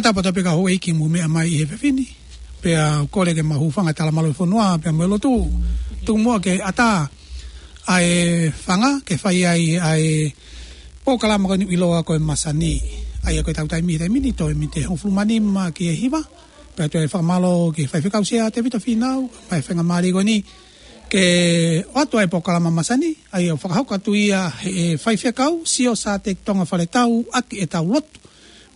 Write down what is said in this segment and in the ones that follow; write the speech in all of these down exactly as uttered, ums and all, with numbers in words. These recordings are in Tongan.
Tapa tau pē ka houʻeiki mou meʻa mai ʻi he efiafi ni. Pea u kole ke mau hūfanga he tala mālohi ʻo e fonua, pea mo e lotu. Tuku muʻa ke ʻatā ʻa e fanga, ke fai ai ʻa e polokalama ko eni ʻoku ʻiloa ko e masani. ʻA ia ko ʻetau taimi he taimi ni, toe mīniti hongofulu mā nima ki he hiva. Pea toe fakamālō ki he faifekau Sea Tēvita Fīnau, ʻa e faingamālie ko eni ke ʻoatu ʻa e polokalama masani, ʻa ia ʻoku fakahoko atu ia ʻe he faifekau, Sio Sateki Tonga Faletau, ʻaki ʻetau lotu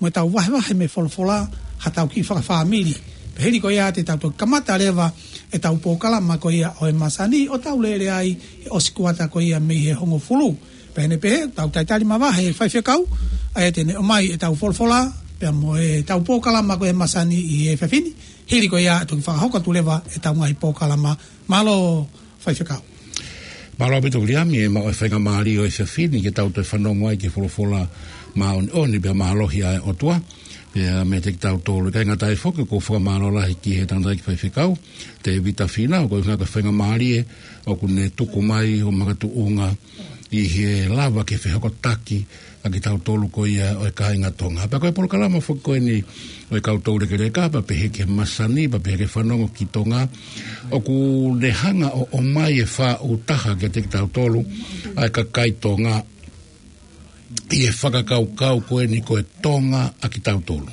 mo ʻetau vahevahe mei he folofola, haʻatau kiʻi fakafāmili. Pea hili ko ia te tau toki kamata leva ʻetau polokalama ko ia ʻo e masani, ʻo tau lele ai he ʻosi kuata ko ia mei he hongofulu. Pea ʻi heʻene pehē, tau talitali mavahe e faifekau, ʻa ia te ne ʻomai ʻetau folofola, pea mo ʻetau polokalama ko e masani ʻi he efiafi ni. Hili ko ia toki fakahoko atu leva ʻetau ngaahi polokalama. Mālō faifekau. Mālō ʻaupito Viliami, ʻe maʻu e faingamālie ʻo e efiafi ni ke tau toe fanongo ai ki he folofola māʻoniʻoni pea mālohi ʻa e ʻOtua. Pea meiate kitautolu, ʻikai ngata ai foki, ʻoku ou fakamālō lahi ki he tangataʻeiki faifekau Tēvita Fīnau, koeʻuhi ko e faingamālie ʻoku ne tuku mai ʻo makatuʻunga ʻi he lava ke fehokotaki ʻa kitautolu ko ia ʻo e kāinga Tonga. Pea ko e polokalama foki ko eni ʻo e kau toulekeleka, pea pehē ki he masani, pea pehē ki he fanongo ki Tonga, ʻoku ne hanga ʻo ʻomai e faʻu taha kiate kitautolu ʻa e kakai Tonga ʻi he fakakaukau ko eni ko e Tonga ʻa kitautolu.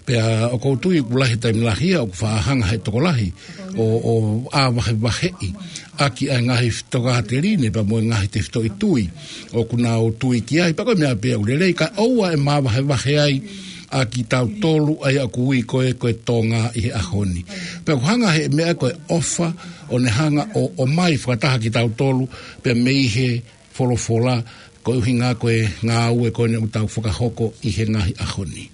Pea ʻoku ou tui ʻoku lahi e taimi lahi ia ʻoku faʻa hanga ʻe he tokolahi ʻo, ʻo ʻā vahevaheʻi ʻaki ʻa e ngaahi tokāteline pea mo e ngaahi tefitoʻi tui ʻoku nau tui ki ai, pea ko e meʻa pē ʻoku lelei, kae ʻoua ʻe māvahevahe ai ʻa kitautolu ʻa ia ʻoku ui ko e, ko e Tonga ʻi he ʻaho ni. Pea ʻoku hanga ʻe he meʻa ko e ʻofa ʻo ne hanga ʻo, ʻomai fakataha kitautolu pea mei he folofola, koeʻuhi ko e ngāue ko eni ʻoku tau fakahoko ʻi he ngaahi ʻaho ni.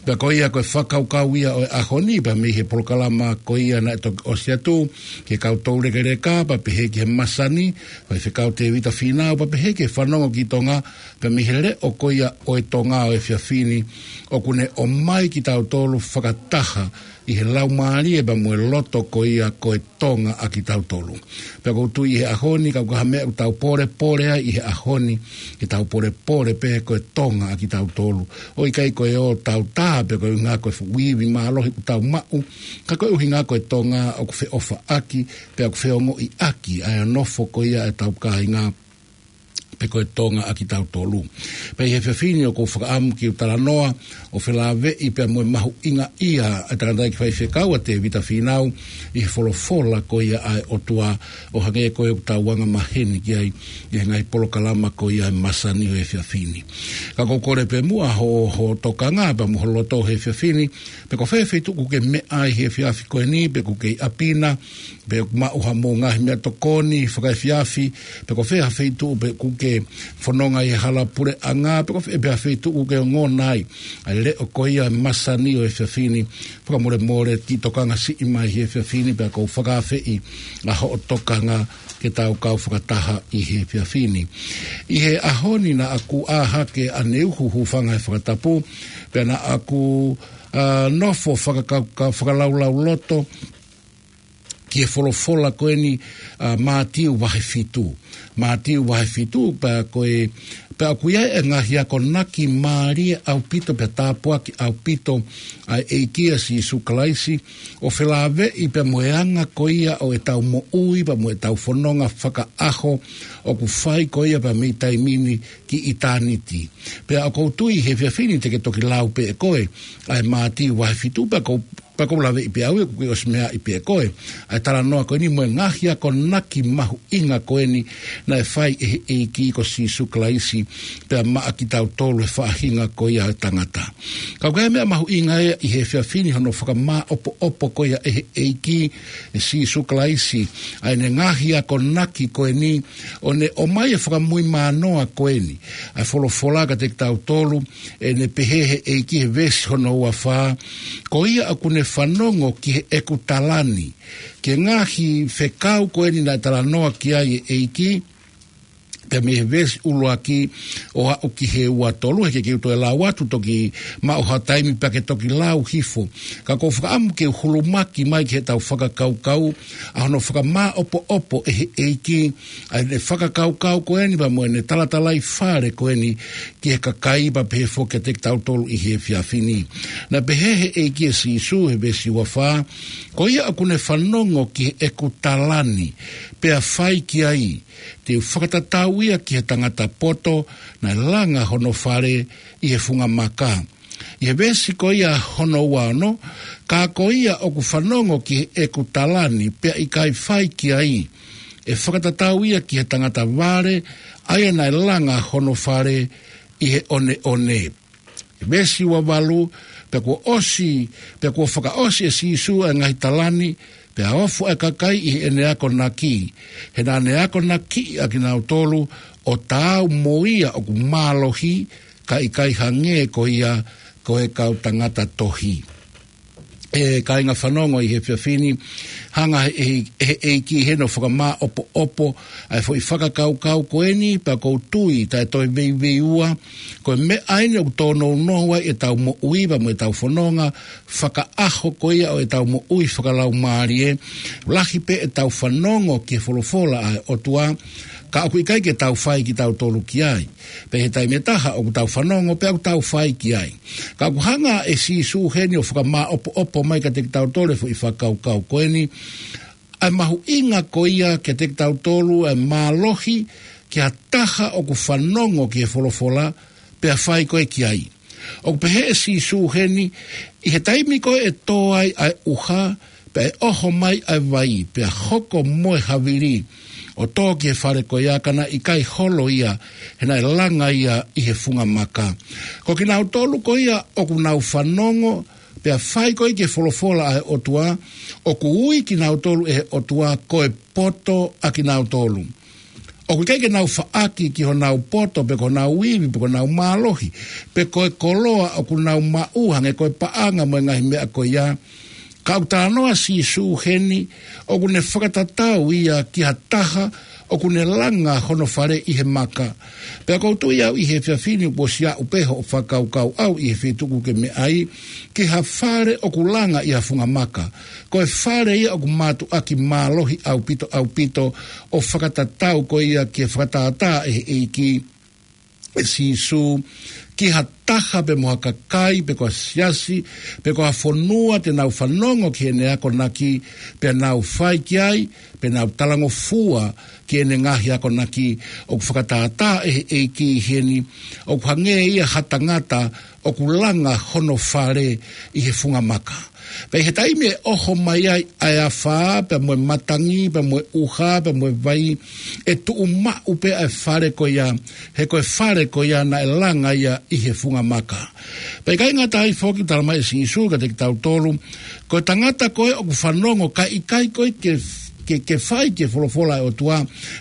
Pea ko ia ko e fakakaukau ia ʻo e ʻaho ni, pea mei he polokalama ko ia naʻe toki ʻosi atu, ki he kau toulekeleka, pea pehē ki he masani, faifekau Tēvita Fīnau, pea pehē ki he fanongo ki Tonga, pea mei he leʻo ko ia ʻo e Tonga ʻo e efiafi ni, ʻoku ne ʻomai kitautolu fakataha ʻi he laumālie pea mo e loto ko ia ko e Tonga ʻa kitautolu. Pea ʻoku ou tui ʻi he ʻaho ni, kapau ko ha meʻa ʻoku tau polepole ai ʻi he ʻaho ni, ke tau polepole pē ko e Tonga ʻa kitautolu. ʻOku ʻikai ko e ō tau tā pē koeʻuhi ko e fuʻu ivi mālohi ʻoku tau maʻu, ka koeʻuhi ko e Tonga ʻoku feʻofaʻaki, pea ʻoku feongoʻiʻaki ʻa e nofo ko ia ʻetau kāinga, pe ko e Tonga ʻa kitautolu. Pea ʻi he efiafi ni ʻoku ou fakaʻamu ke u talanoa ʻo felāveʻi pea mo e mahuʻinga ia ʻa e tangataʻeiki faifekau ʻa Tēvita Fīnau ʻi he folofola ko ia ʻa e ʻOtua, ʻo hangē ko ʻetau anga maheni ki ai ʻi he ngaahi polokalama ko ia ʻa e masani ʻo e efiafi ni. Ka ʻoku ou kole pē muʻa ho, ho tokanga pea mo ho loto he efiafi ni, pe ko fē feituʻu ʻoku ke meʻa ai he efiafi ko eni, pe ʻoku ke ʻi ʻapi na, pe ʻoku maʻu haʻamou ngaahi meʻatokoni fakaefiafi, pe ko fē ha feituʻu pe ʻoku ke fononga ʻi he hala puleʻanga, pe ko fē pē ha feituʻu ʻoku ke ongona ai ʻa e leʻo ko ia masani ʻo e efiafi ni, fakamolemole kiʻi tokanga siʻi mai he efiafi ni, pea ʻoku ou fakaafeʻi ʻa hoʻo tokanga ke tau kau fakataha ʻi he efiafi ni. ʻI he ʻaho ni naʻa ku ʻā hake ʻaneuhu hūfanga he fakatapu, pea naʻa ku, ā, nofo fakakau-, ka-, fakalaulauloto ki he folofola ko eni, ā, Mātiu vahe fitu. Mātiu vahe fitu, pea ko e, pea ʻoku ʻi ai e ngaahi akonaki mālie ʻaupito pea tāpuaki ʻaupito ʻa e ʻEiki ʻa Sīsū Kalaisi, ʻo felāveʻi pea mo e anga ko ia ʻo ʻetau moʻui pea mo ʻetau fononga fakaʻaho ʻoku fai ko ia pea mei taimi ni ki ʻitāniti. Pea ʻoku ou tui he efiafi ni te ke toki lau pē ʻe koe ʻa e Mātiu vahe fitu, pea ʻoku ou pea ʻoku ou laveʻi pē au ia ʻoku ke ʻosi meaʻi pē ʻe koe ʻa e talanoa ko eni mo e ngaahi akonaki mahuʻinga ko eni naʻe fai ʻe he ʻEiki ko Sīsū Kalaisi pea maʻa kitautolu he faʻahinga ko ia ʻo e tangata. Ka ʻoku ʻi ai e meʻa mahuʻinga ia ʻi he efiafi ni, hono fakamāʻopoʻopo ko ia ʻe he ʻEiki ʻe Sīsū Kalaisi ʻa ʻene ngaahi akonaki ko eni, ʻo ne ʻomai e fakamuimanoa ko eni ʻa e folofola kiate kitautolu, ʻene pehē he ʻEiki he veesi hono ua fā, ko ia ʻoku ne fanongo ki heʻeku tala ni, ki he ngaahi fekau ko eni naʻe talanoa ki ai e ʻEiki, Pea mei he veesi ʻuluaki ʻo aʻu ki he ua tolu, he ʻikai ke u toe lau atu, toki maʻu ha taimi pea ke toki lau hifo. Ka ʻoku ou fakaʻamu ke u hulumaki mai ki heʻetau fakakaukau ʻa hono fakamāʻopoʻopo ʻe he ʻEiki ʻa ʻene fakakaukau ko eni pea mo ʻene talatalaifale ko eni ki he kakai, pea pehē foki kiate kitautolu ʻi he efiafi ni. Naʻe pehē ʻe he ʻEiki ʻe Sīsū he veesi ua fā, ko ia ʻoku ne fanongo ki heʻeku tala ni, pea fai ki ai, te u fakatatau ia ki he tangata poto naʻe langa hono fale ʻi he funga maka. ʻI he veesi ko ia hono ua ono, ka ko ia ʻoku fanongo ki heʻeku tala ni, pea ʻikai fai ki ai, ʻe fakatatau ia ki he tangata vale, ʻa ia naʻe langa hono fale ʻi he ʻoneʻone. Veesi ua valu, pea kuo ʻosi, pea kuo fakaʻosi ʻe Sīsū ʻa e ngaahi tala ni, pea ofo ʻa e kakai ʻi heʻene akonaki. He naʻa ne akonakiʻi ʻa kinautolu ʻo taau mo ia ʻoku mālohi, ka ʻikai hangē ko ia ko e kau tangata tohi. ʻE kāinga fanongo ʻi he efiafi ni, hanga ʻe he, ʻe he ʻEiki heni ʻo fakamāʻopoʻopo ʻa e foʻi fakakaukau ko eni, pea ʻoku ou tui taʻe toe veiveiua, ko e meʻa eni ʻoku tōnounou ai ʻetau moʻui pea mo ʻetau fononga fakaʻaho ko ia ʻo ʻetau moʻui fakalaumālie. Lahi pē ʻetau fanongo ki he folofola ʻa e ʻOtua, ka ʻoku ʻikai ke tau fai kitautolu ki ai. Pea ʻi he taimi ʻe taha ʻoku tau fanongo pea ʻoku tau fai ki ai. Ka ʻoku hanga ʻe Sīsū heni ʻo fakamāʻopoʻopo mai kiate kitautolu e foʻi fakakaukau ko eni, ʻa e mahuʻinga ko ia kiate kitautolu ʻa e mālohi ki ha taha ʻoku fanongo ki he folofola, pea fai ko ē ki ai. ʻOku pehē ʻe Sīsū heni, ʻi he taimi ko ē ʻe tō ai ʻa e ʻuha, pea ʻe ʻoho mai ʻa e vai, pea hoko mo e havili, ʻo tō ki he fale ko ia ka naʻe ʻikai holo ia, he naʻe langa ia ʻi he funga maka. Ko kinautolu ko ia ʻoku nau fanongo, pea fai ko ē ki he folofola ʻa e ʻOtua, ʻoku ui kinautolu ʻe he ʻOtua ko e poto ʻa kinautolu. ʻOku ʻikai ke nau faʻaki ki honau poto, pe ko honau ivi, pe ko honau mālohi, pe ko e koloa ʻoku nau maʻu hangē ko e paʻanga mo e ngaahi meʻa ko ia. Ka ʻoku talanoa Sīsū heni, ʻoku ne fakatatau ia ki ha taha ʻoku ne langa hono fale ʻi he maka. Pea ʻoku ou tui au ʻi he efiafi ni kuo ʻosi aʻu pē hoʻo fakakaukau ʻau ʻi he feituʻu ʻoku ke meʻa ai, ki ha fale ʻoku langa ʻi ha funga maka. Ko e fale ia ʻoku mātuʻaki mālohi ʻaupito, ʻaupito, ʻo fakatatau ko ia ki he fakatātā ʻe he ʻEiki ʻe Sīsū, ki ha taha pe mo ha kakai, pe ko ha siasi, pe ko ha fonua te nau fanongo ki heʻene akonaki, pea nau fai ki ai, pea nau talangofua ki heʻene ngaahi akonaki. ʻOku fakatātā ʻe he ʻEiki heni, ʻoku hangē ia ha tangata ʻoku langa hono fale ʻi he funga maka. Pea ʻi he taimi ʻe ʻoho mai ai ʻa e afā, pea mo e matangi, pea mo e ʻuha, pea mo e vai, ʻe tuʻu maʻu pē ʻa e fale ko ia, he ko e fale ko ia naʻe langa ia ʻi he funga maka. Pea ʻikai ngata ai foki, talamai ʻe Sīsū kiate kitautolu, ko e tangata ko ē ʻoku fanongo kae ʻikai ko ē ke, ke, ke fai ki he folofola ʻa e ʻOtua,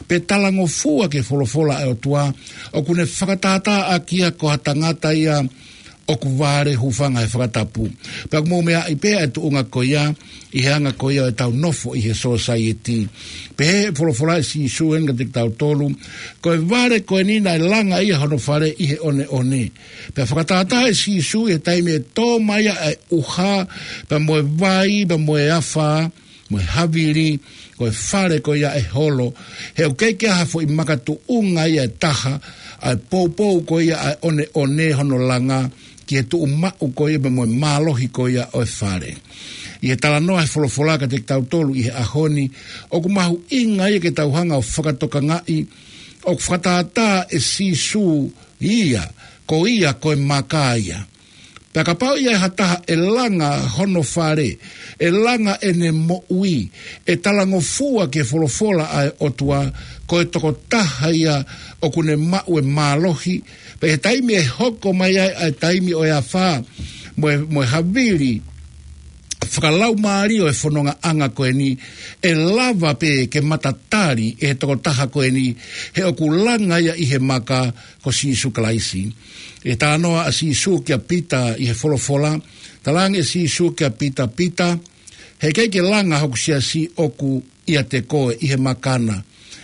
pe talangofua ki he folofola ʻa e ʻOtua, ʻoku ne fakatātā ʻaki ia ko ha tangata ia ʻoku vale, hūfanga he fakatapu. Pea ʻoku mou meaʻi pē ʻa e tuʻunga ko ia, ʻi he anga ko ia ʻetau nofo ʻi he sōsaieti. Pehē ʻe he folofola ʻa Sīsū heni kiate kitautolu, ko e vale ko eni naʻe langa ia hono fale ʻi he ʻoneʻone. Pea fakatātā ʻe Sīsū ʻi he taimi ʻe tō mai ai ʻa e ʻuha, pea mo e vai, pea mo e afā, mo e havili, ko e fale ko ia ʻe holo, he ʻoku ʻikai ke ʻi ai ha foʻi makatuʻunga ia ʻe taha, ʻa e poupou ko ia ʻa e ʻoneʻone hono langa, ki he tuʻu maʻu ko ia pea mo e mālohi ko ia ʻo e fale. ʻI he talanoa he folofola kiate kitautolu ʻi he ʻaho ni, ʻoku mahuʻinga ia ke tau hanga ʻo fakatokangaʻi, ʻoku fakatātā ʻe Sīsū ia, ko ia ko e maka ia. Pea kapau ʻe ʻi ai ha taha ʻe langa hono fale, ʻe langa ʻene moʻui, ʻe talangofua ki he folofola ʻa e ʻOtua, ko e tokotaha ia ʻoku ne maʻu e mālohi. Pea ʻi he taimi ʻe hoko mai ai ʻa e taimi ʻo e afā, mo e, mo e havili fakalaumālie ʻo e fonongaʻanga ko eni, ʻe lava pē ke matatali ʻe he tokotaha ko eni, he ʻoku langa ia ʻi he maka, ko Sīsū Kalaisi. ʻI he talanoa ʻa Sīsū kia Pita ʻi he folofola, talaange ʻe Sīsū kia Pita, Pita, heʻikai ke langa hoku siasi ʻoku ʻiate koe ʻi he maka na.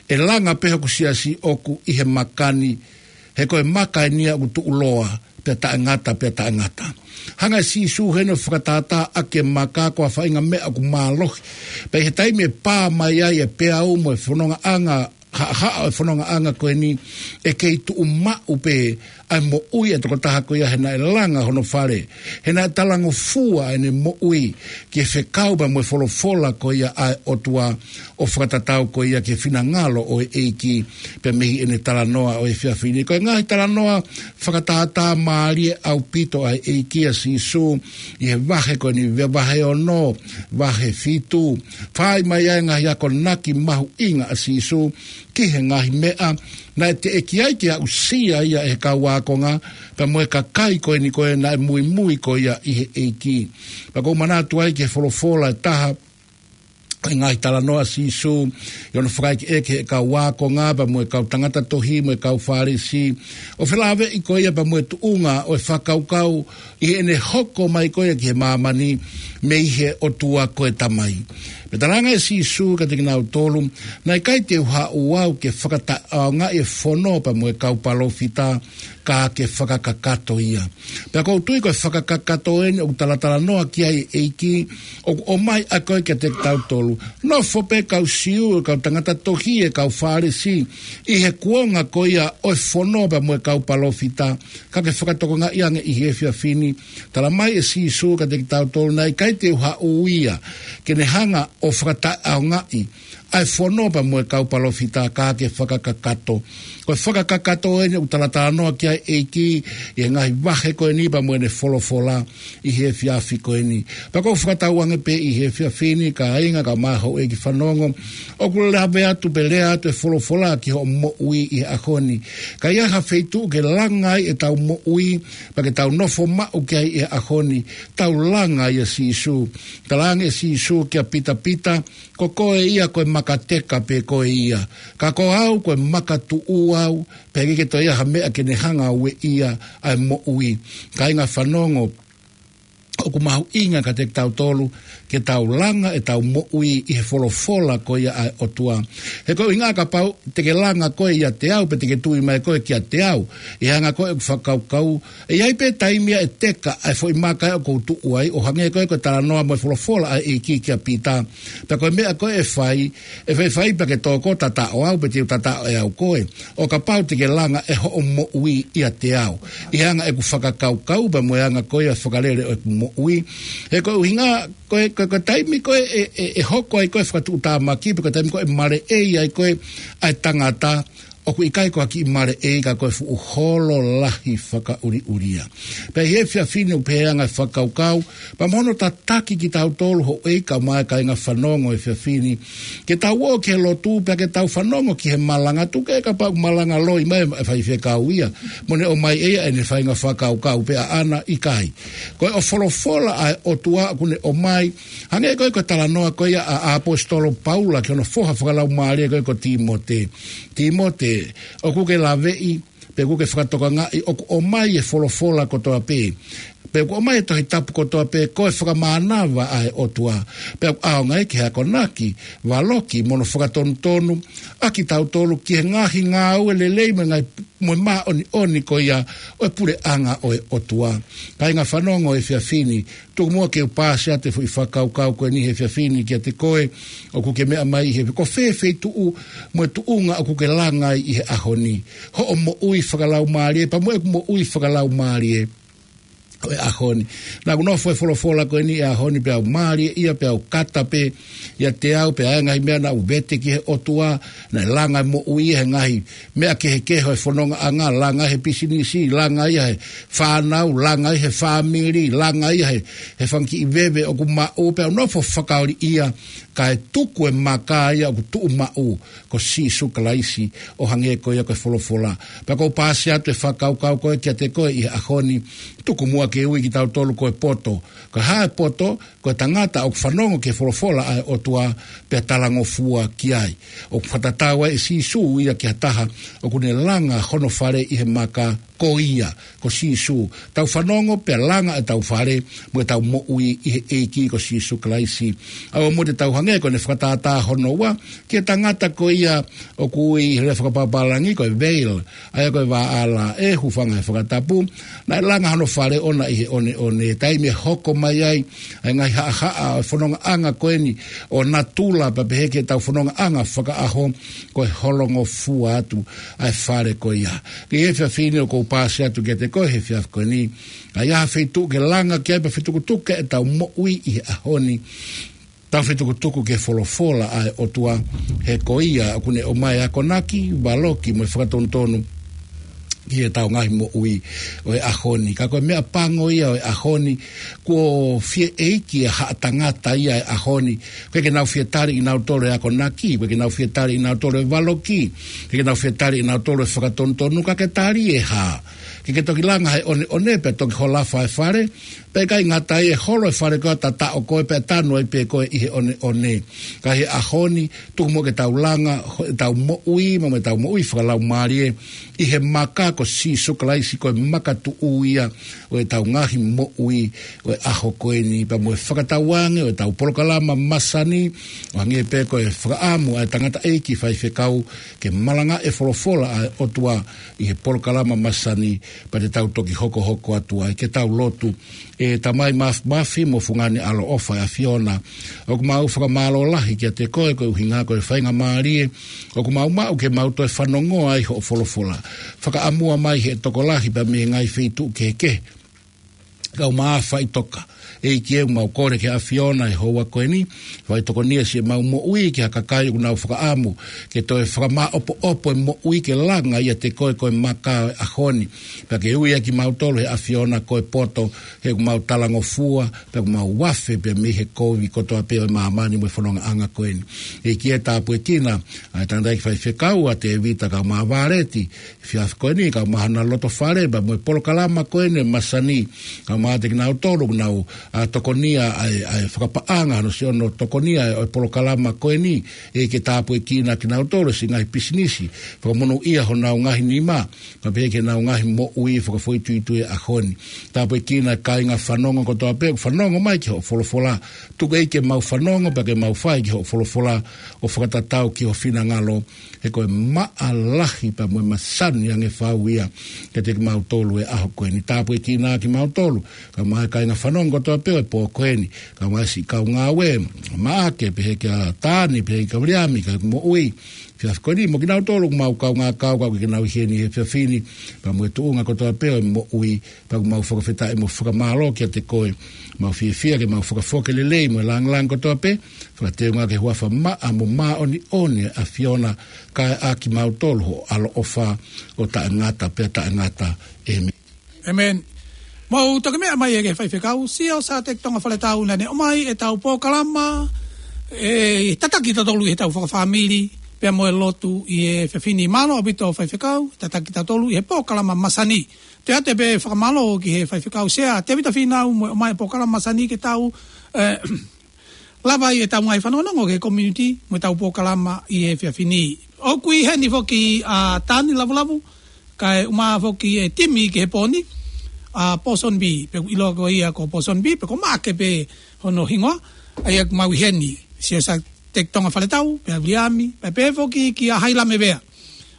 ʻe langa pē hoku siasi ʻoku ʻi he maka ni, he ko e maka eni ia ʻoku tuʻuloa pea taʻengata, pea taʻengata. Hanga ʻe Sīsū heni ʻo fakatātā ʻaki e maka ko ha faʻahinga meʻa ʻoku mālohi. Pea ʻi he taimi ʻe pā mai ai e peau mo e fonongaʻanga, haʻahaʻa ʻo e fonongaʻanga ko eni, ʻe kei tuʻu maʻu pē ʻa e moʻui ʻa e tokotaha ko ia he naʻe langa hono fale, he naʻe talangofua ʻene moʻui ki he fekau pea mo e folofola ko ia ʻa e ʻOtua, ʻo fakatatau ko ia ki he finangalo ʻo e ʻEiki, pea mei heʻene talanoa ʻo e efiafi ni. Ko e ngaahi talanoa fakatātā mālie ʻaupito ʻa e ʻEiki ʻa Sīsū ʻi he vahe ko eni, vahe ono, vahe fitu. Fai mai ai e ngaahi akonaki mahuʻinga ʻa Sīsū ki he ngaahi meʻa naʻe teʻeki ai ke aʻusia ia ʻe he kau ākonga pea mo e kakai ko eni ko ē naʻe muimui ko ia ʻi he ʻEiki. Pea ʻoku ou manatu ai ki he folofola ʻe taha, ʻi he ngaahi talanoa ʻa Sīsū ʻi hono fakaʻekeʻeke ʻa e kau ākonga pea mo e kau tangata tohi mo e kau Fālesi, ʻo felāveʻi ko ia pea mo e tuʻunga ʻo e fakakaukau ʻi heʻene hoko mai ko ia ki he māmani mei he ʻOtua ko e Tamai. Pea talaange ʻe Sīsū kiate kinautolu, naʻe ʻikai te u haʻu au ke fakataʻeʻaongaʻi e fono pea mo e kau palōfita, ka ke fakakakato ia. Pea ʻoku ou tui ko e fakakakato eni ʻoku talatalanoa ki ai e ʻEiki, ʻoku ʻomai ʻa koe kiate kitautolu. Nofo pē kau Siu, e kau tangata tohi, e kau Fālesi, ʻi he kuonga ko ia ʻo e fono pea mo e kau palōfita, ka ke fakatokangaʻi ange ʻi he efiafi ni. Talamai ʻe Sīsū kiate kitautolu, naʻe ʻikai te u haʻu ia ke ne hanga ʻo fakataʻeʻaongaʻi ʻa e fono pea mo e kau palōfita, ka ke fakakakato. Ko e fakakakato eni ʻoku talatalanoa ki ai e ʻEiki ʻi he ngaahi vahe ko eni pea mo ʻene folofola ʻi he efiafi ko eni. Pea ʻoku ou fakatauange pē ʻi he efiafi ni, kāinga, kaeʻumaʻā houʻeiki fanongo, ʻoku lave atu pē, lea atu e folofola ki hoʻo moʻui ʻi he ʻaho ni. Ka ʻi ai ha feituʻu ke langa ai ʻetau moʻui, pea ke tau nofo maʻu ki ai ʻi he ʻaho ni, tau langa ai ʻa Sīsū. Talaange ʻe Sīsū kia Pita, Pita, ko koe ia ko e maka teka pē koe ia. Ka ko au ko e maka tuʻu au, pea ʻikai ke toe ʻi ai ha meʻa ke ne hanga ʻo ueʻia ʻa e moʻui. Kāinga fanongo, ʻoku mahuʻinga kiate kitautolu ke tau langa ʻetau moʻui ʻi he folofola ko ia ʻa e ʻOtua. He ko e ʻuhinga kapau te ke langa koe ʻiate au, pe te ke tui mai koe kiate au, ʻi he anga ko ē ʻeku fakakaukau, ʻe ʻi ai pē taimi ia ʻe teka ʻa e foʻi maka ʻoku ou tuʻu ai, ʻo hangē ko ē ko e talanoa mo e folofola ʻa e ʻEiki kia Pita. Pea ko e meʻa ko ē ʻe fai, ʻe faifai pea ke tō koe ʻo tataʻo au, pe te u tataʻo ʻe au koe, ʻo kapau te ke langa ʻe hoʻo moʻui ʻiate au, ʻi he anga ʻeku fakakaukau pea mo e anga ko ia e fakalele ʻo ʻeku moʻui. He ko e ʻuhinga, ko e, ko e, ko e taimi ko ē ʻe, ʻe, ʻe hoko ai ko ē e fakatuʻutāmaki, pe ko e taimi ko ē ʻe maleʻei ai ko ē ʻa e tangata, ʻoku ʻikai ko ha kiʻi maleʻei, ka ko e fuʻu holo lahi fakaʻuliʻulia. Pea ʻi he efiafi ni ʻoku pehē anga e fakakaukau, pea mo hono tataki kitautolu houʻeiki kaeʻumaʻā e kāinga fanongo he efiafi ni, ke tau ō ki he lotu pea ke tau fanongo ki he malanga, tuku ke kapau malanga loi mai e faifekau ia, mo ne ʻomai ʻe ia ʻene faʻahinga fakakaukau pē ʻaʻana, ʻikai. Ko e ʻo folofola ʻa e ʻOtua ʻoku ne ʻomai, hangē ko ē ko e talanoa ko ia ʻa, ʻa e ʻaposetolo Paula ki hono foha fakalaumālie ko ē ko Tīmote. Tīmote, ʻoku ke laveʻi, pea ʻoku ke fakatokangaʻi ʻoku ʻomai e folofola kotoa pē, pea ʻoku ʻomai e Tohi Tapu kotoa pē ko e fakamānava ʻa e ʻOtua, pea ʻoku ʻaonga ia ki he akonaki, valoki mo hono fakatonutonu ʻa kitautolu ki he ngaahi ngāue lelei mo e ngaahi, mo e māʻoniʻoni ko ia ʻo e puleʻanga ʻo e ʻOtua. Kāinga fanongo he efiafi ni, tuku muʻa ke u paasi atu e foʻi fakakaukau ko eni he efiafi ni kiate koe ʻoku ke meʻa mai he, ko fē feituʻu mo e tuʻunga ʻoku ke langa ai ʻi he ʻaho ni hoʻo moʻui fakalaumālie, pea mo ʻeku moʻui fakalaumālie ʻo e ʻaho ni. Naʻa ku nofo he folofola ko eni he ʻaho ni pea u mālieʻia, pea u kata pē ʻiate au, pea ʻi ai e ngaahi meʻa naʻa ku vete ki he ʻOtua, naʻe langa e moʻui he ngaahi meʻa kehekehe ʻo e fonongaʻanga, langa he pisinisi, langa ia he fānau, langa ia he fāmili, langa ia he, he fanga kiʻi veve ʻoku maʻu, pea u nofo fakaoliʻia, kae tuku e maka ia ʻoku tuʻu maʻu, ko Sīsū Kalaisi, ʻo hangē ko ia ko e folofola. Pea ʻoku ou paasi atu e fakakaukau ko ē kiate koe ʻi he ʻaho ni, tuku muʻa ke ui kitautolu ko e poto. Ko e hā e poto? Ko e tangata ʻoku fanongo ki he folofola ʻa e ʻOtua pea talangofua ki ai. ʻOku fakatatau ai ʻe Sīsū ia ki ha taha ʻoku ne langa hono fale ʻi he maka, ko ia, ko Sīsū. Tau fanongo pea langa ʻetau fale mo ʻetau moʻui ʻi he ʻEiki ko Sīsū Kalaisi. ʻA ia ʻoku tau hangē ko ʻene fakatātā hono ua ki he tangata ko ia ʻoku ui he lea fakapapālangi ko e veil, ʻa ia ko e vaʻala ʻe hūfanga he fakatapu. Naʻe langa hono fale ʻoʻona ʻi he ʻoneʻone, taimi ʻe hoko mai ai ʻa e ngaahi haʻahaʻa ʻo e fonongaʻanga ko eni ʻo natula pea pehē ki heʻetau fonongaʻanga fakaʻaho, ko e holongofua atu ʻa e fale ko ia. Ko e efiafi ni ʻoku ou paasi atu kiate koe he efiafi ko eni, ʻa ia ha feituʻu ke langa ki ai pea fetukutuku ʻetau moʻui ʻi he ʻaho ni. Tau fetukutuku ki he folofola ʻa e ʻOtua, he ko ia ʻoku ne ʻomai e akonaki, valoki mo e fakatonutonu ki heʻetau ngaahi moʻui ʻo e ʻaho ni. Ka ko e meʻa pango ia ʻo e ʻaho ni, kuo fie ʻeiki ʻa haʻa tangata ia ʻo e ʻaho ni. ʻOku ʻikai ke nau fie tali ʻe kinautolu e akonaki, ʻoku ʻikai ke nau fie tali ʻe kinautolu e valoki, ʻoku ʻikai ke nau fie tali ʻe kinautolu e fakatonutonu, ka ke tali e hā? Ke ke toki langa he ʻoneʻone pea toki holofa e fale, pea ʻikai ngata ai, ʻe holo e fale ko ia ʻo tataʻo koe pea tanu ai pē koe ʻi he ʻoneʻone. Ka he ʻaho ni, tuku muʻa ke tau langa ho-, ʻetau moʻui, mo ʻetau moʻui fakalaumālie ʻi he maka ko Sīsū Kalaisi, ko e makatuʻu ia ʻo ʻetau ngaahi moʻui ʻo e ʻaho ko eni, pea mo e fakatauange ʻo ʻetau polokalama masani, ʻo hangē pē ko e fakaʻamu ʻa e tangataʻeiki faifekau ke malangaʻi e folofola ʻa e ʻOtua ʻi he polokalama masani, pea te tau toki hokohoko atu ai. Ke tau lotu. ʻE Tamai māfimafi mo fungani ʻaloʻofa ʻa e ʻAfiona, ʻoku mau fakamālō lahi kiate koe koeʻuhinga ko e faingamālie ʻoku mau maʻu ke mau toe fanongoa ai hoʻo folofola. Fakaʻamua mai ʻe he tokolahi pea mei he ngaahi feituʻu kehekehe ke mau faʻitoka. ʻEiki ē, mau kole ki he ʻAfiona he houa ko eni, fai tokoni ʻa siʻemau moʻui ki ha kakai ʻoku nau fakaʻamu ke toe fakamāʻopoʻopo e moʻui ke langa ʻiate koe ko e maka ʻo e ʻaho ni. Pea ke ui ʻa kimautolu ʻe he ʻAfiona ko e poto, he ʻoku mau talangofua, pea ʻoku mau afe pea mei he kovi kotoa pē ʻo e māmani mo e fonongaʻanga ko eni. ʻEiki ē, tāpuekina ʻa e tangataʻeiki faifekau ʻa Tēvita kae ʻumaʻā Vāleti, efiafi ko eni, kae ʻumaʻā hona loto fale, pea mo e polokalama ko eni ʻo e masani, kae ʻumaʻā ʻa kinautolu ʻoku nau, ʻa, tokonia ʻa e, ʻa e fakapaʻanga, hano siʻono tokonia ʻo e polokalama ko eni, ʻEiki tāpuekina kinautolu, siʻi ngaahi pisinisi, fakamonūʻia honau ngaahi nima, pea pehē ki heʻenau ngaahi moʻui fakafoʻituitui he ʻaho ni. Tāpuekina e kāinga fanongo kotoa pē ʻoku fanongo mai ki hoʻo folofola. Tuku ʻEiki ke mau fanongo, pea ke mau fai ki hoʻo folofola ʻo fakatatau ki ho finangalo, he ko e maʻa lahi pea mo e masani ange fau ia kiate kimautolu he ʻaho ko eni. Tāpuekina kimautolu, kae ʻumaʻā e kāinga fanongo kotoa pē ʻo e pō ko eni, kae ʻumaʻā siʻi kau ngāue, Maʻake, pehē kia Tani, pehē kia Viliami, kae moʻui he efiafi ko eni, mo kinautolu ʻoku mau kaungā kau, ka ʻoku ʻikai ke nau ʻi heni he efiafi ni, pea mo e tuʻunga kotoa pē ʻo e moʻui, pea ʻoku mau fakafetaʻi mo fakamālō kiate koe, mau fiefia ke mau fakafoki e lelei mo e lāngilangi kotoa pē, fakateunga ki he huafa maʻa mo māʻoniʻoni ʻo e ʻAfiona, kae ʻaki kimautolu hoʻo ʻaloʻofa ʻo taʻengata pea taʻengata. ʻĒmeni. ʻĒmeni. Mou toki meʻa mai ē ki he faifekau, Siaosa Teki Tonga Faletau, naʻa ne ʻomai ʻetau polokalama, ʻe tataki tautolu ʻi heʻetau fakafāmili, pea mo e lotu ʻi he efiafi ni. Mālō ʻaupito faifekau, tataki tautolu ʻi he polokalama masani. Toe ʻoatu pē fakamālō ki he faifekau Sea Tēvita Fīnau mo e ʻomai e polokalama masani ke tau, ē, lava ai ʻetau ngaahi fanongonongo ki he community mo ʻetau polokalama ʻi he efiafi ni. ʻOku ʻi heni foki ʻa Tani Lavulavu, kae ʻumaʻā foki e timi ki he pō ni, ʻa Pōsonbi, pea ʻoku ʻiloa ko ia ko Pōsonbi, pea ko Maʻake pē hono hingoa, ʻa ia ʻoku mau ʻi heni, Siaosa Teki Tonga Faletau, pea Viliami, pea pehē foki kia Hailame Vea.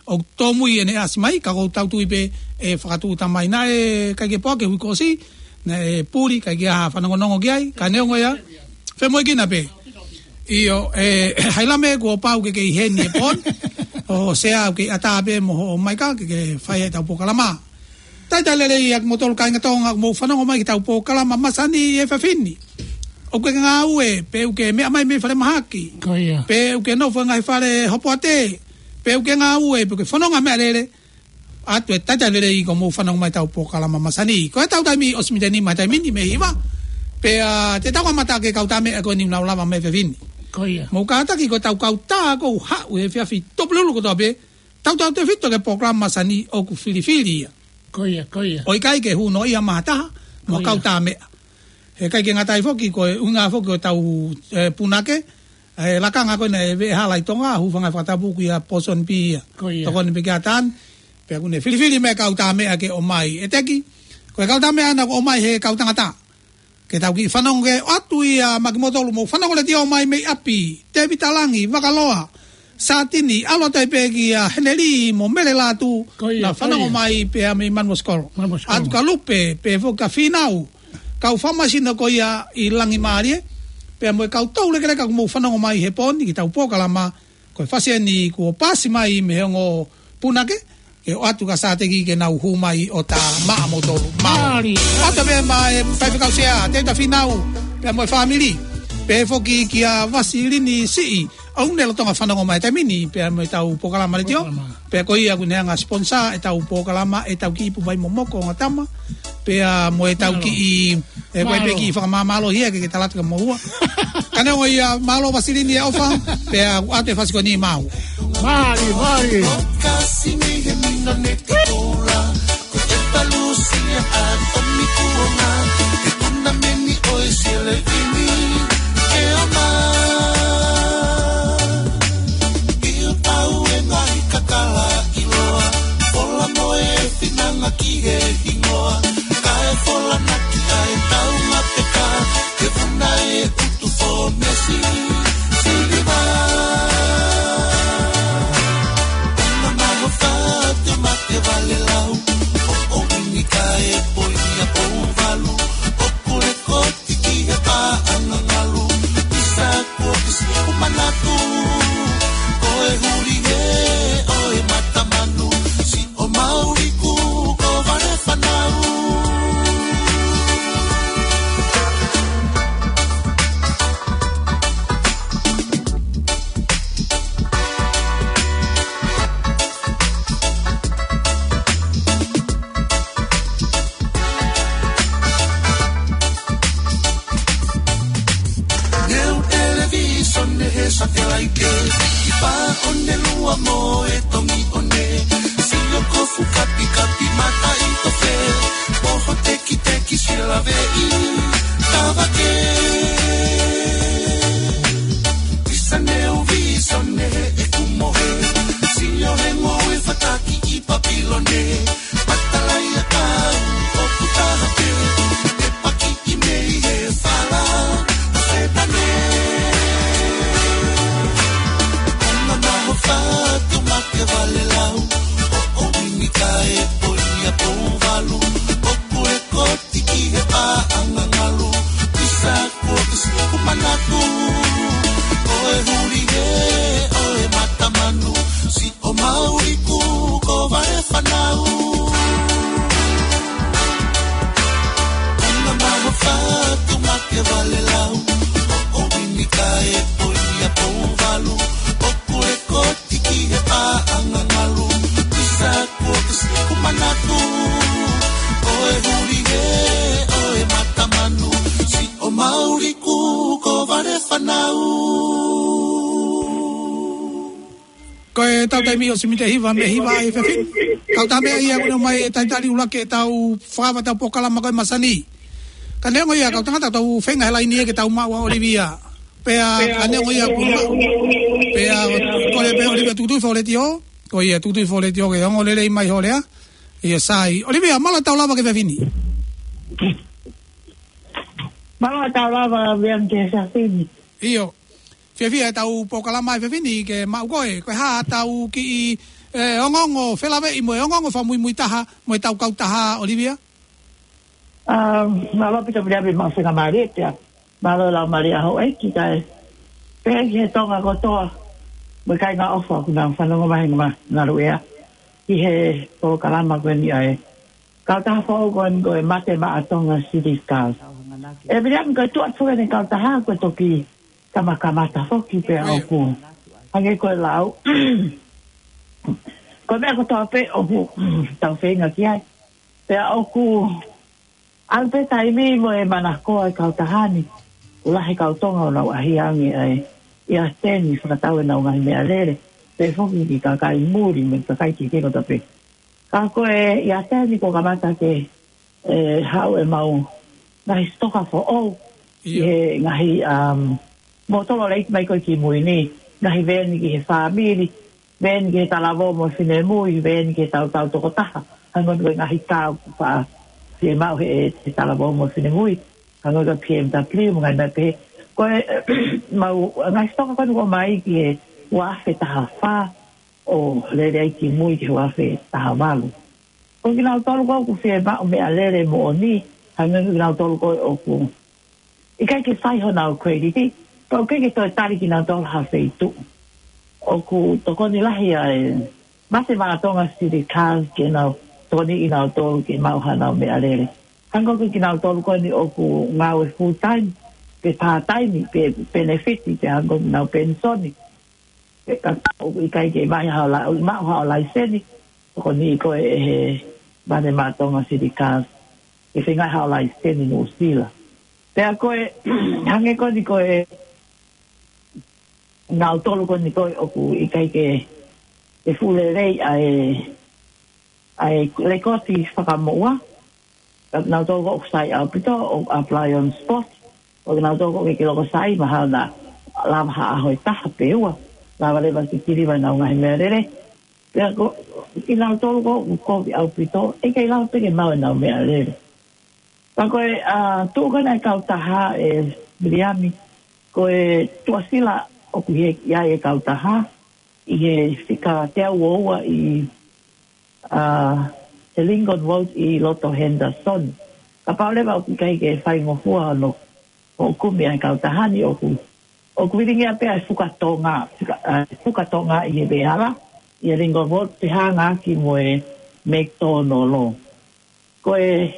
ʻOku tōmui ʻene ʻasi mai, ka ʻoku ou tui pē ʻe fakatūʻuta mai. Naʻe ʻikai ke poaki e hui kuo ʻosi, naʻe puli, ʻikai ke ʻi ai ha fanongonongo ki ai, ka neongo ia, femoʻuekina pē. ʻIo, ē, Hailame, kuo pau ke ke ʻi heni he pō ni, ʻo Sea ʻoku ke ʻatā pē mo hoʻo maika ke ke fai ʻetau polokalama. Talitali lelei ʻa kimoutolu kāinga Tonga ʻoku mou fanongo mai ki heʻetau polokalama masani he efiafi ni. ʻOku ke ngāue, pe ʻoku ke meʻa mai mei falemahaki. Ko ia. Pe ʻoku ke nofo he ngaahi fale hopoate, pe ʻoku ke ngāue, pe ʻoku ke fononga meʻalele, ʻoatu e talitali lelei kuo mou fanongo mai heʻetau polokalama masani. Ko ʻetau taimi ʻosi mita nima he taimi ni mei he hiva. Pea te tau kamata ke kau tā meʻa ko eni ʻoku nau lava mai he efiafi ni. Ko ia. Mou kātaki ko ʻetau kau tā ʻoku haʻu he efiafi Tupululu kotoa pē, tautautefito ki he polokalama masani ʻoku filifili ia. Ko ia, ko ia. ʻOku ʻikai ke hū noaʻia mai ha taha, mo e kau tā meʻa. He ʻikai ke ngata ai foki, ko e ʻuhinga foki ʻo ʻetau, ē, punake, ʻa e lakanga ko ena ʻe Veʻehala ʻi Tonga, hūfanga he fakatapu ko ia Pōsoni Pī ia. Ko ia. Tokoni pē ki he ʻatā ni, pea ʻoku ne filifili mei he kau tā meʻa ke ō mai. ʻEteki, ko e kau tā meʻa ena ʻoku ō mai he kau tangata. Ke tau kiʻi fanongo ki ai, ʻoatu ia maʻa kimoutolu, mou fanongo letiō mai mei ʻapi, Tēvita Langi, Vakaloa, Sātini, ʻalu atu ai pē kia Heneli mo Mele Lātū, Ko ia, naʻa fanongo ko ia. mai pea mei Manuʻa Sikolo. Manuʻa Sikolo. ʻAtu kia Lupe, pea foki kia Fīnau, kau famasino ko ia ʻi Langimālie, pea mo e kau toulekeleka kuo mou fanongo mai he pō ni ki heʻetau polokalama, ko e fasi eni kuo pasi mai mei he ongo punake, ke ʻoatu kia Sāteki ke nau hū mai ʻo tā maʻa moutolu. Mālō. Mālō. ʻOatu pē maʻa e faifekau sea, Tēvita Fīnau, pea mo e fāmili. Pea foki kia Vasilini Siʻi, ʻoku ne lolotonga fanongo mai he taimi ni, pea mo ʻetau polokalama letiō. Polokalama. Pea ko ia ʻoku ne hanga sponsor ʻetau polokalama, ʻetau kiʻi ipu vai momoko ongo tama. Pea mo ʻetau Mālō. kiʻi, ʻe, ko e Mālō. pē kiʻi fakamāmālohi ia ke, ke tala atu kia moua. Ka neongo ia, mālō Vasilini e ʻofa, pea ʻoatu e fasi ko eni maʻau. Mālō, mālō. Kasi ni he mino ne te koula, ko e palusi a tomi kuonga, e tuna meni ʻo e sele vini, ke ama. ʻI ʻo tau e ngaahi kakala ʻiloa, fola mo e finanga ki he hingoa, kae fola naki ai tau mapeka, ke funa e utu fōmesi, siliva. Ona maho fatu mate vale lau, ʻo ʻomi ni kae poi ni a pou valu, ʻo kule ko Tiki he paʻanga ngalu, pisa kuo pisi ku manatu. Ko e huli he ʻo e matamanu, siʻo mauli ku ko vale fanau. Neu televīsone he satelaite, ʻi pā ʻo ne lua mo e tongi ʻo ne, sio kofu kapikapi mata ʻi tofe, poho tekiteki sila veʻi, tavake. Pisa neu vīsone he ʻeku mohe, sio he ngoue fataki ʻi Papilone, matalai a kau ʻoku taha pē, e paki ʻi mei he fala, ʻo Setane. Ona maho fatu mate vale lau, ʻo ʻomi ni kae poi ni a pou valu, ʻo kule ko Tiki he paʻanga ngalu, pisa kuo pisi ku manatu. Ko e huli he ʻo e matamanu, siʻo mauli ku ko vale fanau. Ona maho fatu mate vale lau, ʻo ʻomi ni kae poi ni a pou valu, ʻo kule ko Tiki he paʻanga ngalu, pisa kuo pisi ku manatu. Ko e huli he ʻo e matamanu, siʻo mauli ku ko vale fanau. Ko ʻetau taimi ʻosi mei he hiva, mei he hiva ʻa e efiafi ni. Kau tā meʻa ia ʻoku ne ō mai e talitali ʻuluaki ʻetau fakava ʻetau polokalama ko e masani. Ka neongo ia kau tangata tau feinga he laini ia ke tau maʻu ʻa ʻOlivia. Pea, ka neongo ia kuo maʻu. Pea, kole pē ʻOlivia tukutuku fo letiō. Ko ia tukutuku fo letiō ke ongo lelei mai ho lea. ʻIo sai. ʻOlivia, mālō e tau lava ki he efiafi ni. Mālō e tau lava Vian ki he efiafi ni. ʻIo. Fiefia ʻetau polokalama he efiafi ni ke maʻu koe. Ko e hā ʻetau kiʻi, ē, ongoongo felāveʻi mo e ongoongo fakamuimui taha mo ʻetau kautaha ʻOlivia? ʻA, mālō ʻaupito Vian, mālō e faingamālie pea. Mālō e laumālie ʻa houʻeiki kae pehē ki he Tonga kotoa mo e kāinga ʻofa ʻoku nau fanongo mai he ngaahi ngaluʻea ki he polokalama ko eni ʻa e kautaha foʻou ko eni ko e Mate Maʻa Tonga City Scouts. ʻE Vian, ko e tuʻa foki eni kautaha ko e toki kamakamata foki pea ʻoku hangē ko e lau ko e meʻa kotoa pē ʻoku tau feinga ki ai. Pea ʻoku ʻalu pē taimi mo e manako ʻa e kautaha ni. ʻOku lahi e kau Tonga ʻoku nau ʻaʻahi ange ai ʻi ʻAteni fakatau ʻenau ngaahi meʻalele. Pea foki ki he kakai muli mo e kakai kehekehe kotoa pē. Ka ko e ʻi ʻAteni kuo kamata ke, ē, haʻu ʻemau ngaahi sitoka foʻou, ʻi he ngaahi, um, motolo lei mai ko ē ki mui ni, ngaahi veeni ki he fāmili, veeni ki he talavou mo e finemui, veeni ki he tautau tokotaha, hangē ko e ngaahi kau faʻa fiemaʻu he, he talavou mo e finemui, hangē ko e P M W, mo e ngaahi meʻa pehē. Ko e, mau, ngaahi sitoka ko eni ʻoku ʻomai ki he ua afe taha fā, ʻo lele ai ki mui ki he ua afe taha valu. Ko kinautolu ko ē ʻoku fiemaʻu meʻalele moʻoni, hangē ko kinautolu ko ē ʻoku ʻikai ke fai honau credit, pea ʻoku ʻikai ke toe tali kinautolu ha feituʻu. ʻOku tokoni lahi ʻa e Mate Maʻa Tonga City Cars ke nau tokoni kinautolu ke maʻu hanau meʻalele. Hangē ko kinautolu ko eni ʻoku ngāue full time, pe part time, pe benefit, pe hangē ko ʻenau penisoni. Pe ka ʻoku ʻikai ke maʻu haʻo la-, maʻu haʻo laiseni, tokoni ko ē ʻe he Mate Maʻa Tonga City Cars ke feinga haʻo laiseni Nuʻusila. Pea ko e, hangē ko eni ko e, nautolu ko eni ko ē ʻoku ʻikai ke, ke fuʻu lelei ʻa e, ʻa e lekooti fakamoʻua, ka nautolu ko ē ʻoku sai ʻaupito ʻo apply on spot, ʻo nautolu ko ē ʻoku ʻikai ke loko sai, mahalo naʻa lava ha ʻaho ʻe taha pe ua, lava leva ke kiliva ʻenau ngaahi meʻalele. Pea ko, kinautolu ko ē ʻoku kovi ʻaupito, ʻe ʻikai lava pē ke maʻu ʻenau meʻalele. Ka ko e, ʻa, tuʻu ko ena e kautaha ʻe Viliami, ko e tuʻasila ʻoku ʻi ai e kautaha, ʻi he fika teau ua ua ʻi, ʻa, he Lincoln Road ʻi loto Henderson. Kapau leva ʻoku ʻikai ke faingofua hono, hoʻo kumi ʻa e kautaha ni ʻoku, ʻoku vilingia pē ʻa e Fuka Tonga, Fuka, ʻa, Fuka Tonga ʻi he veʻehala, ʻi he Lincoln Road, pea hangē ki mo e McDonald. Ko e,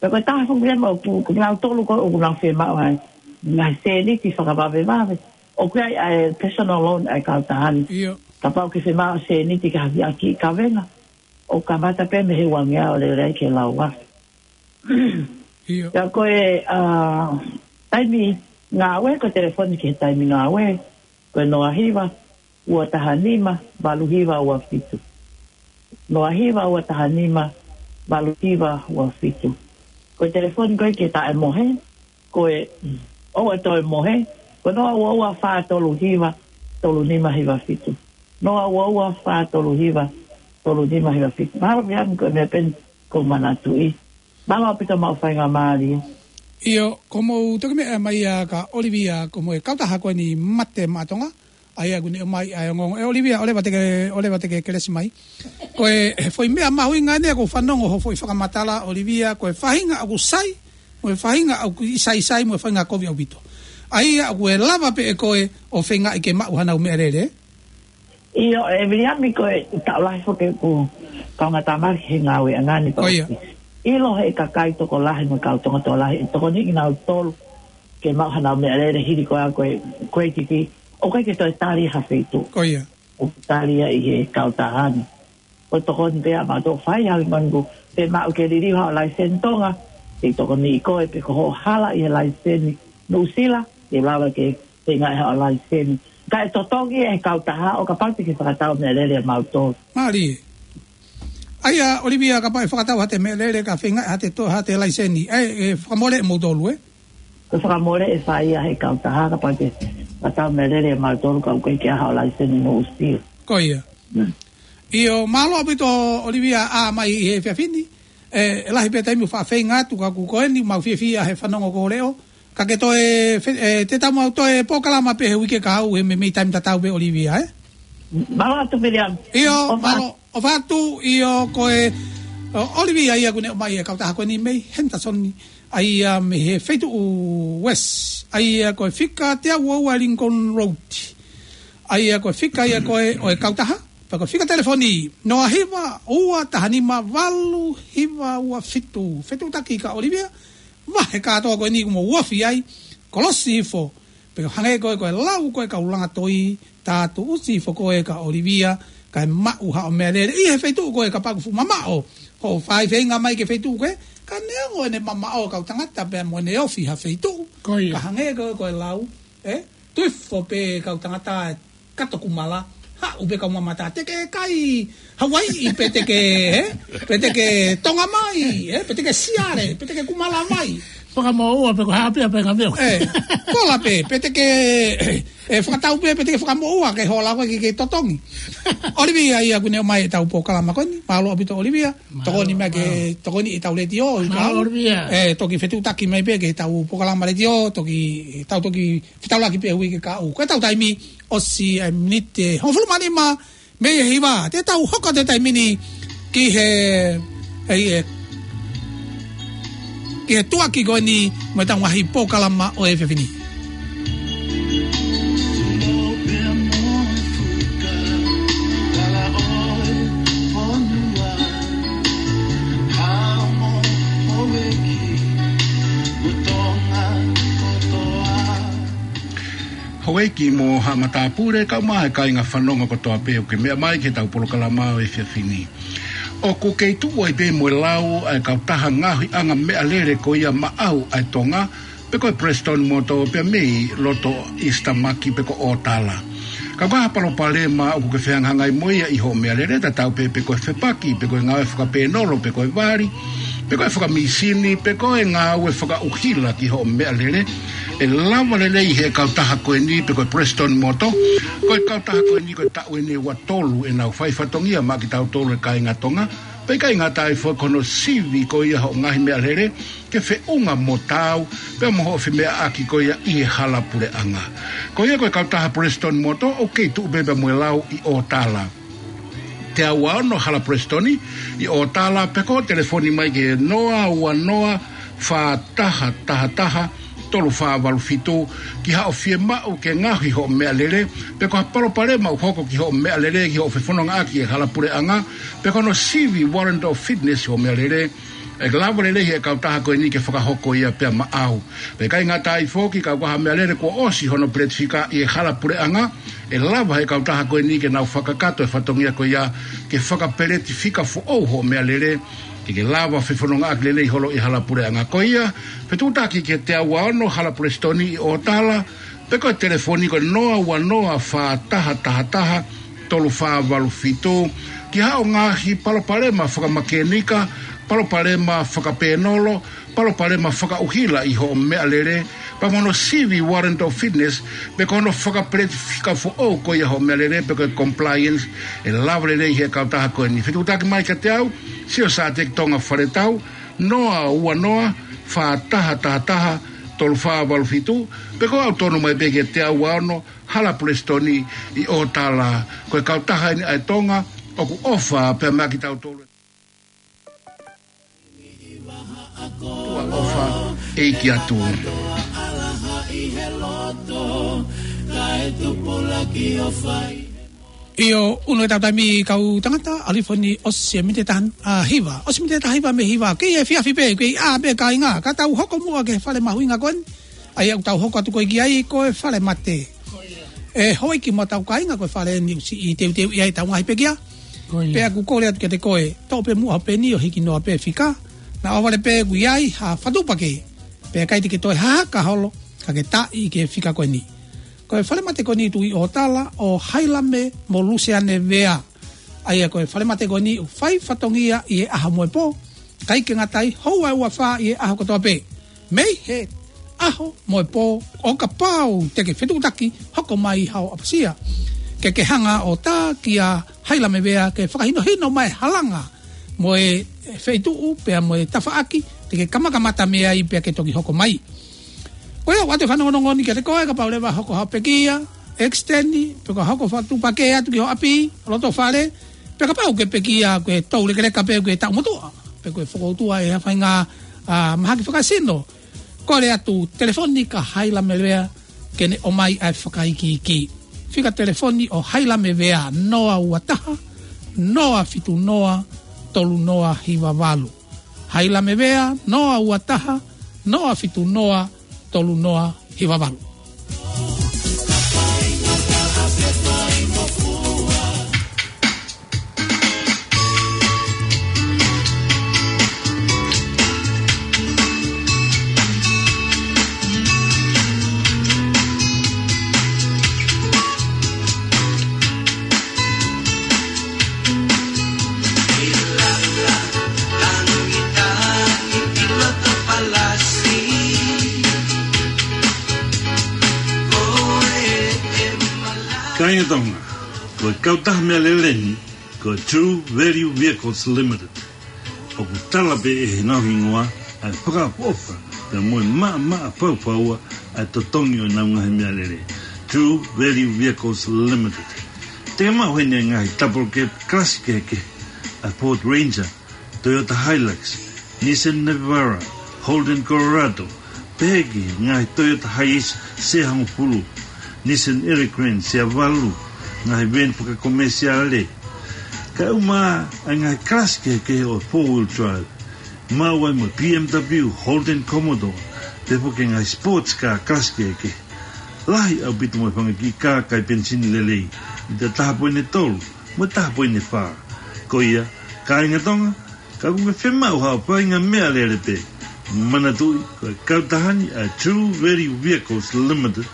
pea ko e taha foki ia mo ʻoku, ko kinautolu ko ē ʻoku nau fiemaʻu ai ngaahi sēniti fakavavevave. ʻOku ʻi ai ʻa e personal loan ʻa e kautaha ni. ʻIo. Kapau ke fiemaʻu sēniti ke hakeakiʻi kavenga, ʻoku kamata pē mei he uangeau ʻo lele ai ki he lau afe. ʻIo. Pea ko e, ʻa, taimi ngāue, ko e telefoni ki he taimi ngāue, ko e noa hiva, ua taha nima, valu hiva ua fitu. Noa hiva, ua taha nima, valu hiva ua fitu. Ko e telefoni ko ē ke taʻemohe, ko e, ʻoua toe mohe, ko e noa ua ua fā tolu hiva, tolu nima hiva fitu. Noa ua ua fā tolu hiva, tolu nima hiva fitu. Mahalo pē ʻa eni ko e meʻa pē eni ʻoku ou manatuʻi. Mālō ʻaupito hoʻomou faingamālie. ʻIo, ko hoʻomou toki meʻa mai ia ka ʻOlivia, ko hoʻomou kautaha ko eni Mate Maʻa Tonga, ʻa ia ʻoku ne ʻomai ʻa e ongoongo. ʻE ʻOlivia, ʻoua leva te ke, ʻoua leva te ke kelesi mai. Ko e, he foʻi meʻa mahuʻinga eni ʻoku ou fanongo hoʻo foʻi fakamatala ʻOlivia, ko e faʻahinga ʻoku sai, mo e faʻahinga ʻoku ʻikai sai sai, mo e faʻahinga kovi ʻaupito. ʻA ia ʻoku ʻe lava pē ʻe koe ʻo feingaʻi ke maʻu hanau meʻalele. ʻIo, ʻe Viliami, ko e taʻu lahi foki ʻeku kaungātāmaki he ngāueʻanga ni. Ko ia. ʻIlo he kakai tokolahi mo e kau Tonga tokolahi, ʻe tokoni kinautolu ke maʻu hanau meʻalele hili ko ia ko e, ko e titi, ʻoku ʻikai ke toe tali ha feituʻu. Ko ia. ʻOku tali ia ʻi he kautaha ni. Ko e tokoni pē ia mautolu fai, hangē ko eni ʻoku ke maʻu ke liliu haʻo laiseni Tonga, ke tokoniʻi koe pe ko hoʻo hala ʻi he laiseni Nuʻusila, ke lava ke feingaʻi haʻo laiseni. Kae totongi ʻe he kautaha ʻo kapau te ke fakatau meʻalele ʻa mautolu. Mālie. ʻA ia, ʻOlivia, kapau ʻe fakatau haʻate meʻalele ka feingaʻi haʻate to-, haʻate laiseni. ʻE, ʻe fakamole ʻe moutolu, ē? Ko e fakamole ʻe fai ia ʻe he kautaha kapau te ke fakatau meʻalele ʻa mautolu ka ʻoku ʻikai ke ʻi ai haʻo laiseni Nuʻusila. Ko ia. Mm. ʻIo, mālō ʻaupito ʻOlivia ʻa mai he efiafi ni. ʻE, ʻe lahi pē taimi ʻoku faʻa feinga atu ka ʻoku ko eni mau fiefia he fanongo ko e leʻo. Ka ke toe, fe-, ʻe, te tau maʻu toe polokalama pē he uike kahaʻu he meimei taimi tatau pē ʻOlivia, ē? Mālō atu, Viliami. ʻIo, ʻofa. Mālō, ʻofa atu, ʻio, ko e, ʻo, ʻOlivia ia ʻoku ne ʻomai e kautaha ko eni mei Henderson, ʻa ia mei he feituʻu West, ʻa ia ko e fika teau ua ua Lincoln Road. ʻA ia ko e fika ia ko ē ʻo e kautaha, pea ko e fika telefoni, noa hiva, ua taha nima, valu hiva ua fitu. Fetuʻutaki ka ʻOlivia, vahe kātoa ko eni kuo mou ofi ai, kolosi hifo, pea hangē ko ē ko e lau ko ē kau langa toi, tā tuʻusi hifo ko ē ka ʻOlivia, kae maʻu haʻo meʻalele ʻi he feituʻu ko ē kapau ʻoku fuʻu mamaʻo hoʻo fai feinga mai ki he feituʻu ko ē, ka neongo ʻene mamaʻo kau tangata pea mo ʻene ofi ha feituʻu. Ko ia. Ka hangē ko ē ko e lau, ē? Tuʻu hifo pē kau tangata ʻe kato kumala, Haʻu pē kau mamata, te ke kai Hawaiʻi, pe te ke, ē? Pe te ke Tonga mai, ē? Pe te ke Siale, pe te ke Kumala mai. Fakamoʻua pe ko e hā pē ʻa e paenga meo. Ē, kola pē, pe te ke, ē, fakatau pē, pe te ke fakamoʻua ke hola koe ke, ke totongi. ʻOlivia ia kuo ne ʻomai ʻetau polokalama ko eni. Mālō ʻaupito ʻOlivia. Mālō, tokoni mai ke mālō. Tokoni ʻetau letiō, ʻi mālō, kau. ʻOlivia. Ē, toki fetuʻutaki mai pē ke tau polokalama letiō, toki, tau toki fetaulaki pē hui ke kau. Ko ʻetau taimi, ʻosi e miniti hongofulu mā nima mei he hiva. Te tau hoko atu he taimi ni ki he, ē, ē, ki he tuʻuaki ko eni mo ʻetau ngaahi polokalama ʻo e efiafi ni. Houʻeiki mo haʻa matāpule, kaeʻumaʻā e kāinga fanongo kotoa pē ʻoku ke meʻa mai ki heʻetau polokalama ʻo e efiafi ni. ʻOku kei tuʻu ai pē mo e lau ʻa e kautaha ngaohiʻanga meʻalele ko ia maʻau ʻa e Tonga, pe ko e Prestone Motor pea mei loto Eastern Market pe ko ʻŌtala. Ka ko e hā ha palopalema ʻoku ke fehangahangai mo ia ʻi hoʻo meʻalele, tatau pē pe ko e fepaki, pe ko e ngāue fakapēnolo, pe ko e vali, pe ko e fakamīsini, pe ko e ngāue fakaʻuhila ki hoʻo meʻalele, ʻe lava lelei he kautaha ko eni pe ko e Prestone Motor. Ko e kautaha ko eni ko e taʻu eni ʻe ua tolu ʻenau fai fatongia maʻa kitautolu e kāinga Tonga, pea ʻikai ngata ai foki ko hono sivi ko ia hoʻo ngaahi meʻalele, ke feʻunga mo taau, pea mo hoʻo femeʻaʻaki ko ia ʻi he hala puleʻanga. Ko ia ko e kautaha Prestone Motor, ʻoku kei tuʻu pē pea mo e lau ʻi ʻŌtala. Teau ua ono Hala Prestone ʻi ʻŌtala, pe ko e telefoni mai ki he noa ua noa fā taha taha taha tolu fā valu fitu, ki haʻo fiemaʻu ke ngaohi hoʻo meʻalele, pe ko ha palopalema ʻoku hoko ki hoʻo meʻalele, ki hoʻo fefonongaʻaki e hala puleʻanga, pe ko hono sivi warrant of fitness hoʻo meʻalele, ʻe lava lelei he kautaha ko eni ke fakahoko ia pea maʻau. Pea ʻikai ngata ai foki, kapau ko ha meʻalele kuo ʻosi hono peletifika ʻi he hala puleʻanga, ʻe lava he kautaha ko eni ke nau fakakakato e fatongia ko ia ke fakapeletifika foʻou hoʻo meʻalele, ke ke lava fefonongaʻaki lelei holo ʻi he hala puleʻanga. Ko ia, fetuʻutaki ki he teau ua ono Hala Prestone ʻi ʻŌtala, pe ko e telefoni ko e noa ua noa fā taha taha taha tolu fā valu fitu, ki haʻo ngaahi palopalema fakamakēnika, palopalema fakapēnolo, palopalema fakaʻuhila ʻi hoʻo meʻalele, pea mo hono sivi warrant of fitness, pe ko hono fakapeletifika foʻou ko ia hoʻo meʻalele, pe ko e compliance, ʻe lava lelei he kautaha ko eni. Fetuʻutaki mai kiate au, Sio Sateki Tonga Faletau, noa ua noa fā taha taha taha tolu fā valu fitu, pe ko e ʻalu tonu mai pē ki he teau ua ono Hala Prestone ʻi ʻŌtala. Ko e kautaha eni ʻa e Tonga ʻoku ʻofa pea maʻa kitautolu. Tuʻa ʻofa ʻEiki atu. ʻIo, ʻunu ʻetau taimi kau tangata, ʻalu hifo eni ʻosi e miniti taha, ʻa, hiva. ʻOsi miniti taha hiva mei he hiva. Kei efiafi pē, kei ʻā pē kāinga. Ka tau hoko muʻa ki he fale mahuʻinga ko eni. ʻA ia ʻoku tau hoko atu ko ē ki ai ko e Falemate. ʻE houʻeiki mo hotau kāinga, ko e fale eni ʻoku siʻi teuteu ʻi ai ʻetau ngaahi pekia. Ko ia. Pea ʻoku kole atu kiate koe, toʻo pē muʻa hoʻo peni ʻo hiki noa pē fika. Naʻa ʻohovale pē ʻoku ʻi ai ha fatu pake. Pea ʻikai te ke toe hahaka holo, ka ke taaʻi ki he fika ko eni. Ko e Falemate ko eni tuʻu ʻi ʻŌtala ʻo Hailame mo Luseane Vea. ʻA ia ko e Falemate ko eni ʻoku fai fatongia ʻi he ʻaho mo e pō, ʻikai ke ngata ai, houa ʻe ua fā ʻi he ʻaho kotoa pē. Mei he ʻaho mo e pō, ʻo kapau te ke fetuʻutaki, hoko mai haʻo ʻapasia. Ke ke hanga ʻo tā kia Hailame Vea ke fakahinohino mai e halanga mo e feituʻu pea mo e tafaʻaki te ke kamakamata mei ai pea ke toki hoko mai. Ko ia ʻoatu e fanongonongo ni kiate koe, kapau leva hoko haʻo pekia, extend, pe ko e hoko fatu pake atu ki ho ʻapi, loto fale, pe kapau ʻoku ke pekia ko e toulekeleka pē ko e taʻu motuʻa, pe ko e fokoutua ʻe ha faʻahinga, ʻa, mahaki fakasino. Kole atu telefoni kia Hailame Vea ke ne ʻomai ʻa e fakaikiiki. Fika telefoni ʻo Hailame Vea, noa ua taha, noa fitu noa, tolu noa hiva valu. Hailame Vea, noa ua taha, noa fitu noa, tolu noa hiva valu. Kāinga Tonga, ko e kautaha meʻalele ni, ko e True Value Vehicles Limited. ʻOku tala pē ʻe heʻenau hingoa ʻa e fakaʻofoʻofa pea mo e maʻamaʻa faufaua ʻa e totongi ʻo ʻenau ngaahi meʻalele. True Value Vehicles Limited. Te ke maʻu heni ʻa e ngaahi double cab kalasi kehekehe, ʻa e Ford Ranger, Toyota Hilux, Nissan Navara, Holden Colorado, pehē ki he ngaahi Toyota Hiace sea hongofulu, Nissan Elgrand sea valu, ngaahi veeni fakakomesiale. Kae ʻumaʻā ʻa e ngaahi kalasi kehekehe ʻo e four wheel drive, maʻu ai mo e B M W, Holden Commodore, pehē foki ki he ngaahi sports car kalasi kehekehe. Lahi ʻaupito mo e fanga kiʻi kā kai penisini lelei, mita taha poini tolu mo e taha poini fā. Ko ia, kāinga Tonga, ka ʻoku ke fiemaʻu haʻo faʻahinga meʻalele pē, manatuʻi ko e kautaha ni ʻa e True Value Vehicles Limited.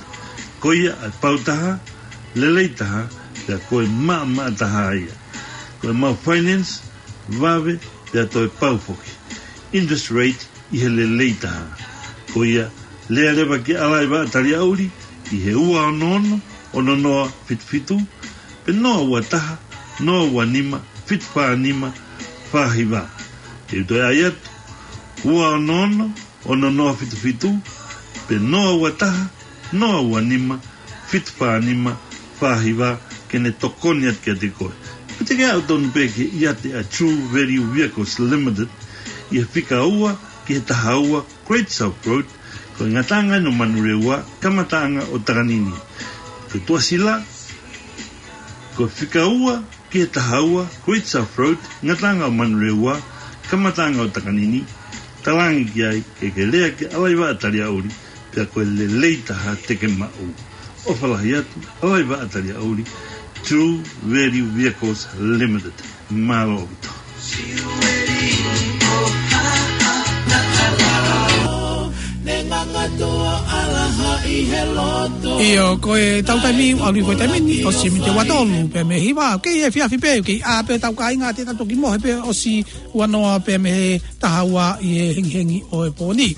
Ko ia ʻa e pau taha, lelei taha, pea ko e maʻamaʻa taha ia. Ko ʻemau finance, vave, pea toe pau foki. Interest rate ʻi he lelei taha. Ko ia, lea leva ki ʻAlaivaʻa Taliaʻuli ʻi he ua ono ono, ono noa fitu fitu, pe noa ua taha, noa ua nima, fitu fā nima, fā hiva. Te u toe ʻai atu, ua ono ono, ono noa fitu fitu, pe noa ua taha, noa ua nima, fitu fā nima, fā hiva, ke ne tokoni atu kiate koe. Pe te ke aʻu tonu pē ki he ʻiate ʻa e True Value Vehicles Limited, ʻi he fika ua ki he taha ua Great South Road, ko e ngataʻanga ʻo Manurewa, kamataʻanga ʻo Takanini. Ko e tuʻasila, ko e fika ua ki he taha ua Great South Road, ngataʻanga ʻo Manurewa, kamataʻanga ʻo Takanini. Talaange ki ai ke ke lea ki ʻAlaivaʻa Taliaʻuli, pea ko e lelei taha te ke maʻu. ʻOfa lahi atu, ʻAlaivaʻa Taliaʻuli, True Value Vehicles Limited. Mālō ʻaupito. ʻIo, ko e tau taimi, ʻalu ko e taimi ni, ʻosi miniti ua tolu pē mei he hiva, ʻoku kei efiafi pē, ʻoku kei ʻā pē tau kāinga, te tau toki mohe pē ʻosi ua noa pē mei he taha ua ʻi he hengihengi ʻo e pō ni.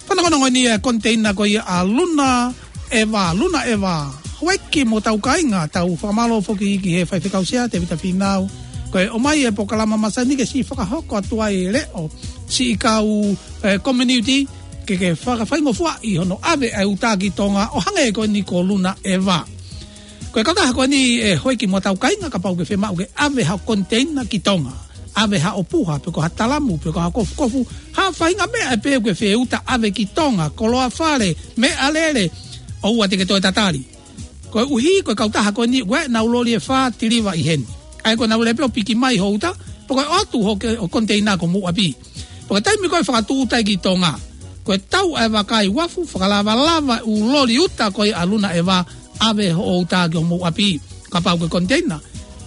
Fanongonongo ni e koniteina ko ia ʻa Luna ʻEva, Luna ʻEva. Houʻeiki mo tau kāinga, tau fakamālō foki ki he faifekau sea, Tevita Fīnau. Ko e ʻomai e polokalama masani ke siʻi fakahoko atu ai e leʻo, siʻi kau, e, community, ke, ke fakafaingofuaʻi hono ʻave ʻa e uta ki Tonga ʻo hangē ko eni ko Luna ʻEva. Ko e kautaha ko eni ʻe houʻeiki mo tau kāinga kapau ʻoku ke fiemaʻu ke ʻave haʻo koniteina ki Tonga. ʻAve haʻo puha, pe ko ha talamu, pe ko ha kofukofu, ha faʻahinga meʻa pē ʻoku ke fie uta ʻave ki Tonga, koloa fale, meʻalele, ʻoua te ke toe tatali. Koeʻuhi, ko e kautaha ko eni, ʻoku ʻi ai ʻenau loli ʻe fā tiliva ʻi heni. ʻA ia ko ʻenau lele pē ʻo piki mai hoʻo uta, pe ko e ʻoatu hoʻo ke-, hoʻo koniteina ki homou ʻapi. Pea ko e taimi ko ē fakatuʻuta ki Tonga, ko e tau ʻa e vakai uafu, fakalavalava ʻū loli uta ko ia ʻa Luna ʻEva, ʻave hoʻo uta ki homou ʻapi, kapau ko e koniteina.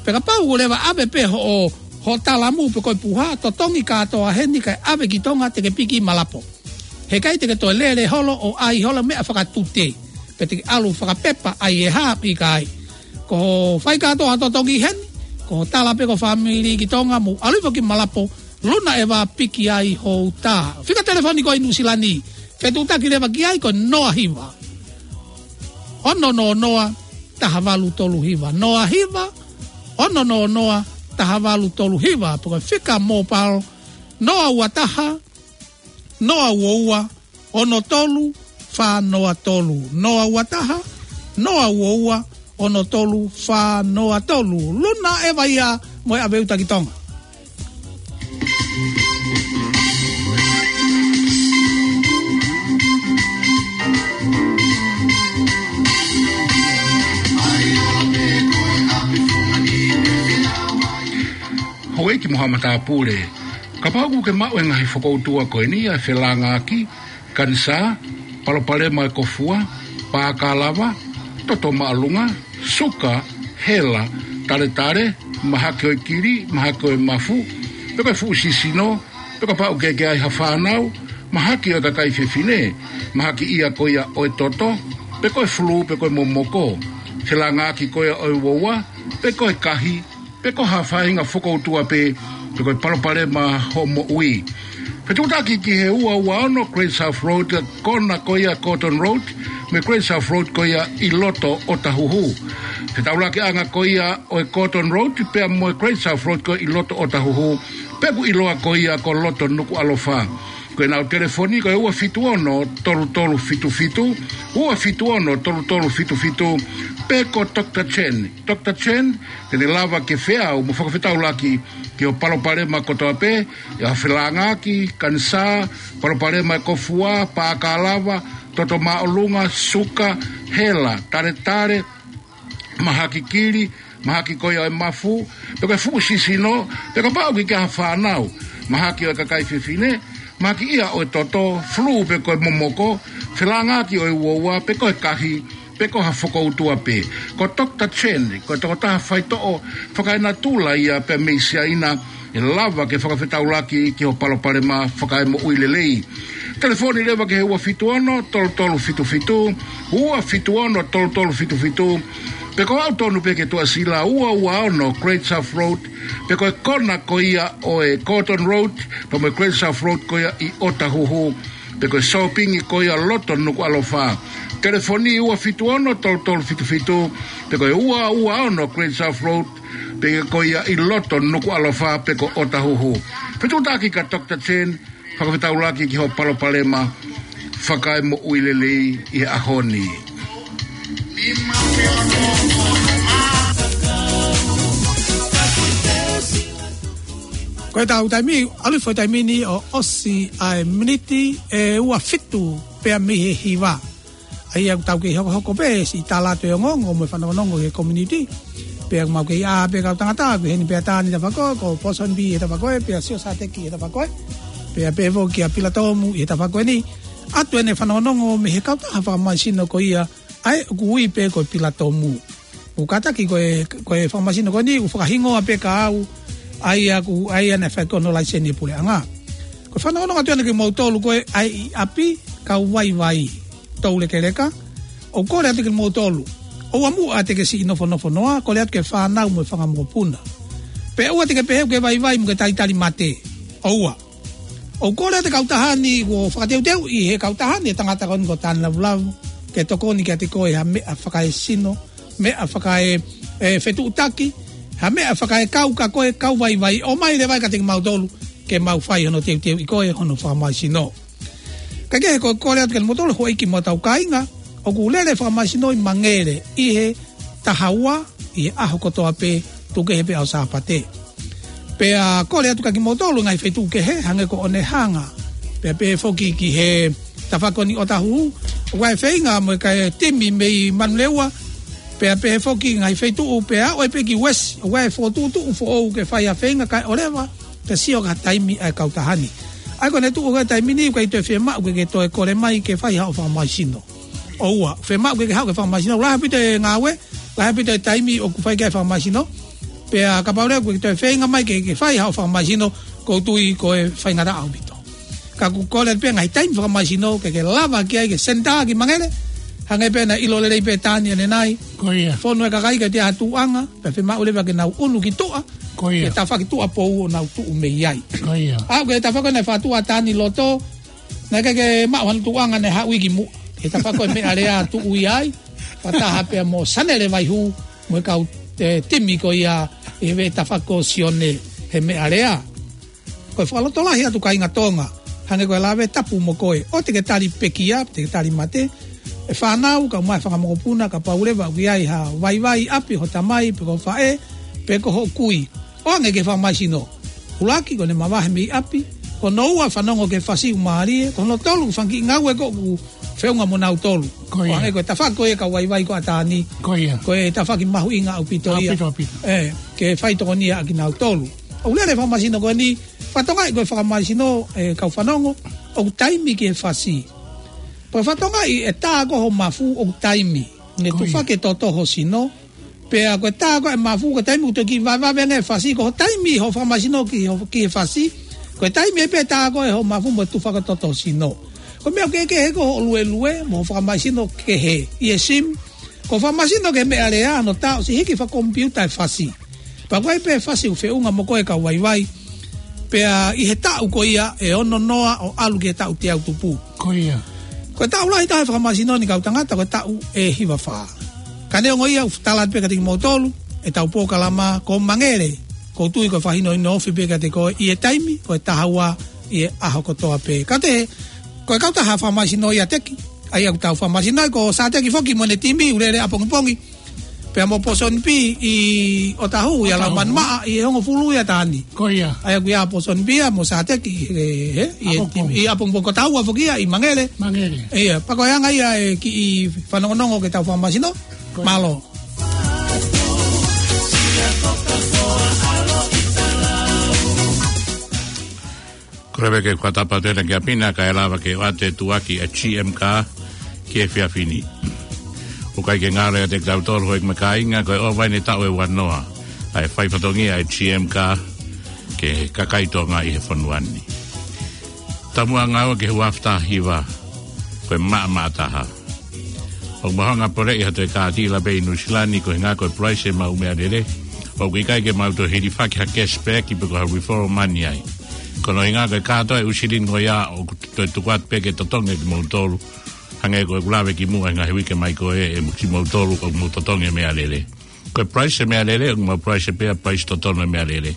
Pea kapau ʻoku leva ʻave pē hoʻo, hoʻo talamu pe ko e puha, totongi kātoa heni kae ʻave ki Tonga te ke piki Malapo. Heʻikai te ke toe lele holo ʻo ʻai holo meʻa fakatute. Pea te ke ʻalu fakapepa ai e hā pe ʻikai. Ko hoʻo fai kātoa totongi heni, ko hoʻo tala pē ki ho fāmili ki Tonga mo ʻalu hifo ki Malapo, Luna ʻEva piki ai hoʻo uta. Fika telefoni ko ē ʻi Nuʻusila ni. Fetuʻutaki leva ki ai ko e noa hiva, ono noa noa, taha valu tolu hiva. Noa hiva, ono noa noa, taha valu tolu hiva. Pe ko e fika mobile, noa ua taha, noa ua ua, ono tolu, fā noa tolu. Noa ua taha, noa ua ua, ono tolu, fā noa tolu. Luna ʻEva ia mo e ʻave uta ki Tonga. Houʻeiki mo haʻa matāpule, kapau ʻoku ke maʻu e ngaahi fokoutua ko eni, ʻa e felāngaaki, kanisā, palopalema e kōfua, pākalava, toto māʻolunga, suka, hela, taletale, mahaki ʻo e kili, mahaki ʻo e mafu, pe ko e fuʻu sisino, pe kapau ʻoku ke ʻi ai ha fānau, mahaki ʻo e kakai fefine, mahaki ia ko ia ʻo e toto, pe ko e fulū, pe ko e momoko, felāngaaki ko ia ʻo e uaua, pe ko e kahi, pe ko ha faʻahinga fokoutua pē, pe ko e palopalema hoʻo moʻui. Fetuʻutaki ki he ua ua ono Great South Road, kona ko ia Gordon Road, mo e Great South Road ko ia ʻi loto ʻOtahuhu. Fetaulakiʻanga ko ia ʻo e Gordon Road pea mo e Great South Road ko ia ʻi loto ʻOtahuhu, pea ʻoku ʻiloa ko ia ko loto Nukuʻalofa. Ko ʻenau telefoni ko e ua fitu ono tolu tolu fitu fitu, ua fitu ono tolu tolu fitu fitu, pe ko Doctor Chen. Doctor Chen, te ne lava ke feau mo fakafetaulaki ki hoʻo palopalema kotoa pē, ʻi ha felāngaaki, kanisā, palopalema e kofua, pākalava, toto māʻolunga, suka, hela, taletale, mahaki kili, mahaki ko ia ʻo e mafu, pe ko e fuʻu sisino, pe kapau ʻoku ke ʻi ai ha fānau, mahaki ʻo e kakai fefine, mahaki ia ʻo e toto, fulū pe ko e momoko, felāngaaki ʻo e uaua, pe ko e kahi, pe ko ha fokoutua pē. Ko Doctor Chen, ko e tokotaha faitoʻo fakaenatula ia pea mei Siaina, ʻe lava ke fakafetaulaki ki hoʻo palopalema fakaemoʻui lelei. Telefoni leva ki he ua fitu ono tolu tolu fitu fitu, ua fitu ono tolu tolu fitu fitu, pe ko e aʻu tonu pē ki he Tuʻasila ua ua ono Great South Road, pe ko e kona ko ia ʻo e Gordon Road, pea mo e Great South Road ko ia ʻi ʻOtahuhu, pe ko e sōpingi ko ia loto Nukuʻalofa. Telefoni ua fitu ono tolu tolu fitu fitu, pe ko e ua ua ono Great South Road, pe ko ia ʻi loto Nukuʻalofa, pe ko ʻOtahuhu. Fetuʻutaki kia Doctor Chen, fakafetaulaki ki hoʻo palopalema fakaemoʻui lelei ʻi he ʻaho ni. Ko ʻetau taimi, ʻalu hifo e taimi ni ʻo ʻosi ʻa e miniti ʻe ua fitu pea mei he hiva. ʻA ia ʻoku tau kei hokohoko pē siʻi tala atu e ongoongo mo e fanongonongo ki he community. Pea mau kei ʻā pē kau tangata, ko eni pē ʻa Tani he tafaʻaki ko ē, ko Poson B he tafaʻaki ko ē, pea Sio Sateki he tafaʻaki ko ē. Pea pehē foki kia Pilatomu he tafaʻaki ko eni. ʻAtu ʻene fanongonongo mei he kautaha fakamaʻisino ko ia, ʻa ia ʻoku ui pē ko e Pilatomu. ʻOku kātaki ko e, ko e fakamaʻisino ko eni, ʻoku fakahingoa pē kia au, ʻa ia ʻoku, ʻa ia naʻe fai ki hono laiseni e puleʻanga. Ko e fanongonongo atu ʻeni kia moutolu ko ē ʻi ʻapi, kau vaivai, toulekeleka, ʻoku kole atu kia moutolu. ʻOua muʻa te ke siʻi nofonofo noa, kole atu ki he fānau mo e fanga mokopuna. Pea ʻoua te ke pehē ʻoku ke vaivai mo ke talitali mate. ʻOua. ʻOku kole atu e kautaha ni, kuo fakateuteuʻi ʻe he kautaha ni e tangata ko eni ko Tani Lavulavu, ke tokoni kiate koe ha meʻa fakaesino, meʻa fakae, e, fetuʻutaki, ha meʻa fakaekau kia koe kau vaivai, ʻomai leva ia kiate kimautolu, ke mau fai hono teuteuʻi koe hono fakamaʻisino. Kae kehe, ʻoku kole atu kia moutolu houʻeiki mo hotau kāinga, ʻoku lele e fakamaʻisino ʻi Mangele, ʻi he taha ua, ʻi he ʻaho kotoa pē, tuku kehe pē ʻaho Sāpate. Pea kole atu kia kimoutolu ngaahi feituʻu kehe, hangē ko ʻOnehanga. Pea pehē foki ki he tafaʻaki ko eni ʻOtahuhu, ʻoku ʻi ai e feinga mo e kakai timi mei Manurewa. Pea pehē foki ngaahi feituʻu, pea ʻoku ʻi ai pē ki Uesi, ʻoku ʻi ai e fokotuʻutuʻu foʻou ke fai ha feinga kae ʻoleva, pea sio ki ha taimi ʻa e kautaha ni. ʻA ia ko ʻene tuʻu he taimi ni, ʻoku ʻikai toe fiemaʻu ke ke toe kole mai ke fai haʻo fakamaʻisino. ʻOua, fiemaʻu ke ke haʻu ke fakamaʻisino. Lahi ʻaupito e ngāue, lahi ʻaupito e taimi ʻoku fai ki ai e fakamaʻisino. Pea kapau leva ʻoku ke toe feinga mai ke, ke fai haʻo fakamaʻisino, ʻoku ou tui ko e faingataʻa ʻaupito. Ka ʻoku kole pē ngaahi taimi fakamaʻisino, ke ke lava ki ai ki he senitā ki Mangele. Hangē pē naʻe ʻilo lelei pē ʻe Tani ʻanenai. Ko ia. Fonu e kakai ke ʻi ai ha tuʻuʻanga, pea fiemaʻu leva ke nau ʻunu ki tuʻa. Ko ia. Ke tafaʻaki tuʻapou ʻo nau tuʻu mei ai. Ko ia. ʻA ia ko e tafaʻaki naʻe fakatuʻa ʻa Tani loto, naʻe ʻikai ke maʻu hano tuʻuʻanga, naʻe haʻu ia ki muʻa. He tafaʻaki ko e Meʻalea tuʻu ia ai. Fakataha pea mo Sanele Vaihū, mo e kau, e, timi ko ia ʻi he tafaʻaki ko Sione he Meʻalea. Ko e fakalotolahi atu kāinga Tonga, hangē ko e lave tapu mo koe, ʻoua te ke tali pekia, te ke tali mate, e fānau, kae ʻumaʻā e fanga mokopuna, kapau leva ʻoku ʻi ai ha vaivai ʻi ʻapi ho tamai, pe ko ho faʻē, pe ko hoʻo kui. ʻOange ki he fakamaʻisino. ʻUluaki, ko ʻene mavahe mei ʻapi. Ko hono ua, fanongo ki he fasi ʻoku mālie. Ko hono tolu, fanga kiʻi ngāue ʻoku feʻunga mo nautolu. Ko ia. ʻOange ko e tafaʻaki ko ia kau vaivai ko ʻAtani. Ko ia. Ko e tafaʻaki mahuʻinga ʻaupito ia. ʻAupito, ʻaupito. ʻE, ke fai tokonia ʻa kinautolu. ʻOku lele e fakamaʻisino ko eni, fakatokangaʻi ko e fakamaʻisino, ʻe kau fanongo, ʻoku taimi ki he fasi. Pea fakatokangaʻi e tā ko ē ho mafu ʻoku taimi. Ne Ko ia. Tufaki e toto ho sino, pea ko e tā ko ē e mafu, ko e taimi ʻoku toe kiʻi vavevave ange e fasi, ko hoʻo taimi hoʻo fakamaʻisino ki ho, ki he fasi. Ko e taimi ē pē tā ko ē hoʻo mafu mo e tufaki e toto ho sino. Ko e meʻa kehekehe ko hoʻo luelue, mo hoʻo fakamaʻisino kehe ʻi he simi. Ko e fakamaʻisino ki he Meʻalea, hono tā ʻosi hiki fakakomipiuta e fasi. Pea ko e pē fasi ʻoku feʻunga mo koe kau vaivai. Pea ʻi he taʻu ko ia ʻe ono noa ʻo ʻalu ki he taʻu teau tupu. Ko ia. Ko e taʻu lahi taha e fakamasino ni kau tangata, ko e taʻu ʻe hiva fā. Ka neongo ia, ʻoku tala atu pē kiate kimoutolu ʻetau polokalama ko Mangele. ʻOku ou tui ko e fakahinohino ofi pē kiate koe ʻi he taimi, ko e taha ua ʻi he ʻaho kotoa pē. Ka te, ko e kautaha fakamasino ia Teki, ʻa ia ʻoku tau fakamasino ai, ko Sateki foki mo ʻene timi, ʻoku lele ʻapongipongi pea mo Pōsoni Pī ʻi ʻOtahu, ʻi ʻOtahu. Laumanu maʻa, ʻi he hongofulu ia taʻu ni. Ko ia. ʻA ia ʻoku ʻi ai Pōsoni Pī ia mo Sateki, he, he, ʻi he ʻApongipongi. Timi, ʻi ʻApongipongi, ko taha ua foki ia ʻi Mangele. Mangele. Ia, pea ko e anga ia e kiʻi fanongonongo ke tau fakamasino. Ko ia. Mālō. Ko e lave ke fakatapu atu ena kia Pina, kae lava ke ʻoatu e tuʻuaki ʻa e G M Car ki he efiafi ni. ʻOku ʻikai ke ngalo ia kiate kitautolu houʻeiki mo e kāinga, ko e ʻova eni e taʻu ʻe ua noa ʻa e fai fatongia ʻa e G M Car ki he kakai Tonga ʻi he fonua ni. Taumuʻa ngāue ki he uaafe taha hiva, ko e maʻamaʻa taha. ʻOku mau hanga ʻo poleʻi ha toe kātila pē ʻi Nuʻu Sila ni, ko e ʻuhinga ko e price ʻemau meʻalele. ʻOku ʻikai ke mau toe hilifaki ha cashback pe ko ha referral money ai. Ko hono ʻuhinga ko e kātoa e ʻū silini ko ia ʻoku toe tuku atu pē ke totongi kimoutolu. Hangē ko ʻeku lave kimuʻa he ngaahi uike mai ko ē, ʻe mo kimoutolu ʻoku mou totongi e meʻalele. Ko e price e meʻalele, ʻoku mau price pē ʻa e price totonu e meʻalele.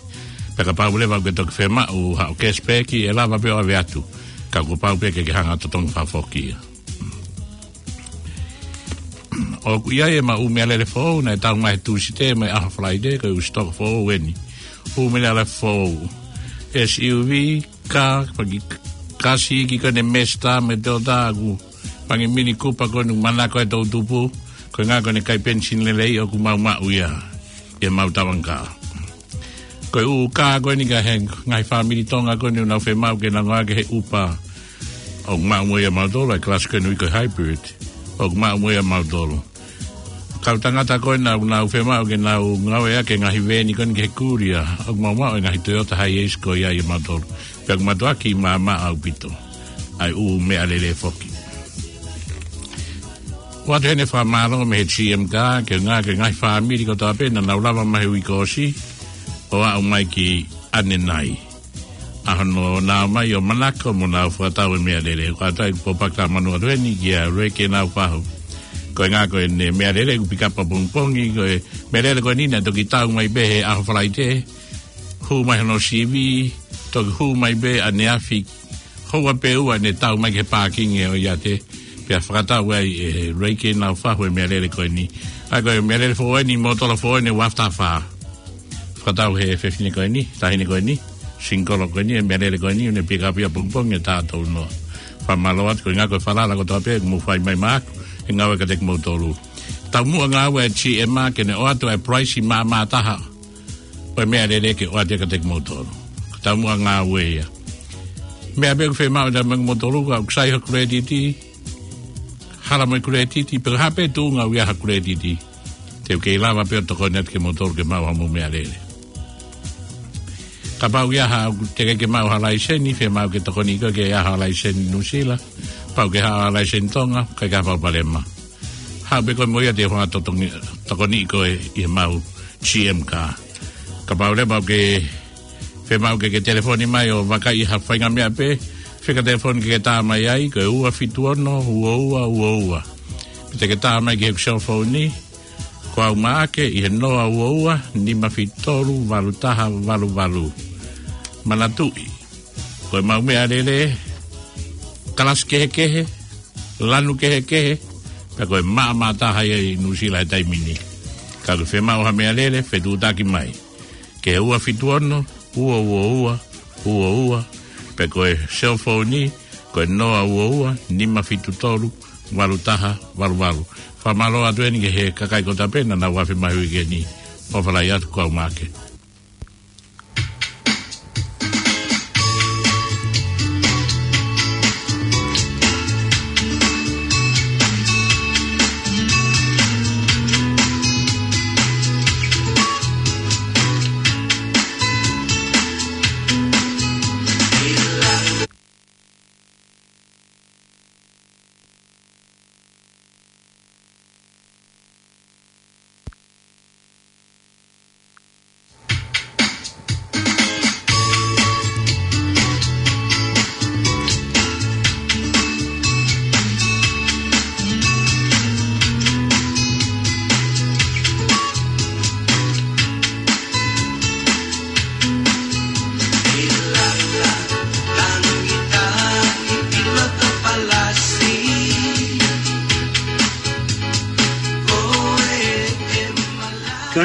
Pea kapau leva ʻoku ke toki fiemaʻu haʻo cashback, ʻe lava pē ʻo ʻave atu. Ka kuo pau pē ke ke hanga ʻo totongi fakafoki ia. ʻOku ʻi ai ʻemau ʻū meʻalele foʻou naʻe tau mai he Tūsite mo e ʻaho Falaite, ko e ʻū sitoka foʻou eni. ʻŪ meʻalele foʻou. S U V, ka, paki, kasi ki ko eni Mazda mo e Toyota ʻoku, paki Mini Cooper ko eni manako e toʻutupu, ko e ʻuhinga ko eni kai penisini lelei ʻoku mau maʻu ia ʻi heʻemau tavanga kā. Ko e ʻū kā ko eni ka he ngaahi fāmili Tonga ko eni ʻoku nau fiemaʻu ke nau ngāueʻaki he ʻupa, ʻoku maʻu mo ia ʻiate kimoutolu, ʻa e kalasi ko eni ui ko e hybrid, ʻoku maʻu mo ia ʻiate kimoutolu. Kau tangata ko ena ʻoku nau fiemaʻu ke nau ngāueʻaki e ngaahi veeni ko eni ki he kulia, ʻoku mau maʻu e ngaahi Toyota Hiace ko ia ʻiate kimoutolu. Pea ʻoku mātuʻaki maʻamaʻa ʻaupito ʻa e ʻū meʻalele foki. ʻOatu heni e fakamālō mei he G M Car, ki he ngaahi, ki he ngaahi fāmili kotoa pē naʻa nau lava mai he uike kuo ʻosi ʻo aʻu mai ki ʻanenai. ʻA hono nau ō mai ʻo manako mo nau fakatau e meʻalele. Ko e ʻuhinga ia ʻoku ou pōpaki tāmanu atu heni kia Reiki Naufahu. Ko e ʻuhinga ko ʻene meʻalele ʻoku pick up ʻapongipongi, ko e meʻalele ko eni naʻe toki tau mai pē he ʻaho Falaite. Hū mai hono sivi, toki hū mai pē ʻaneafi, houa pē ʻe ua ʻene tau mai ki he pākingi ʻo e ʻiate, pea fakatau ai ʻe Reiki Naufahu e meʻalele ko eni. ʻA ia ko e meʻalele foʻou eni, mōtola foʻou eni, uaafe taha fā. Fakatau he fefine ko eni, taʻahine ko eni, single ko eni, e meʻalele ko eni, ʻoku ne pick up ia ʻapongipongi he taha tolu noa. Fakamālō atu, ko e ʻuhinga ko e falala kotoa pē ʻoku mou fai mai maʻaku, he ngāue kiate kimoutolu. Taumuʻa ngāue ʻa e G M Car ke ne ʻoatu e price maʻamaʻa taha ʻo e meʻalele ke ʻoatu kiate kimoutolu. Ko e taumuʻa ngāue ia. Meʻa pē ʻoku fiemaʻu ʻe taumuʻa kimoutolu, ka ʻoku sai ha credit, hala mo e credit, pe ko e hā pē tuʻunga ʻoku ʻi ai ha credit, te u kei lava pē ʻo tokoni atu kimoutolu ke maʻu hamou meʻalele. Kapau ʻoku ʻi ai haʻaku, teʻeki ke maʻu ha laiseni, fiemaʻu ke tokoniʻi koe ke ʻi ai ha laiseni Nuʻu Sila, pau ke ʻi ai ha laiseni Tonga, kae ʻikai ha palopalema. Haʻu pē koe mo ia te u hanga ʻo totongi, tokoniʻi koe ʻi heʻemau G M Car. Kapau leva ʻoku ke fiemaʻu ke ke telefoni mai ʻo vakaiʻi ha faʻahinga meʻa pē, fika telefoni ke ke tā mai ai, ko e ua fitu ono, ua ua ua ua. Pe te ke tā mai ki heʻeku cell phone ni, ko au Maʻake ʻi he noa ua ua, nima fitu tolu, valu taha valu valu. Manatuʻi, ko ʻemau meʻalele, kalasi kehekehe, lanu kehekehe, pea ko e maʻamaʻa taha ia ʻi Nuʻu Sila he taimi ni. Ka ʻoku ke fiemaʻu ha meʻalele, fetuʻutaki mai ki he ua fitu ono, ua ua ua, ua ua, pe ko e cell phone ni, ko e noa ua ua, nima fitu tolu, valu taha valu valu. Fakamālō atu eni ki he kakai kotoa pē naʻa nau afe mai he uike ni. ʻOfa lahi atu, ko au Maʻake.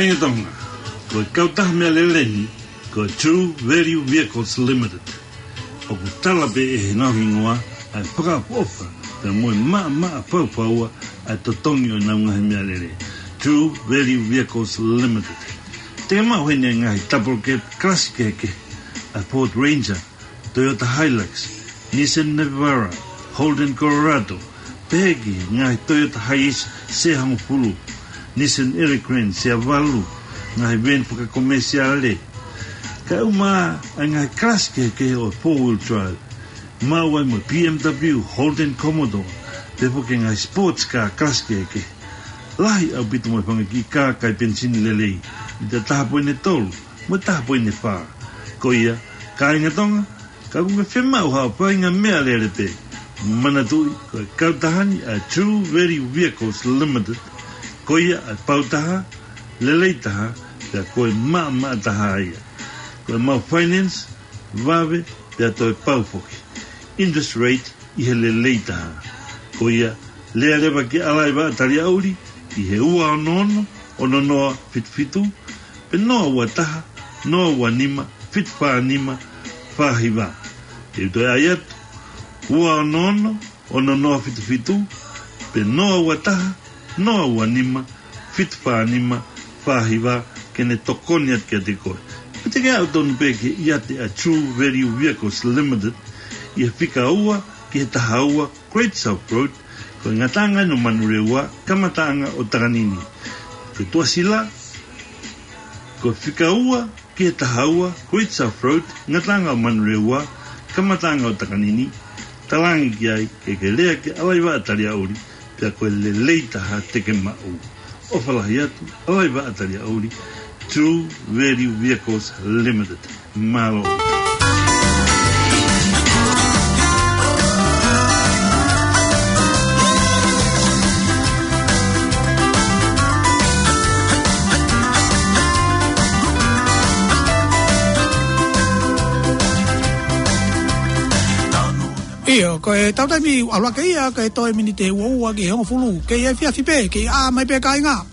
Kāinga Tonga, ko e kautaha meʻalele ni, ko e True Value Vehicles Limited. ʻOku tala pē ʻe he ngaahi hingoa ʻa e fakaʻofoʻofa, pea mo e maʻamaʻa faufaua ʻa e totongi ʻo ʻenau ngaahi meʻalele. True Value Vehicles Limited. Te ke maʻu heni ʻa e ngaahi double cab kalasi kehekehe, ʻa e Ford Ranger, Toyota Hilux, Nissan Navara, Holden Colorado, pehē ki he ngaahi Toyota Hiace seahongofulu, Nissan Elgrand seavalu, ngaahi van fakakomesiale. Kae ʻumaʻā ʻa e ngaahi kalasi kehekehe ʻo e four wheel drive, maʻu ai mo e B M W, Holden Commodore, pehē foki ki he ngaahi sports car kalasi kehekehe. Lahi ʻaupito mo e fanga kiʻi kā kai penisini lelei, mita taha poini tolu mo e taha poini fā. Ko ia, kāinga Tonga, ka ʻoku ke fiemaʻu haʻo faʻahinga meʻalele pē, manatuʻi ko e kautaha ni ʻa e True Value Vehicles Limited. Ko ia ʻa e pautaha, lelei taha, pea ko e maʻamaʻa taha ia. Ko ʻemau finance, vave, pea toe pau foki. Interest rate ʻi he lelei taha. Ko ia, lea leva ki ʻAlaivaʻa Taliaʻuli, ʻi he ua ono ono, ono noa fitu fitu, pe noa ua taha, noa ua nima, fitu fā nima, fā hiva. Te u toe ʻai atu, ua ono ono, ono noa fitu fitu, pe noa ua taha, noa ua nima, fitu fā nima, fā hiva, ke ne tokoni atu kiate koe. Pe te ke aʻu tonu pē ki he ʻiate ʻa e True Value Vehicles Limited, ʻi he fika ua ki he taha ua Great South Road, ko e ngataʻanga ʻo Manurewa, kamataʻanga ʻo Takanini. Ko e tuʻasila, ko e fika ua ki he taha ua Great South Road, ngataʻanga ʻo Manurewa, kamataʻanga ʻo Takanini. Talaange ki ai ke ke lea ki ʻAlaivaʻa Taliaʻuli, pea ko e lelei taha te ke maʻu. ʻOfa lahi atu, ʻAlaivaʻa Taliaʻuli, True Value Vehicles Limited. Mālō. ʻIo, ko e tau taimi ʻalu hake ia, ko e toe miniti ʻe ua ua ki he hongofulu, kei efiafi pē, kei ʻā mai pē kāinga.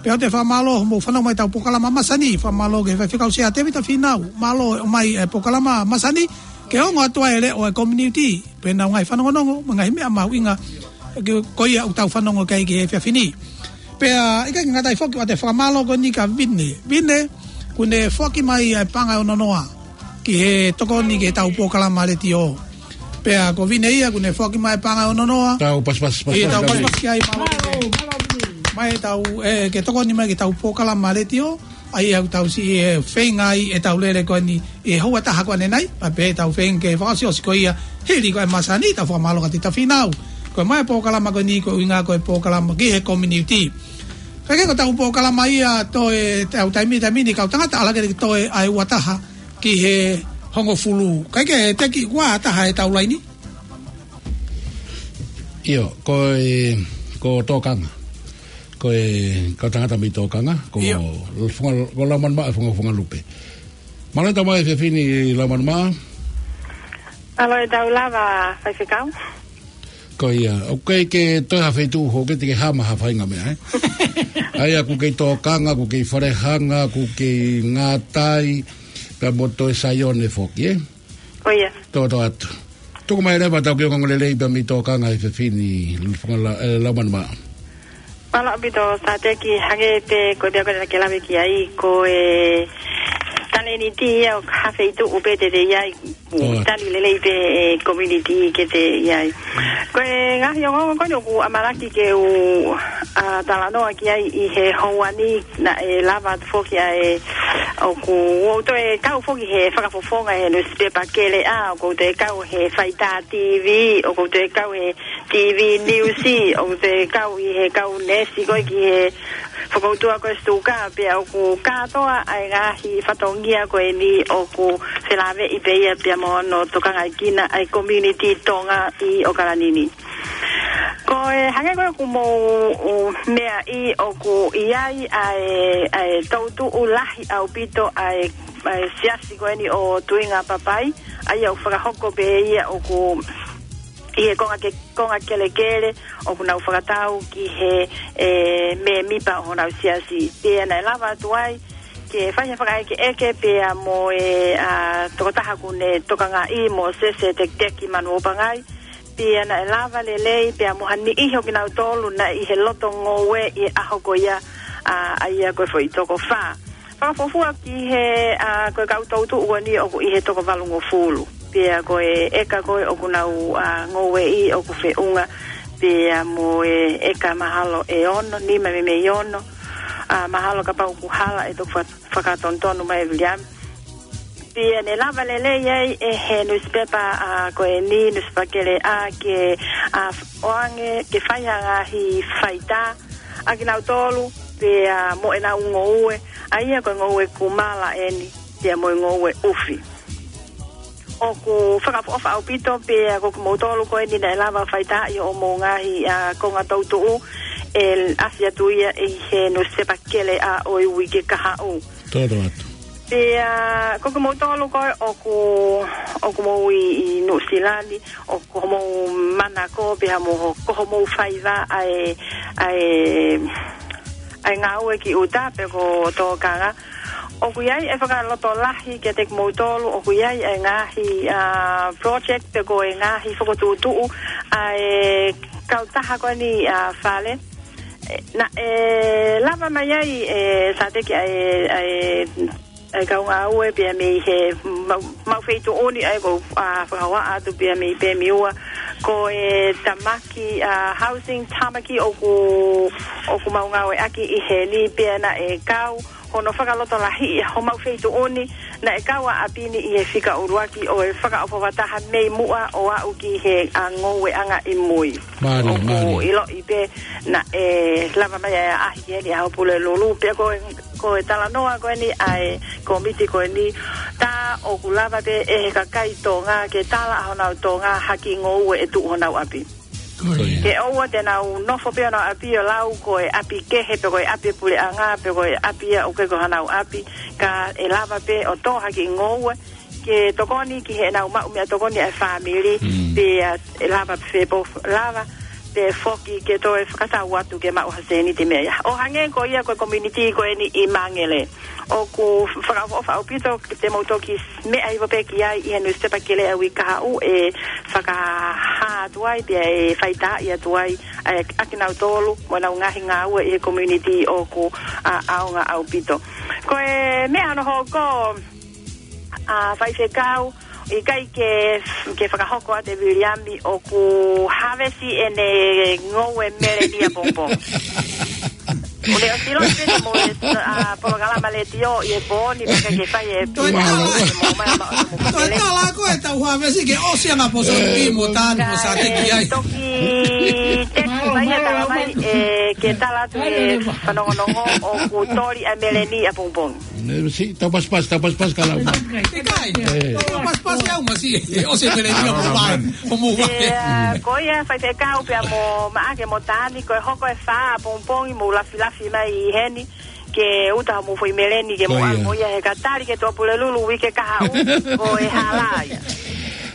Pea ʻoku ou fakamālō hoʻomou fanongo mai ʻetau polokalama masani, fakamālō ki he faifekau Sea Tēvita Fīnau, mālō e ʻomai e polokalama masani, ke ongo atu ai e leʻo ʻo e community, pea ʻenau ngaahi fanongonongo, mo e ngaahi meʻa mahuʻinga, ke, ko ia ʻoku tau fanongo ki ai ki he efiafi ni. Pea, ʻikai ke ngata ai foki, ʻoatu e fakamālō ko eni kia Vine. Vine, kuo ne foaki mai ʻa e paʻanga ʻe ono noa ki he tokoni ki heʻetau polokalama letiō. Pea ko Vine ia, kuo ne foaki mai e paʻanga ʻe ono noa. Tau pasipasi, ʻIo, tau pasipasi, pasipasi ki ai, mālō Vine. Mālō, mālō Vine. Mai ʻetau, ē, ke tokoni mai ki heʻetau polokalama letiō. ʻA ia ʻoku tau siʻi, ē, feinga ai ʻetau lele ko eni ʻi he houa ʻe taha ko eni nai, pea pehē ʻetau feinga ke fakaʻosiʻosi ko ia hili ko e masani, tau fakamālō kia Tēvita Fīnau. Ko e ʻomai e polokalama ko eni ko e ʻuhinga ko e polokalama ki he community. Kae kehe ko ʻetau polokalama ia toe, ʻetau taimi, taimi ni kau tangata ʻalu hake ki he toe ʻa e ua taha ki he hongofulu. Kae kehe Teki, ʻoku ʻā taha ʻetau laini? ʻIo, ko e, ko Tōkanga. Ko e, ko e tangata mei Tōkanga, ko ʻIo. Funga, ko Laumanumaʻa Funga, Fungalupe. Mālō e tau mai e efiafi ni Laumanumaʻa. Mālō e tau lava, faifekau. Ko ia, ʻoku ke toe ha feituʻu hoko ke te ke hama ha faʻahinga meʻa, ē? ʻA ia ʻoku kei Tōkanga, ʻoku kei Falehanga, ʻoku kei Ngātai, pea mo toe Saione foki, ē? Ko ia. Tō, tō atu. Tuku mai leva ʻetau kiʻi ongoongolelei pea mei Tōkanga he efiafi ni, Funga La-, ē, Laumanumaʻa. Mālō ʻaupito Sateki, hangē pē ko e meʻa ko ē naʻa ke lave ki ai, ko e talēniti ia ʻo ha feituʻu pē te te ʻi ai, Tō atu. Tali lelei pē e community ke te ʻi ai. Ko e ngaahi ongoongo ko eni ʻoku ʻamanaki ke u, ā, talanoa ki ai ʻi he houa ni, naʻe lava atu foki ʻa e, ʻoku ou toe kau foki he fakafofonga he nusipepa Keleʻa, ʻoku ou toe kau he Faitā T V, ʻoku ou toe kau he T V News, ʻoku ou toe kau ʻi he kau neesi ko ē ki he fokoutua ko ē Stuka, pea ʻoku kātoa ʻa e ngaahi fatongia ko eni ʻoku felāveʻi pē ia pea mo hono tokangaekina ʻa e community Tonga ʻi ʻAokalani ni. Ko e hangē ko ē ʻoku mou meaʻi ʻoku ʻi ai ʻa e, ʻa e toutuʻu lahi ʻaupito ʻa e, ʻa e siasi ko eni ʻo Tuinga Papai, ʻa ia ʻoku fakahoko pē ia ʻoku ʻi he konga ke-, konga kelekele, ʻoku nau fakatau ki he, ē, mēmipa ʻo honau siasi. Pea naʻe lava atu ai ke fai ha fakaʻekeʻeke pea mo e, ā, tokotaha ʻoku ne tokangaʻi, Mōsese Tekiteki Manuopangai. Pea naʻe lava lelei pea mo ha niʻihi ʻo kinautolu naʻe ʻi he loto ngoue ʻi he ʻaho ko ia, ā, ʻa ia ko e foʻi toko fā. Fakafuofua ki he, ā, ko e kau toutuʻu ko eni ʻoku ʻi he toko valungofulu. Pea ko e ʻeka ko ē ʻoku nau, ā, ngoueʻi ʻoku feʻunga pea mo e ʻeka mahalo ʻe ono, nima mei mei ono. Ā, mahalo kapau ʻoku hala ʻe toki fa-, fakatonutonu mai ʻe Viliami. Pea ne lava lelei ai ʻe he nusipepa, ā, ko eni, Nusipepa Keleʻa ke, ā, ʻoange, ke fai ha ngaahi faitā ʻa kinautolu, pea mo ʻenau ngoue, ʻa ia ko e ngoue kumala eni, pea mo e ngoue ʻufi. ʻOku fakaʻofoʻofa ʻaupito, pea ko kimoutolu ko eni naʻe lava faitā ʻi hoʻomou ngaahi, ā, konga toutuʻu, ʻe ʻasi atu ia ʻi he nusipepa Keleʻa ʻo e uike kahaʻu. Toto atu. Pea, ko kimoutolu ko ē ʻoku, ʻoku mou ʻi, ʻi Nuʻusila ni, ʻoku mou manako pea mo ho-, ko hoʻomou faiva ʻa e, ʻa e, ʻa e ngāue ki ʻuta pe ko tōkanga. ʻOku ʻi ai e fakalotolahi kiate kimoutolu, ʻoku ʻi ai e ngaahi, ā, project pe ko e ngaahi fokotuʻutuʻu ʻa e kautaha ko eni, ā, fale. Ē, naʻe lava mai ai, ē, Sateki, ʻa e, ʻa e, ʻa e kau ngāue pea mei he mau, mau feituʻu ni ʻa ia ko, ā, fakahā atu pea mei Pemiua. Ko e tamaki, ā, housing tamaki ʻoku, ʻoku mau ngāueʻaki ʻi heni pea naʻe kau hono fakalotolahiʻi homau feituʻu ni, naʻe kau ʻa ʻapi ni ʻi he fika ʻuluaki ʻo e fakaʻofoʻofa taha mei muʻa ʻo aʻu ki he, ā, ngoueʻanga ʻi mui. Mālie, mālie. ʻOku ʻiloʻi pē naʻe lava mai ʻa e ʻaʻahi ki heni ʻa Pulelulu, pea ko e, ko e talanoa ko eni ʻa e kōmiti ko eni, tā ʻoku lava pē ʻe he kakai Tonga ke tala ʻa honau Tonga ha kiʻi ngoue ʻe tuʻu honau ʻapi. Ko ia. Ke ʻoua te nau nofo pē honau ʻapi ʻo lau ko e ʻapi kehe pe ko e ʻapi puleʻanga pe ko e ʻapi ia ʻoku ʻikai ko honau ʻapi, ka ʻe lava pē ʻo tō ha kiʻi ngoue ke tokoni ki heʻenau maʻu meʻatokoni ʻa e fāmili, Mm. pea ʻe lava pē fepō lava, pea foki ke toe fakatau atu ke maʻu ha sēniti mei ai. ʻO hangē ko ia ko e community ko eni ʻi Mangere. ʻOku fakaʻofoʻofa ʻaupito ke te mou toki meʻa hifo pē ki ai ʻi he nusipepa Keleʻa ʻa e uike kahaʻu ʻe fakahā atu ai, pea ʻe faitaaʻi atu ai, ē, ʻa kinautolu mo ʻenau ngaahi ngāue ʻi he community ʻoku, ā, ʻaonga ʻaupito. Ko e meʻa hono hoko, ā, Faifekau, ʻikai ke, ke fakahoko atu ʻe Viliami ʻoku hāvesi ʻene ngoue meleni ʻapongipongi. ʻOku ne ʻosi ʻilo pē mo e, ā, polokalama letiō ʻi he pō ni, pea ke fai e Toe pia, tala. ʻe mo mai ma, mo Toe pele. tala ko e tau hāvesi ke ʻosi ʻa Poson P mo Tani mo Sateki ai. Toki teki mai ia tala mai, ē, ke tala atu e fanongonongo ʻoku toli ʻa e meleni ʻapongipongi. Ne, si, tau pasipasi, tau pasipasi ka lau. ʻIkai. Ē. Tau pasipasi au masi, ē, ʻosi e meleni ʻapongipongi. Homo vai. Ē, ā, ko ia Faifekau pea mo Maʻake mo Tani, ko e hoko e fā ʻapongipongi mou lafilafi mai ʻi heni, ke ʻuta homou foʻi meleni ke Ko mou ia. ʻalu mo ia he ka tali ke tuʻa Pulelulu uike kahaʻu, ko e hala ia.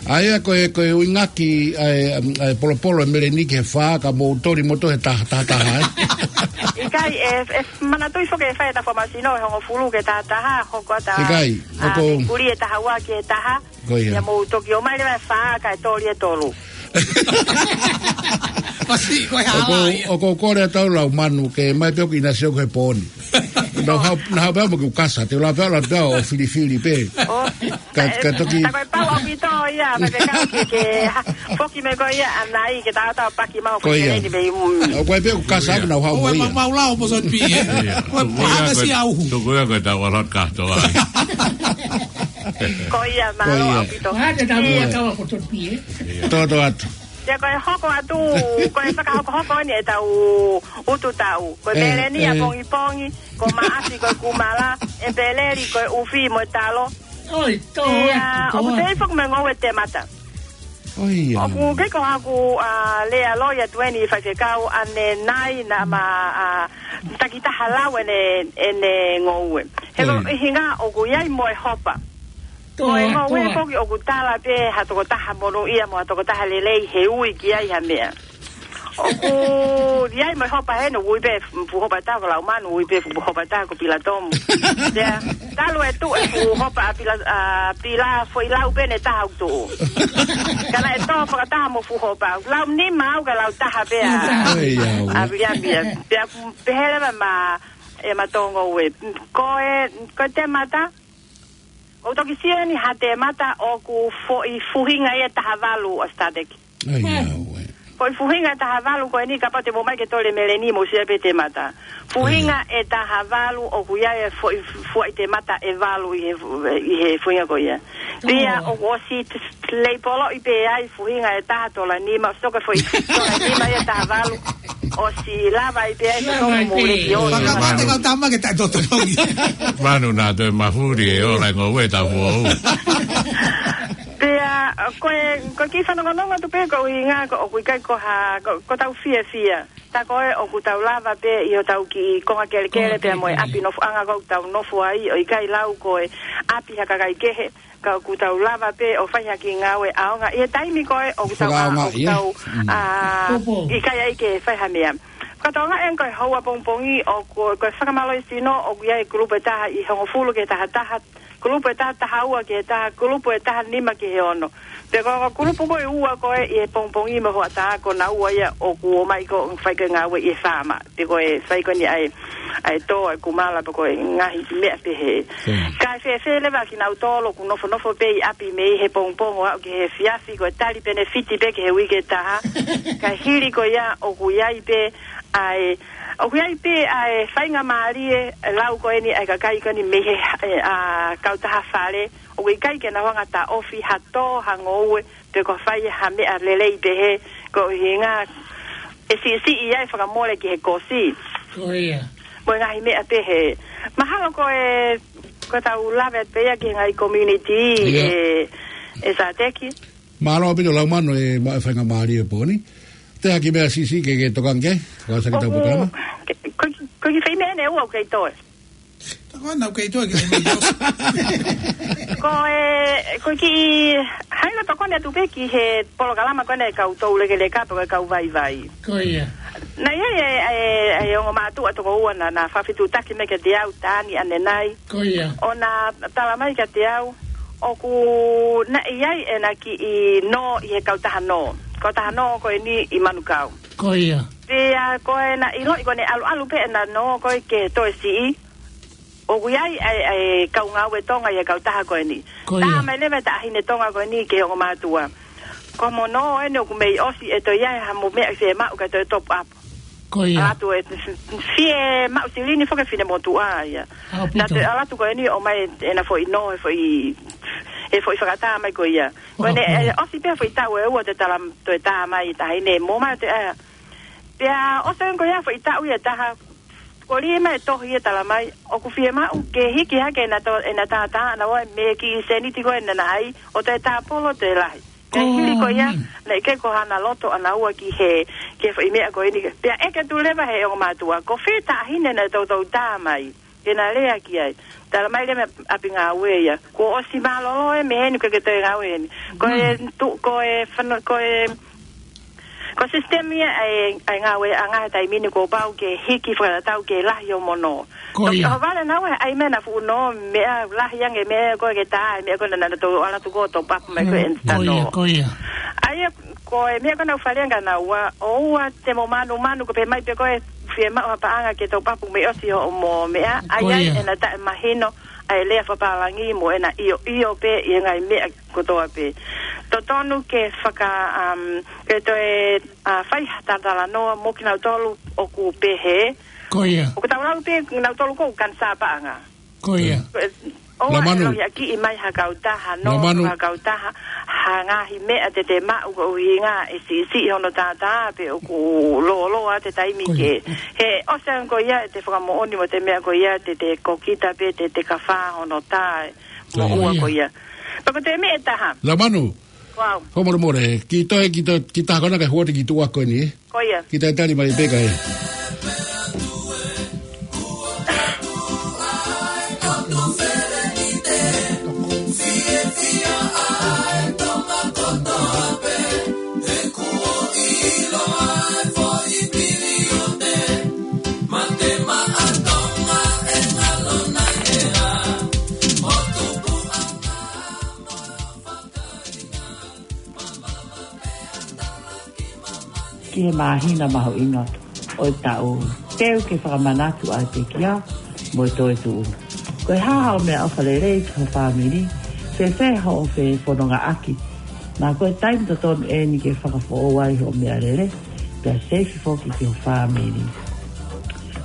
ʻA ia ko e, ko e ʻuhinga ki, ʻa e, ʻa e polopolo e meleni ki he fā ka mou toli moutolu he taha, taha, taha, ē? ʻIkai, ē, ē, manatuʻi foki ʻe fai ʻeta fua masino ʻe hongofulu ke taha taha, hoko atu ʻa, ʻIkai, ʻa, ʻoku ke kuli e taha ua ki he taha, Ko ia. ia mou toki ō mai leva e fā kae toli e tolu. Masi, ko e hala ʻOku, ia. ʻoku ou kole atu lau manu ke mai pē ʻoku ʻinasi ʻoku he pō ni. Nau hau, nau hau pē mo ke u kasa, te u lau pē, lau pē ʻo filifili pē. ʻO, Ka, ē, ka toki. tā ko e pau ʻaupito ia, mai pē kau ke, ke, ha, foki mai ko ia, ʻanai, ke tau tau paki mau Ko ia. fefele ni mei, mm. ʻOku ʻi ai pē ʻoku kasa Ko ia. ʻoku nau hau Ko mo e ia. mau, mau lau Poson P, ē. Ia. Ko e Tuku ia pahanga ko e, si au. tuku ia ko e tau alot kahto ai. Ko ia, mālō Ko ia. ʻaupito. Ko hata tau Ia. ia kawa ko Poson P, ē. Ia. Toto atu. Ia ko e hoko atu, ko e fakahokohoko ni ʻetau utu tau. Ko e Ē, meleni ē. ʻapongipongi, ko Maʻasi ko e kumala, ʻEpeleli ko e ʻufi mo e talo. ʻOi, tō Ia, atu, tō ʻoku atu. tei foki mo e ngoue temata. ʻOi, ia. ʻOku ʻikai ko haku, ā, lea loi atu eni Faifekau ʻanenai naʻa ma, ā, takitaha lau ʻene, ʻene ngoue. He ko ʻOi. ʻuhinga ʻoku ʻi ai mo e hopa. Ko e, ko e, ko e, ko e, ʻoku tala pē ha tokotaha monūʻia mo ha tokotaha lelei he ui ki ai ha meʻa. ʻOku ʻi ai mo e hopa heni, ui pē fuʻu hopa ʻe taha ko Laumanu, ui pē fuʻu hopa ʻe taha ko Pilatomu. Pea talu e tuʻu e fuʻu hopa ʻa Pila, ʻa Pila, foʻi lau pē ʻe taha ʻoku tuʻu. Ka naʻe tō fakataha mo fuʻu hopa. Lau nima au ka lau taha pē ʻa, ʻa Viliami ia. Pea pehē leva ma, ʻe ma Tonga ue. Ko e, ko e temata, ʻoku toki sio eni ha temata ʻoku foʻi fuhinga ia ʻe taha valu ʻo Statec. Foʻi fuhinga ʻe taha valu ko eni kapau te mou ō mai ke tole meleni mou sio pē temata. Fuhinga ʻe taha valu ʻoku ʻi ai e foʻi, foʻi temata ʻe valu ʻi he fu-, ʻi he fuhinga ko ia. Pea ʻoku ʻosi t-, t-, leipoloʻi pē ai fuhinga ʻe taha tola nima, ʻosi toka foʻi tola nima ia ʻe taha valu. ʻOsi lava ai pē ai he toko mou leki o. Manu. Manu naʻa toe mafuli e ola e ngoue ta fuou. Pea, ko e, ko e kiʻi fanongonongo atu pē ko e ʻuhinga ko, ʻoku ʻikai ko ha, ko, ko tau fiefia. Tā ko ē ʻoku tau lava pē ʻi hotau kiʻi konga kelekele pea mo e ʻapi nofoʻanga ʻoku tau nofo ai, ʻo ʻikai lau ko e ʻapi ha kakai kehe, ka ʻoku tau lava pē ʻo fai ha kiʻi ngāue ʻaonga. ʻI he taimi ko ē ʻoku tau, ʻoku tau, ʻikai ai ke fai ha meʻa. Fakatokanga eni ko e houa pongipongi ʻoku, ko e fakamālō ʻi sino ʻoku ʻi ai e kulupu ʻe taha ʻi hongofulu ki he taha taha, kulupu ʻe taha taha ua ki he taha, kulupu ʻe taha nima ki he ono. Pea ko e kulupu ko e ua ko ē ʻi he pongipongi mo e hoʻatā ko naua ia ʻoku ō mai ko e fai ko e ngāue ʻi he faama. Pea ko e fai ko eni ʻa e, ʻa e tō ʻa e kumala pea ko e ngaahi meʻa pehē. Kae fēfē leva kinautolu ʻoku nofonofo pē ʻi ʻapi mei he pongipongi ʻo aʻu ki he efiafi ko e tali penefiti pē ki he uike ʻe taha. Kae hili ko ia ʻoku ʻi ai pē ʻa e ʻOku ʻi ai pē ʻa e faingamālie ʻe lau ko eni ʻa e kakai ko eni mei he, ʻa e kautaha fale. ʻOku ʻikai ke nau hanga ʻo taʻofi ha tō ha ngoue pe ko e fai ha meʻa lelei pehē ko e ʻuhinga ʻe siʻisiʻi ai fakamole ki he kosi. Ko ia. Mo e ngaahi meʻa pehē. Mahalo ko e, ko e tau lave atu pē ia ki he ngaahi community ʻe, ʻe Sateki. Mālō ʻaupito Laumanu e maʻu e faingamālie pō ni. Te ha kiʻi meʻa siʻisiʻi ke, ke tokanga ki ai, fakaʻosi ʻaki ʻetau polokalama. Ko e kiʻi, ko e kiʻi fai meʻa ʻe ua ʻoku kei toe. Tokanga ʻoku kei toe ki ai. Ko e, ko e kiʻi, hanga ʻo tokoni atu pē ki he polokalama ko eni ʻa e kau toulekeleka pe ko e kau vaivai. Ko ia. Naʻe ʻi ai e, e, e ongo mātuʻa toko ua naʻa, naʻa fakafetuʻutaki mai kiate au, Tani ʻanenai. Ko ia. ʻO na tala mai kiate au, ʻoku na ʻi ai ʻena kiʻi nō ʻi he kautaha nō. Kautaha nō ko eni ʻi Manukau. Ko ia. Pea ko ʻena ʻiloʻi ko ʻene ʻaluʻalu pē ʻena nō ko ē ki he toe siʻi. ʻOku ʻi ai ʻa e, ʻa e kau ngāue Tonga ʻi he kautaha ko eni. Ko ia. Talamai leva ʻe he taʻahine Tonga ko eni ki he ongo mātuʻa. Ko homo nō eni ʻoku mei ʻosi ʻe toe ʻi ai ha mo e meʻa ʻe fiemaʻu kae toe top up. Ko ia. ʻAlu atu ʻo fiemaʻu silini foki ʻe he finemotuʻa ia. ʻAupito. Naʻa toe ʻalu atu ko eni ʻo ʻomai ʻena foʻi nō, he foʻi, he foʻi fakatā mai ko ia. Ko ʻene, ʻoku ʻosi pē foʻi taʻu ʻe ua ʻo toe tala, toe tā mai ʻe he taʻahine mo mai ʻo toe ʻai. Pea ʻosi ko ia foʻi taʻu ia ʻe taha, ko e lima e tohi ia ʻe talamai, ʻoku fiemaʻu ke hiki hake ʻena to-, ʻena tātā ʻanaua mei he kiʻi sēniti ko ē naʻa na ʻai, ʻo toe tāpolo toe lahi. Kae hili ko ia, naʻe ʻikai ko haʻana loto ʻanaua ki he, ki he foʻi meʻa ko eni. Pea ʻeke atu leva ʻe he ongo mātuʻa, ko fē taʻahine naʻe toutou tā mai ke na lea ki ai. Talamai leva mei he ʻapi ngāue ia, kuo ʻosi mālōlō ē mei heni, ʻikai ke toe ngāue heni. Ko e tu-, ko e fano-, ko e, ko e sisitemi ia ʻa e, ʻa e ngāueʻanga he taimi ni kuo pau ke hiki fakatatau ke lahi homo nō. Ko ia. Toki ʻohovale naua he ʻai mai ʻena fuʻu nō, meʻa lahi ange meʻa ko ē ke tā, meʻa ko ē naʻa na toe ʻalu atu ʻo top up mai ko ē ʻena nō. Ko ia, ko ia. ʻA ia ko e meʻa ko ē naʻa ku faleʻi ange kia naua, ʻoua te mo manumanu ko e pehē mai pē ko ē fiemaʻu ha paʻanga ke top up mei ʻosi hoʻomo meʻa, ʻa ia ʻena taʻemahino ʻa e lea fakapālangi mo ʻena ʻioʻio pē ʻi he ngaahi meʻa kotoa pē. Totonu ke faka-, um, ke toe, uh, fai ha talatalanoa mo kinautolu ʻoku pehē. Ko ia. ʻOku tau lau pē kinautolu ko e kanisā paʻanga. Ko ia. Ko e, ʻoua ʻe lohiakiʻi mai ha kautaha, nō ha kautaha, ha ngaahi meʻa te te maʻu ko e ʻuhinga ʻe siʻisiʻi hono tātā pe ʻoku lōloa ʻa e taimi ke. He ʻosi ange ko ia ʻete fakamoʻoni mo ʻete meʻa ko ia te te kokita pē te te kafā hono tā ʻe moʻua ko ia. Pea ko e meʻa ʻe taha. Laumanu. Wow. Fakamolemole, kiʻi toe, kiʻi toe, kiʻi taha ko ena kae hoko atu ki he tuʻa ko eni, ē? Ko ia. Kiʻi toe tali mai pē kae. he māhina mahuʻinga ʻo e taʻu. Teu ke fakamanatu ʻa e pekia mo e toetuʻu. Ko e hā haʻo meʻaʻofa lelei ki ho fāmili, fēfē hoʻo fefonongaʻaki. Naʻa ko e taimi totonu eni ke fakafoʻou ai hoʻo meʻalele, pea seifi foki ki ho fāmili.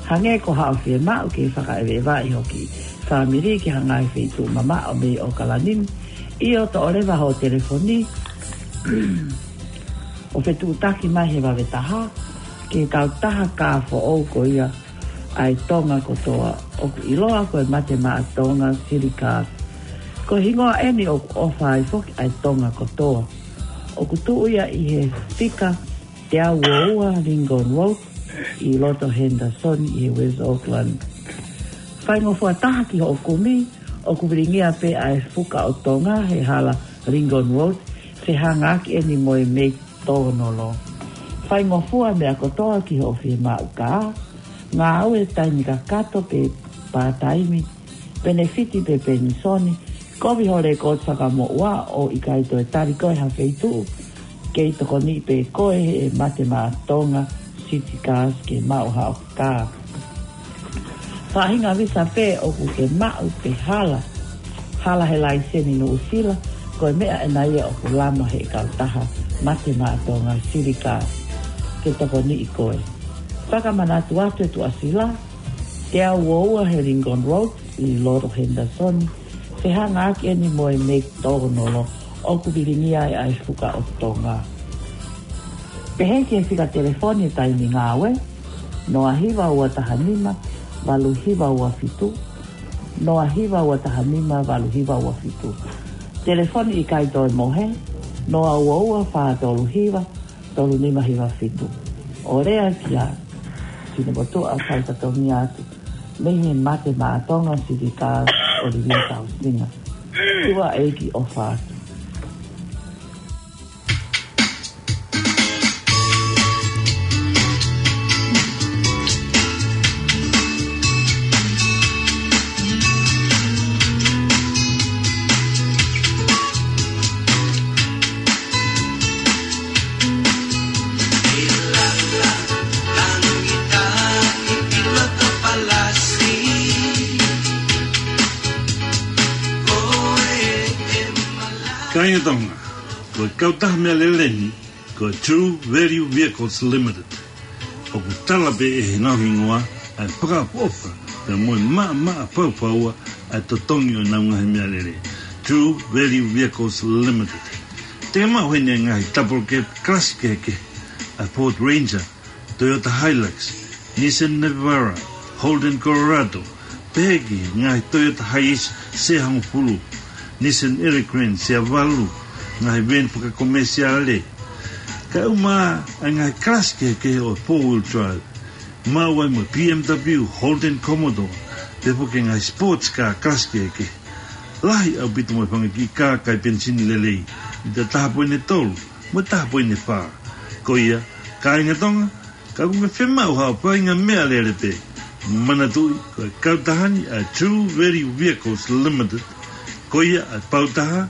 Hangē ko haʻo fiemaʻu ke fakaʻeveʻeva ʻi hoʻo kiʻi fāmili ki ha ngaahi feituʻu mamaʻo mei ʻOkalani, ʻio toʻo leva hoʻo telefoni ʻo fetuʻutaki mai he vave taha ki he kautaha kā foʻou ko ia ʻa e Tonga kotoa, ʻoku ʻiloa ko e Mate Maʻa Tonga City Cars. Ko e hingoa eni ʻoku ʻofa ai foki ʻa e Tonga kotoa. ʻOku tuʻu ia ʻi he fika teau ua ua Lincoln Road ʻi loto Henderson ʻi he West Auckland. Faingofua taha ki hoʻo kumi, ʻoku vilingia pē ʻa e Fuka ʻo Tonga he hala Lincoln Road, fehāngaaki eni mo e McDonald. Faingofua meʻa kotoa ki hoʻo fiemaʻu kā, ngāue taimi kakato pe pātaimi, penefiti pe penisoni, kovi ho lekooti fakamoʻua ʻo ʻikai toe tali koe ha feituʻu, kei tokoniʻi pē koe ʻe he Mate Maʻa Tonga City Cars ke maʻu haʻo kā. Faʻahinga visa pē ʻoku ke maʻu pe hala, hala he laiseni Nuʻusila, ko e meʻa ena ia ʻoku lama he kautaha Mate Maʻa Tonga City Cars ke tokoniʻi koe. Fakamanatu atu e tuʻasila, teau ua ua he Lincoln Road ʻi loto Henderson, fehāngaaki eni mo e McDonald, ʻoku vilingia ai ʻa e Fuka ʻo Tonga. Pehē ki he fika telefoni taimi ngāue, noa hiva ua taha nima, valu hiva ua fitu, noa hiva ua taha nima, valu hiva ua fitu. Telefoni ʻikai toe mohe, noa ua ua fā tolu hiva, tolu nima hiva fitu. ʻO lea kia Sinomotuʻa, fai fatongia atu mei he Mate Maʻa Tonga City Cars, ʻOlivia Tausinga. Tuʻa ʻEiki ʻofa atu. Kāinga Tonga, ko e kautaha meʻalele ni, ko e True Value Vehicles Limited. ʻOku tala pē ʻe heʻenau hingoa ʻa e fakaʻofoʻofa pea mo e maʻamaʻa faufaua ʻa e totongi ʻo ʻenau ngaahi meʻalele. True Value Vehicles Limited. Te ke maʻu heni e ngaahi double cab class kehekehe, ʻa e Ford Ranger, Toyota Hilux, Nissan Navara, Holden Colorado, pehē ki he ngaahi Toyota Hiace sea hongofulu, Nissan Elgrand sea valu, ngaahi veeni fakakomesiale. Kae ʻumaʻā ʻa e ngaahi class kehekehe ʻo e four wheel drive, maʻu ai mo e B M W, Holden Commodore, pehē foki ki he ngaahi sports car class kehekehe. Lahi ʻaupito mo e fanga kiʻi kā kai penisini lelei, ʻi he taha poini tolu mo e taha poini fā. Ko ia, kāinga Tonga, ka ʻoku ke fiemaʻu haʻo faʻahinga meʻalele pē, manatuʻi ko e kautaha ni ʻa e True Value Vehicles Limited, ko ia ʻa e pautaha,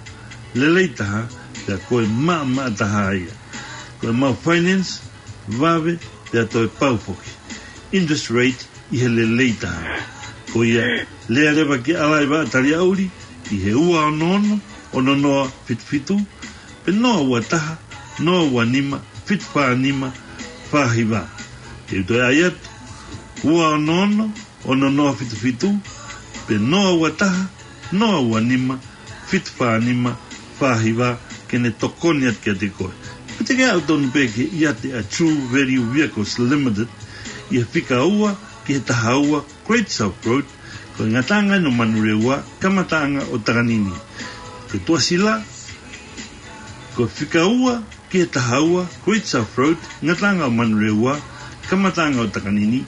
lelei taha, pea ko e maʻamaʻa taha ia. Ko ʻemau finance, vave, pea toe pau foki. Interest rate ʻi he lelei taha. Ko ia, lea leva ki ʻAlaivaʻa Taliaʻuli, ʻi he ua ono ono, ono noa fitu fitu, pe noa ua taha, noa ua nima, fitu fā nima, fā hiva. Te u toe ʻai atu, ua ono ono, ono noa fitu fitu, pe noa ua taha, noa ua nima, fitu fā nima, fā hiva, ke ne tokoni atu kiate koe. Pe te ke aʻu tonu pē ki he ʻiate ʻa e True Value Vehicles Limited, ʻi he fika ua ki he taha ua Great South Road, ko e ngataʻanga ʻo Manurewa, kamataʻanga ʻo Takanini. Ko e tuʻasila, ko e fika ua ki he taha ua Great South Road, ngataʻanga ʻo Manurewa, kamataʻanga ʻo Takanini.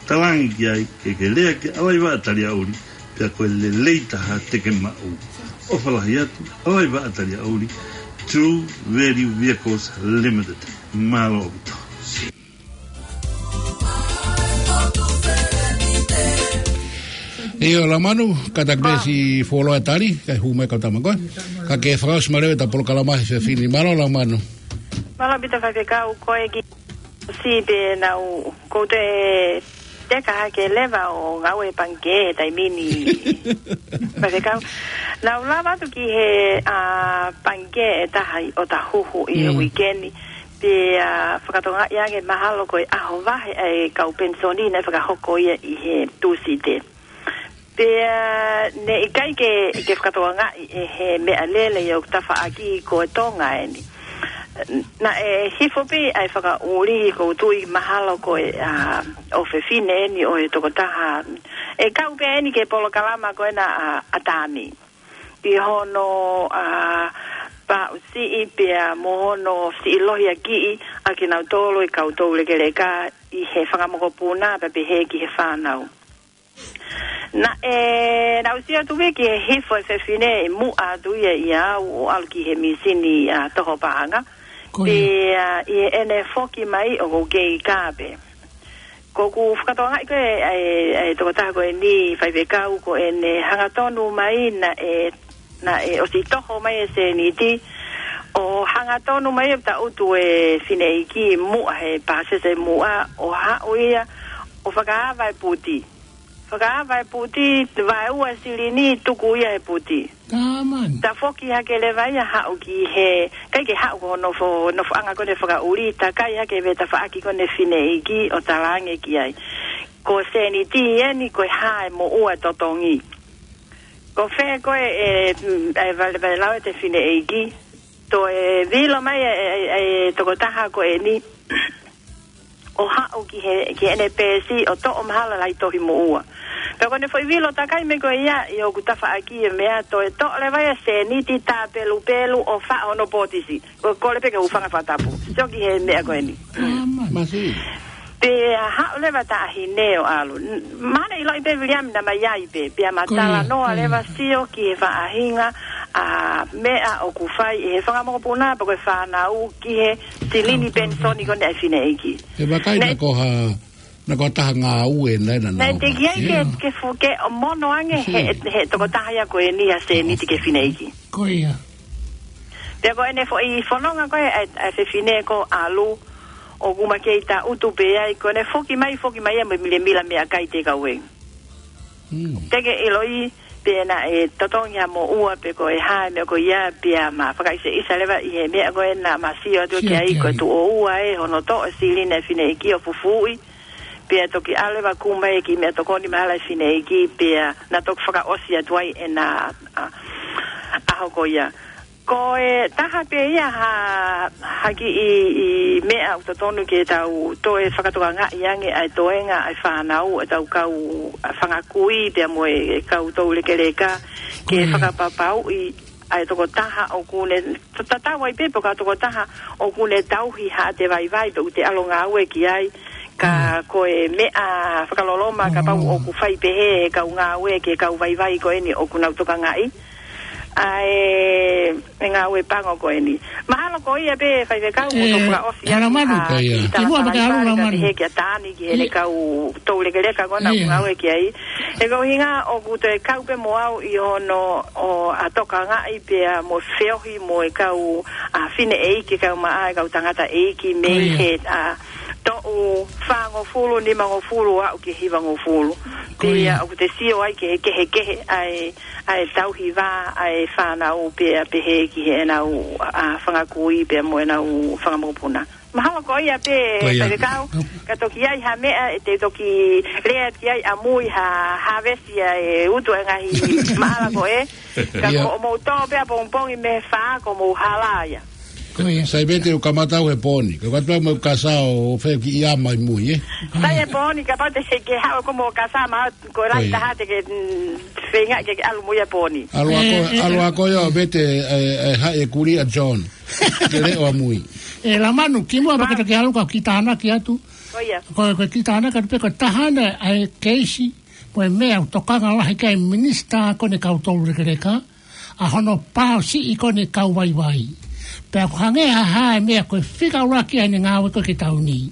Talaange ki ai ke ke lea ki ʻAlaivaʻa Taliaʻuli, pea ko e lelei taha te ke maʻu. ʻOfa lahi atu, ʻAlaivaʻa Taliaʻuli, True Value Vehicles Limited. Mālō ʻaupito. ʻIo, Lamanu, kātaki pē siʻi fuoloa e tali, kae hū mai kau tama koe. Ka ke fakaʻosi mai leva ʻeta polokalama he efiafi ni. Mālō, Lamanu. Mālō ʻaupito, faifekau, ko e kiʻi Si pē naʻa ku toe teka hake leva ʻo ngāue he pangikē he taimi ni. Pea te kau. Naʻa ku lava atu ki he, ā, pangikē ʻe taha ʻi ʻOtahuhu ʻi he Mm. uike ni. Pea, ā, fakatokangaʻi ange mahalo ko e ʻaho vahe ʻa e kau penisoni naʻe fakahoko ia ʻi he Tūsite. Pea, ā, naʻe ʻikai ke, ke fakatokangaʻi ʻe he meʻalele ʻi hoku tafaʻaki ko e Tonga eni. Naʻe hifo pē ʻa e fakaʻuli, ʻoku ou tui mahalo ko e, ā, ʻofefine eni ʻo e tokotaha. ʻE kau pē eni ki he polokalama ko ena ʻa, ʻa Tami. ʻI hono, ā, paʻusiʻi pea mo hono siʻi lohiakiʻi ʻa kinautolu e kau toulekeleka ʻi he fanga mokopuna pea pehē ki he fānau. Naʻe, naʻa ku sio atu pē ki he hifo e fefine ʻi muʻa atu ia ʻia au ʻo ʻalu ki he mīsini, ā, toho paʻanga. Ko ia. Pea, ā, ʻi heʻene foki mai ʻoku ou kei kā pē. ʻOku ou fakatokangaʻi ko e, ʻa e, ʻa e tokotaha ko eni faifekau ko ʻene hangatonu mai naʻe, naʻe ʻosi toho mai e sēniti, ʻo hangatonu mai ʻo taʻutu e fineʻeiki muʻa he pāsese muʻa, ʻo haʻu ia, ʻo fakaava e puti. Fakaava e puti, vaeua e silini, tuku ia he puti. Taman. Tafoki hake leva ia haʻu ki he, ʻikai ke haʻu ko hono fo-, nofoʻanga ko eni fakaʻuli, takai hake he tafaʻaki ko eni fineʻeiki ʻo talaange ki ai. Ko e sēniti eni ko e hā e moʻua totongi. Ko fē ko e, e, e vale, vale lau e te fineʻeiki. Toe vilo mai e, e, e, e tokotaha ko eni. ʻO haʻu ki he, ki heʻene peesi ʻo toʻo mahalo lahi tohi moʻua. Pea ko ʻene foʻi vilo takai mai ko ia ʻi hoku tafaʻaki e meʻa toe toʻo leva ia sēniti tāpelupelu ʻo faʻo hono pōtisi. ʻO kole pē ke u hūfanga he fakatapu. Sio ki he meʻa ko eni. Masi. Pea haʻu leva taʻahine ʻo ʻalu. N-, mahalo ʻiloʻi pē Viliami naʻa mai ai pē. Pea ma talanoa leva sio ki he faʻahinga ʻa meʻa ʻoku fai ʻe he fanga mokopuna pe ko e fānau ki he silini penisoni ko eni ʻa e fineʻeiki. He vakai naʻa ko ha, naʻa ko ha taha ngāue naʻe naʻa nau teʻeki ai ke, ke fuke ʻo mono ange he, he tokotaha ia ko eni ha sēniti ki he fineʻeiki. Ko ia. Pea ko ʻene foʻi fononga ko e, ʻa e, ʻa e fefine ko ʻalu, ʻoku ma kei taʻutu pē ai, ko ʻene foki mai, foki mai ia mo e milemila meʻakai te kau e. Mm. Teʻeki ʻiloʻi, pea naʻe totongi ha moʻua pe ko e hā e meʻa ko ia pea ma fakaʻiseʻisa leva ʻi he meʻa ko ē naʻa ma sio atu ki ai ko e tuʻo ua ē hono toʻo e silini e fineʻeiki ʻo fufuuʻi. Pea toki ʻalu leva kumi e kiʻi meʻatokoni mahalo e fineʻeiki pea naʻa toki fakaʻosi atu ai ʻena, ā, ʻaho ko ia. Ko e taha pē ia ha, ha kiʻi, ʻi meʻa ʻoku totonu ke tau toe fakatokangaʻi ange ʻa e toenga ʻa e fānau, ʻa e tau kau, ʻa, fanga kui, pea mo e kau toulekeleka, ke fakapapauʻi ʻa e tokotaha ʻoku ne, ta-, tatau ai pē pe ko ha tokotaha ʻoku ne tauhi haʻate vaivai, pe ʻoku te ʻalu ʻo ngāue ki ai, ka ko e meʻa fakaloloma kapau ʻoku fai pehē ʻe he kau ngāue ki he kau vaivai ko eni ʻoku nau tokangaʻi ʻa e, e ngāue pango ko eni. Mahalo ko ia pē faifekau mo tau fakaʻosi atu ʻa e kiʻi tala fakataha pehē kia Tani ki heʻene kau toulekeleka ko ena ʻoku ngāue ki ai. He ko e ʻuhinga ʻoku toe kau pē mo au ʻi hono ʻo ʻa tokangaʻi pea mo feohi mo e kau ʻa fineʻeiki, kau maʻa e kau tangataʻeiki mei he ʻa toʻu fāngofulu, nimangofulu, aʻu ki he hivangofulu. Pea ʻoku te sio ai ki he kehekehe ʻa e, ʻa e tauhi vā ʻa e fānau pea pehē ki heʻenau ʻa fanga kui pea mo ʻenau fanga mokopuna. Mahalo ko ia pē faifekau, ka toki ai ha meʻa ʻe te toki lea ki ai ʻamui ha, ha vesi ʻa e utu e ngaahi maʻala ko ē. Ka ko hoʻomou tō pē ʻapongipongi mei he fā ko mou hala ia. Sai pē te u kamata au he pōni. Ka katoa mo kasa ʻo fē kiʻi ʻama ʻi mui, ē? Sai he pōni, kapau te ke haʻu ko mo kasa ma ko e lahi taha te ke, mm, feinga ke, ke ʻalu mo ia pōni. ʻAlu ako, ʻalu ako ia ʻo vete, e, e, haʻi e kuli ʻa John. Ke leʻo ʻamui. ʻE Lamanu, kimuʻa pea ke toki ʻalu ka kiʻi tānaki atu. Ko ia. Ko, ko e kiʻi tānaki atu pē ko e taha ena ʻa e keisi, ko e meʻa ʻoku tokanga lahi ki ai e minisitā ko eni kau toulekeleka, ʻa hono paʻusiʻi ko eni kau vaivai. Pea ʻoku hangē ha hā e meʻa ko e fika ʻuluaki ʻa ʻene ngāue ko ē ki he taʻu ni.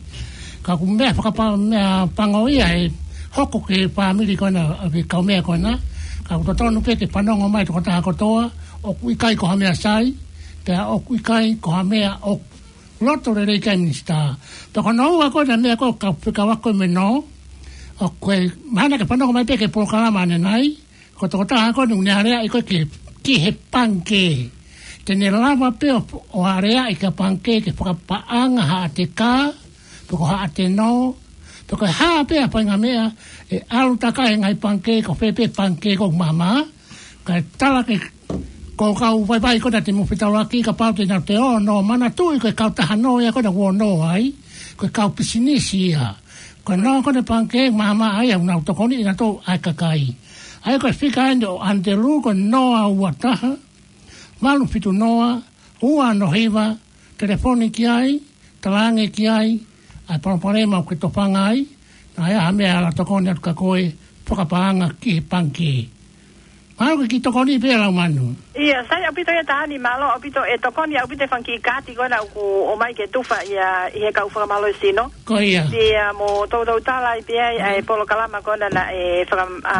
Ka ʻoku meʻa fakapa-, meʻa pango ia ʻe hoko ki he fāmili ko ena ʻa e kau meʻa ko ena. Ka ʻoku totonu pē ke fanongo mai tokotaha kotoa, ʻoku ʻikai ko ha meʻa sai, pea ʻoku ʻikai ko ha meʻa ʻoku Loto lelei ki ai Minisitā. Pea ko hono ua ko ē ʻa e meʻa ko ē ʻoku fekauʻaki mo e nō, ʻoku ʻi ai, mahalo ke fanongo mai pē ki he polokalama ʻanenai, ko e tokotaha ko eni naʻe aleaʻi ko ē ki he, ki he pangikē. Te ne lava pē ʻo, ʻo aleaʻi ki he pangikē ke fakapaʻanga haʻate kā, pe ko haʻate nō, pe ko e hā pē ha faʻahinga meʻa, ʻe ʻalu takai he ngaahi pangikē, ko fē pē pangikē ʻoku maama, kae tala ki he kau vaivai ko ena te mou fetaulaki, kapau te nau toe ō ʻo nō, manatuʻi ko e kautaha nō ia ko ena ʻoku ō ʻo nō ai, ko e kau pisinisi ia. Ko e nō ko ena pangikē maama ai ʻoku nau tokoniʻi nautolu ʻa e kakai. ʻA ia ko e fika eni ʻo Antelū ko e noa ua taha, valu fitu noa, ua ono hiva, telefoni ki ai, talaange ki ai ʻa e palopalema ʻoku ke tofanga ai, naʻa ʻi ai ha meʻa ʻe ala tokoni atu kia koe, fakapaʻanga ki he pangikē. Mahalo ke kiʻi tokoni pē Laumanu. ʻIo, sai ʻaupito ia Tani, mālō ʻaupito, ʻe tokoni ʻaupito e fanga kiʻi kaati ko ena ʻoku ʻomai ke tufa ia ʻi he kau fakamālohisino. Ko ia. Pea mo toutou tala ai pē ʻa e polokalama ko ena naʻe faka-, ʻa,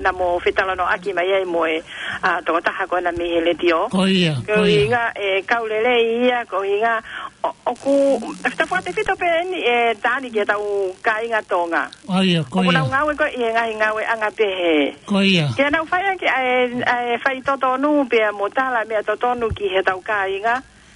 naʻa mou fetalanoaʻaki mai ai mo e, ʻa, tokotaha ko ena mei he letiō. Ko ia, ko ia. Ko e ʻuhinga ʻe kau lelei ia, ko e ʻuhinga ʻo, ʻoku, ʻe fita fua te fito pē eni ʻe Tani ki heʻetau kāinga Tonga. ʻA ia, ko ia. ʻOku nau ngāue ko ē ʻi he ngaahi ngāueʻanga pehē. Ko ia. Ke nau fai ʻaki ʻa e, ʻa e faitotonu pea mo tala meʻa totonu ki heʻetau kāinga.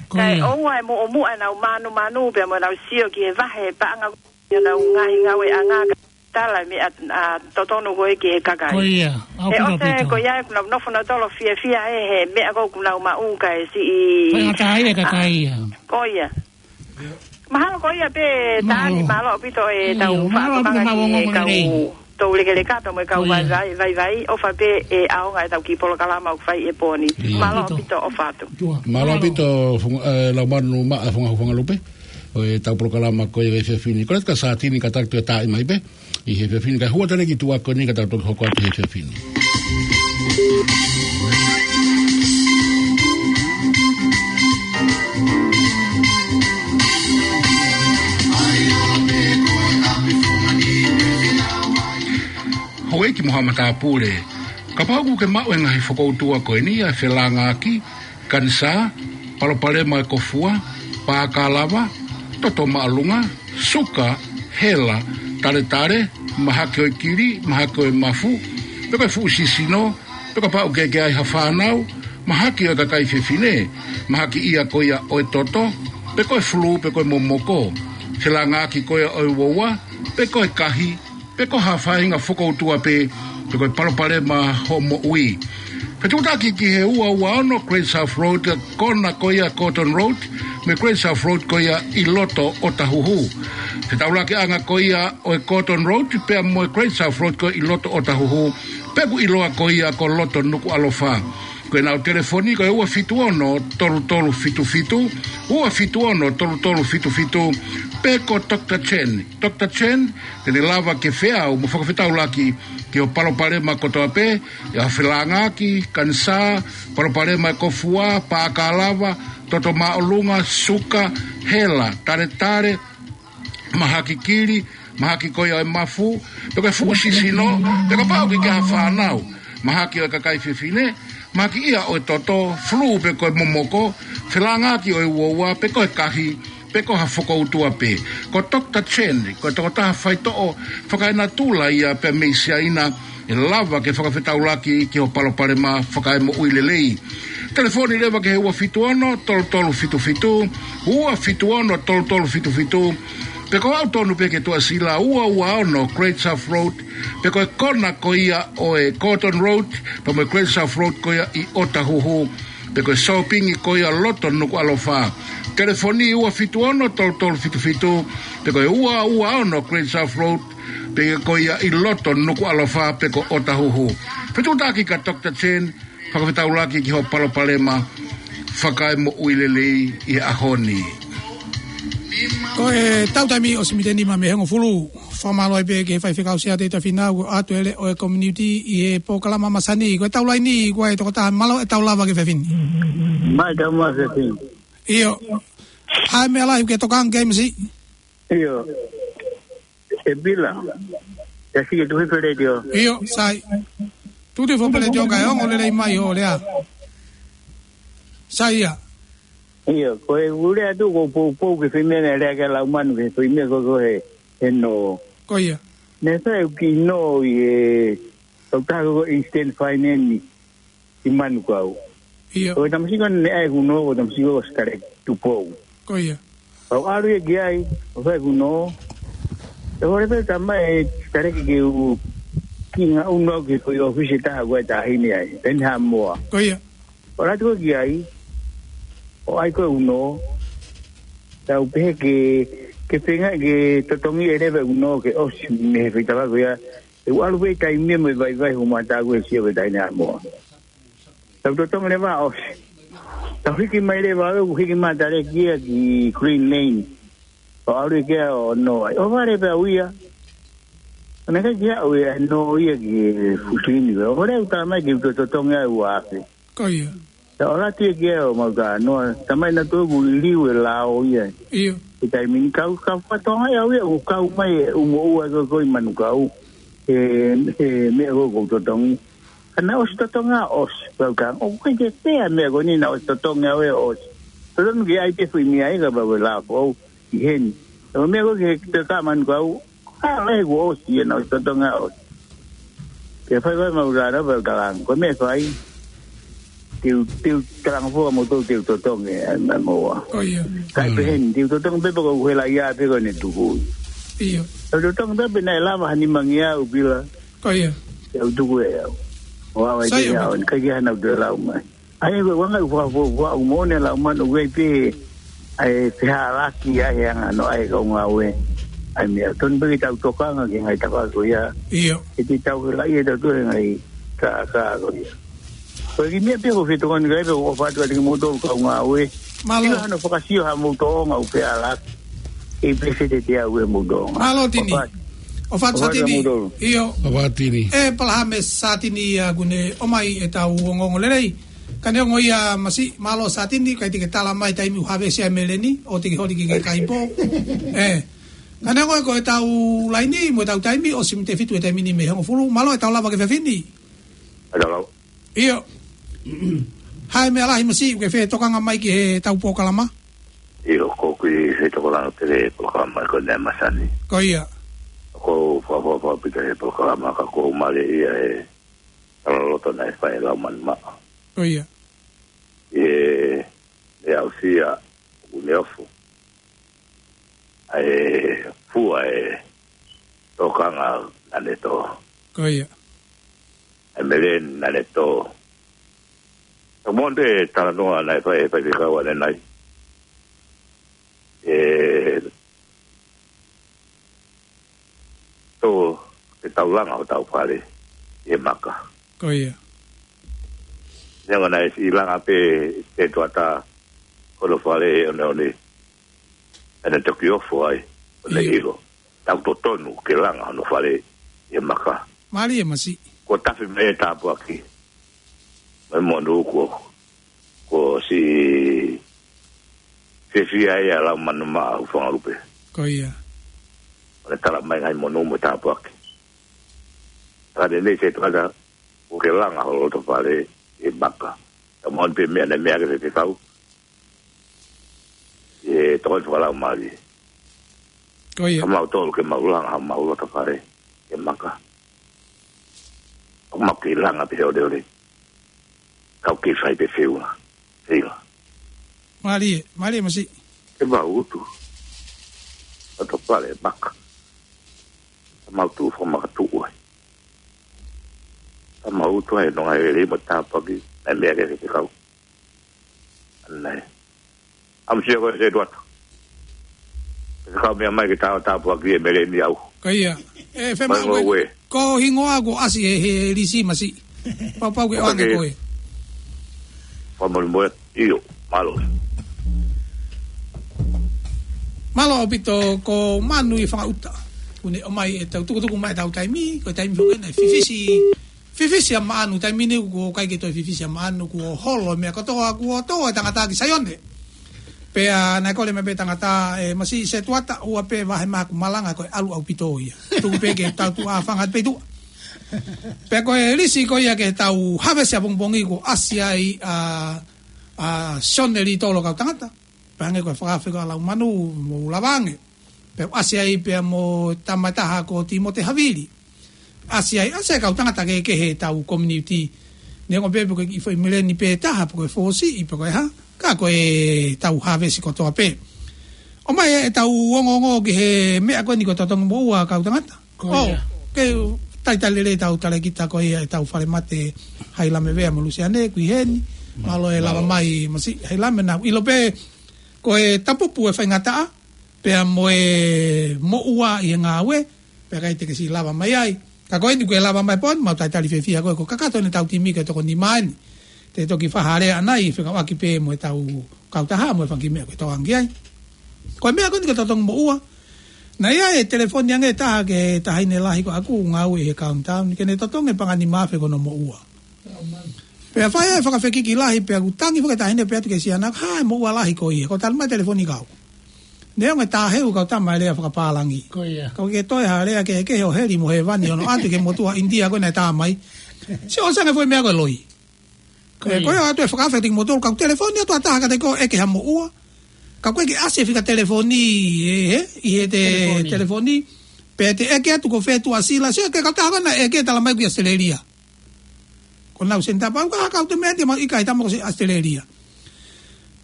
Ko ia. Kae ʻoua ʻe muʻomuʻa ʻenau mānumanu pea mo ʻenau sio ki he vahe paʻanga ʻi honau ngaahi ngāueʻanga, kae tala meʻa, ʻa, totonu ko ē ki he kakai. Ko ia. ʻAupito, ʻaupito. He ʻosi ko ia ʻoku nau nofo nautolu ʻo fiefia he, he meʻa ko ē ʻoku nau maʻu kae siʻi. Ko ia, tā ia kakai ia. Ko ia. Mahalo ko ia pē Tani, mālō ʻaupito ʻetau fakaʻamu ki he kau toulekeleka pea mo e kau vaivai, vaivai, ʻofa pē ʻe ʻaonga ʻetau kiʻi polokalama ʻoku fai he pō ni. Mālō ʻaupito, ʻofa atu. Mālō ʻaupito, Laumanu Maʻa Funga Fungalupe, ʻo ʻetau polokalama ko ia he efiafi ni. Ko e lata ka Sātini ka tau toe taaʻi mai pē ʻi he efiafi ni, kae hū atu leva e kiʻi tuʻa ko eni ka tau toki hoko atu he efiafi ni. Houʻeiki mo haʻa matāpule, kapau ʻoku ke maʻu e ngaahi fokoutua ko eni, ʻa e felāngaaki, kanisā, palopalema e kofua, pākalava, toto māʻolunga, suka, hela, taletale, mahaki ʻo e kili, mahaki ʻo e mafu, pe ko e fuʻu sisino, pe kapau ʻoku ke ʻi ai ha fānau, mahaki ʻo e kakai fefine, mahaki ia ko ia ʻo e toto, pe ko e fulū, pe ko e momoko, felāngaaki ko ia ʻo e uaua, pe ko e kahi, pe ko ha faʻahinga fokoutua pē, pe ko e palopalema hoʻo moʻui. Fetuʻutaki ki he ua ua ono Great South Road, kona ko ia Gordon Road mo e Great South Road ko ia ʻi loto ʻOtahuhu. Fetaulakiʻanga ko ia ʻo e Gordon Road pea mo e Great South Road ko ia ʻi loto ʻOtahuhu, pea ʻoku ʻiloa ko ia ko loto Nukuʻalofa. Ko ʻenau telefoni ko e ua fitu ono tolu tolu fitu fitu, ua fitu ono tolu tolu fitu fitu, pe ko Doctor Chen. Doctor Chen, te ne lava ke feau mo fakafetaulaki ki hoʻo palopalema kotoa pē, ʻi ha felāngaaki, kanisā, palopalema e kofua, pākalava, toto māʻolunga, suka, hela, taletale, mahaki kili, mahaki ko ia ʻo e mafu, pe ko e fuʻu sisino, pe kapau ʻoku ke ʻi ai ha fānau, mahaki ʻo e kakai fefine, mahaki ia ʻo e toto, fulū pe ko e momoko, felāngaaki ʻo e uaua, pe ko e kahi, pe ko ha fokoutua pē. Ko Doctor Chen, ko e tokotaha faitoʻo fakaenatula ia pea mei Siaina, ʻe lava ke fakafetaulaki ki hoʻo palopalema fakaemoʻui lelei. Telefoni leva ki he ua fitu ono tolu tolu fitu fitu, ua fitu ono tolu tolu fitu fitu, pe ko aʻu tonu pē ki he Tuʻasila ua ua ono Great South Road, pe ko e kona ko ia ʻo e Gordon Road pea mo e Great South Road ko ia ʻi ʻOtahuhu, pe ko e sōpingi ko ia loto Nukuʻalofa. Telefoni ua fitu ono tolu tolu fitu fitu, pe ko e ua ua ono Great South Road, pe ko ia ʻi loto Nukuʻalofa, pe ko ʻOtahuhu. Fetuʻutaki kia Doctor Chen, fakafetaulaki ki hoʻo palopalema fakaemoʻui lelei ʻi he ʻaho ni. Ko e tau taimi ʻosi miniti ʻe nima mei he hongofulu. Fakamālō ai pē ki he faifekau Siaosi Tēvita Fīnau, ko e ʻatu e leʻo e community ʻi he polokalama masani. Ko e tau laini, ko e tokotaha mālō ʻetau lava ki he efiafi ni. Mai tau mai efiafi ni. ʻIo. ʻAi meʻa lahi ke tokanga ki ai masi. ʻIo. ʻE Pila. ʻE sike tuhi feleti ʻo. ʻIo, sai. Tuhi feleti ʻo kae ongo lelei mai ʻo lea. Sai ia. ʻIo, ko e ʻuhinga atu ko e poupou ki he foʻi meʻa naʻe lea ki ai ʻa Laumanu ki he foʻi meʻa ko ē he, he nō. Ko ia. Naʻe fai ʻeku kiʻi nō ʻi he, ko e taha ko e Eastern Finance ʻi Manukau. ʻIo. Ko e tamasiʻi ko ē naʻe ʻai ʻeku nō, ko e tamasiʻi ko ē ʻosi Taleki Tupou. Ko ia. Pea u ʻalu ia ki ai, ʻo fai ʻeku nō. ʻE hore pē tamai ʻe Taleki ke u kiʻi ngaʻunu au ki he foʻi ʻōfisi ʻe taha ko ē ʻa e taʻahine ai, Peni Haʻamoa. Ko ia. ʻO ʻalu atu ko ē ki ai, ʻo ʻai ko ē ʻeku nō, tau pehē ke, ke feinga ke totongi ʻe leva ʻeku nō ke ʻosi mei he foʻi tafaʻaki ko ia, ʻe u ʻalu pē taimi mo e vaivai hoʻomou tāku ʻe sio pē taʻahine Haʻamoa. Tau totongi leva ʻosi. Tau hiki mai leva ʻo hiki mai ʻa Taleki ia ki Green Lane. ʻO ʻalu ia ki ai ʻo nō ai. ʻO vale pē au ia. ʻO naʻe ʻikai ke aʻu ia ʻo nō ia ki he fuʻu silini. ʻO lea ʻo tala mai ke u totongi ai ua afe. Ko ia. Tau ʻalu atu ia ki ai ʻo mau talanoa. Tamai naʻa tau ʻoku liliu e lao ia. ʻIo. He taimi ni kau, kau fatongia au ia, ʻoku kau mai e ʻumoʻua ko ē ʻi Manukau. He, he meʻa ko ē ʻoku ou totongi. Ka naʻe ʻosi totongi ʻosi, pea u ka, ʻoku ʻikai ke pehē ʻa e meʻa ko eni naʻe ʻosi totongi ʻe au ʻosi. Totonu ke ʻai pē foʻi meʻa ia kapau ko e lao foʻou ʻi heni. Ko e meʻa ko ē ki he toka Manukau, ʻa e meʻa kuo ʻosi ia naʻe ʻosi totongi ʻosi. Ke fai fai mau rara pea u talanga. Ko e meʻa fai, te u, te u talanga foʻou mo tō te u totongi, ʻa e meʻa mo ua. Ko ia. Kai pē heni, te u totongi pē pea ko e hela ia pē ko ʻene tuku. ʻIo. Te u totongi pē pea naʻe lava ha nimangeau pila. Ko ia. Te u tuku ʻe au. ʻO au ai Sai pē au, ʻaupito. Ni kai ke hana u te lau mai. ʻA ia ko e ʻuhinga ʻoku fa-, fa-, fa-, ʻoku moʻoni ʻa Laumanu ʻoku ʻi ai pē ʻa e fehālaaki ʻa e anga ʻo e kau ngāue. ʻA e meʻa tonu pē ke tau tokanga ki he ngaahi tafaʻaki ko ia. ʻIo. He te tau helaʻia ʻe tautolu he ngaahi kākā ko ia. Ko e kiʻi meʻa pē ko e fetokoni kai pē ʻoku ou ʻofa atu kiate kimoutolu kau ngāue. Mālō. Sio hano fakasio haʻamou tōʻonga ʻoku fehālaaki. ʻE pese te te au ʻe mou tōʻonga. Mālō Tini. ʻOfa atu. ʻOfa atu Satini. Kimoutolu. ʻIo. ʻOfa atu Tini. ʻE Palahame Satini ia ʻoku ne ʻomai ʻetau ongoongo lelei. Ka neongo ia Masiʻi, mālō Satini, ʻikai te ke tala mai taimi ʻoku havesi ai e meleni, ʻo te ke holi ki he kakai pō. ʻE. Ka neongo ia ko ʻetau laini, mo ʻetau taimi, ʻosi miniti ʻe fitu e taimi ni mei he hongofulu, mālō ʻetau lava ki he efiafi ni. ʻAtau lau. ʻIo. Hai meʻa lahi Masiʻi, ʻoku ke fetokanga mai ki heʻetau polokalama? ʻIo, ko e kiʻi fetokanga pē ki he polokalama ko eni ʻa e masani. Ko ia. ʻOku ou fakaʻofoʻofa ʻaupito he polokalama ka ʻoku ou mālieʻia he talaloto naʻe fai ʻe Laumanu Maʻa. Ko ia. ʻI heʻene aʻusia ʻoku ne ofo ʻa e fua e tokanga naʻa ne tō. Ko ia. ʻA e meleni naʻa ne tō. Ka moʻoni e talanoa naʻe fai ʻe he faifekau ʻanenai. ʻE tō ke tau langa hotau fale ʻi he maka. Ko ia. Neongo naʻe siʻi langa pē ʻe Setuata hono fale ʻi he ʻoneʻone. ʻA ʻene toki ofo ai, ʻo ne ʻIo. ʻilo. Tau totonu ke langa hono fale ʻi he maka. Mālie Masiʻi. Kuo tafe mai e tāpuaki. Mai monū kuo, kuo siʻi fiefia ai ʻa Laumanu Maʻa Hufangalupe. Ko ia. ʻO ne tala mai ngaahi monū mo e tāpuaki. Ka ne nei Setuata, kuo ke langa ho loto fale ʻi he maka. Ka moʻoni pē meʻa naʻe meʻa ki he faifekau. ʻI he tokoni fakalaumālie. Ko ia. Ka mau tolu ke mau langa, mau loto fale ʻi he maka. ʻOku mau kei langa pē he ʻoleʻole. Ka ʻoku kei fai pē feʻunga. Feʻunga. Mālie, mālie Masiʻi. Ke mau utu. Loto fale ʻi he maka. Ka mau tuʻu fakamaka tuʻu ai. Ka mau utu ai nonga e lelei mo e tāpuaki. Naʻe meʻa ki he faifekau. ʻAnenai. ʻAmusia ko e Setuata. Ke kau meʻa mai ke tau tāpuaki e meleni au. Ko ia. ʻE, fema Mai ko e, ngoue. Ko e hingoa kuo ʻasi he, he lisi Masiʻi. Pau pau ke ʻoange ko e. Fakamolemole, ʻio, mālō. Mālō ʻaupito ko Manu ʻi Fangaʻuta. ʻOku ne ʻomai ʻetau tukutuku mai ʻetau taimi, ko e taimi foki naʻe fifisi Fifisi ʻa Maʻanu, taimi ni kuo ʻikai ke toe fifisi ʻa Maʻanu, kuo holo e meʻa kotoa, kuo tō e tangata ki Saione. Pea naʻe kole mai pē tangata, ʻe, Masiʻi Setuata, ʻoua pē vahe mai hoku malanga ko e ʻalu ʻaupito ia. Tuku pē ke tau tuʻa fanga pē tuʻa. Pea ko e lisi ko ia ke tau havesi ʻapongipongi kuo ʻasi ai ʻa ʻa Sione Litolo, kau tangata. Pea hangē ko e fakaafe ko ē ʻa Laumanu, mou lava ange. Pea u ʻasi ai pea mo e tama ʻe taha ko Timote Havili. ʻAsi ai, ʻasi ai kau tangata kehekehe ʻetau community. Neongo pē pe ko e kiʻi foʻi meleni pē ʻe taha, pe ko e fōsiʻi, pe ko e hā. Ka ko ʻetau hāvesi kotoa pē. ʻOmai ʻetau ongoongo ki he meʻa ko eni ko e totongi moʻua, kau tangata. Ko ia. Ke talitali lelei ʻetau talēkita ko ia ʻetau falemate, Hailame Vea mo Lusiane, ʻoku ʻi heni. Mālō e lava mai, masiʻi Hailame, naʻa ku ʻilo pē ko e tapupu e faingataʻa, pea mo e moʻua ʻi he ngāue, pea ʻikai te ke siʻi lava mai ai. Ka ko eni kuo ke lava mai pē, mau talitali fiefia koe, ko e kakato eni ʻetau timi ko e toko nima eni. Te toki fai ha lea ʻanai, fekauʻaki pē mo ʻetau kautaha, mo e fanga kiʻi meʻa ko e tokanga ki ai. Ko e meʻa ko eni ko e totongi moʻua. Naʻe ʻi ai e telefoni ange ʻe taha ki he taʻahine lahi ko ʻeku ngāue ʻi he Countdown, ke ne totongi e paʻanga nima afe ko hono moʻua. Pea fai ai e fakafekiki lahi, pea ʻoku tangi foki e taʻahine pē atu ki he siana, ha, e moʻua lahi ko ia, ko e talamai e telefoni kau. Neongo e tāheu kau tama e lea fakapālangi. Ko ia. Ka ʻoku ke toe ha lea kehekehe ʻo heli mo hēvani ʻo ʻoatu ki he motuʻa ʻInitia ko ē naʻe tā mai. Sio, ʻosi ange foʻi meʻa ko e loi. Ko ia. Ko ia ʻoatu e fakaafe kiate kimoutolu, kau telefoni atu ha taha kiate koe ʻeke ha moʻua. Ka ʻoku ʻikai ke ʻasi e fika telefoni, ē, ē, ʻi he te telefoni. Telefoni. Pea te ʻeke atu ko fē Tuʻasila. Sio, ko e kau taha ko ē naʻe ʻeke, talamai ʻoku ʻi ʻAositelēlia. Ko ʻenau senitā pau ka kau te mea te mau ʻikai, tama ko ē ʻosi ʻAositelēlia.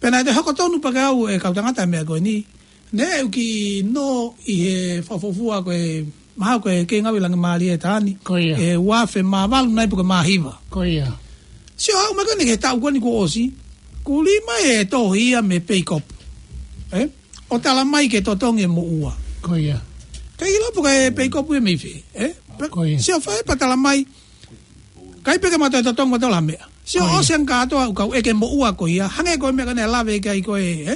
Pea naʻe toe hoko tonu pē ke ʻave ʻe he kau tangata e meʻa ko eni. Naʻe ʻi ai e kiʻi nō ʻi he fakafuofua ko e, mahalo ko e kei ngāue ʻi Langimalie taʻani. Ko ia. ʻI he ua afe mā valu nai pe ko e mā hiva. Ko ia. Sio, aʻu mai ko eni ki he taʻu ko eni kuo ʻosi. Kuo ʻi ai mai e tohi ia mei Peikopu. Ē? ʻO talamai ke totongi e moʻua. Ko ia. Ka ʻilo pe ko e Peikopu ia mei fē, ē? Pe-, Ko ia. Sio, fai pē talamai. ʻIkai pē ke mau toe totongi mautolu ha meʻa. Sio, Ko ia. ʻosi ange kātoa ʻoku kau ʻeke moʻua ko ia. Hangē ko e meʻa ko ē naʻe lave ki ai ko ē, ē?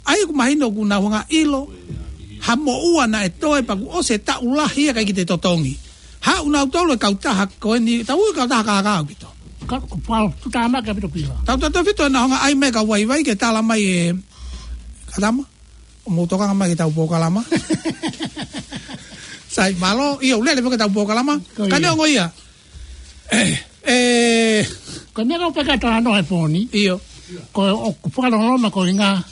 ʻA ia ʻoku mahino ʻoku nau hanga ʻo ʻilo ha moʻua naʻe toe pea kuo ʻosi e taʻu lahi ia ʻikai ke toe totongi. Haʻu nautolu e kautaha ko eni, tau ui kautaha kākā ʻaupito. Ka, ko pau, tuʻutāmaki ʻaupito pila. Tautautefito ʻenau hanga ʻo ʻai mai e kau vaivai ke talamai e, kau tama, ʻo mou tokanga mai ki heʻetau polokalama. Sai, mālō, ʻio, lele foki ʻetau polokalama. Ko ia. Ka neongo ia. Ē, ē. Ko e meʻa ʻoku ou pehē atu he talanoa he pō ni. ʻIo. Ko e ʻoku fakaloloma ko e ngaahi,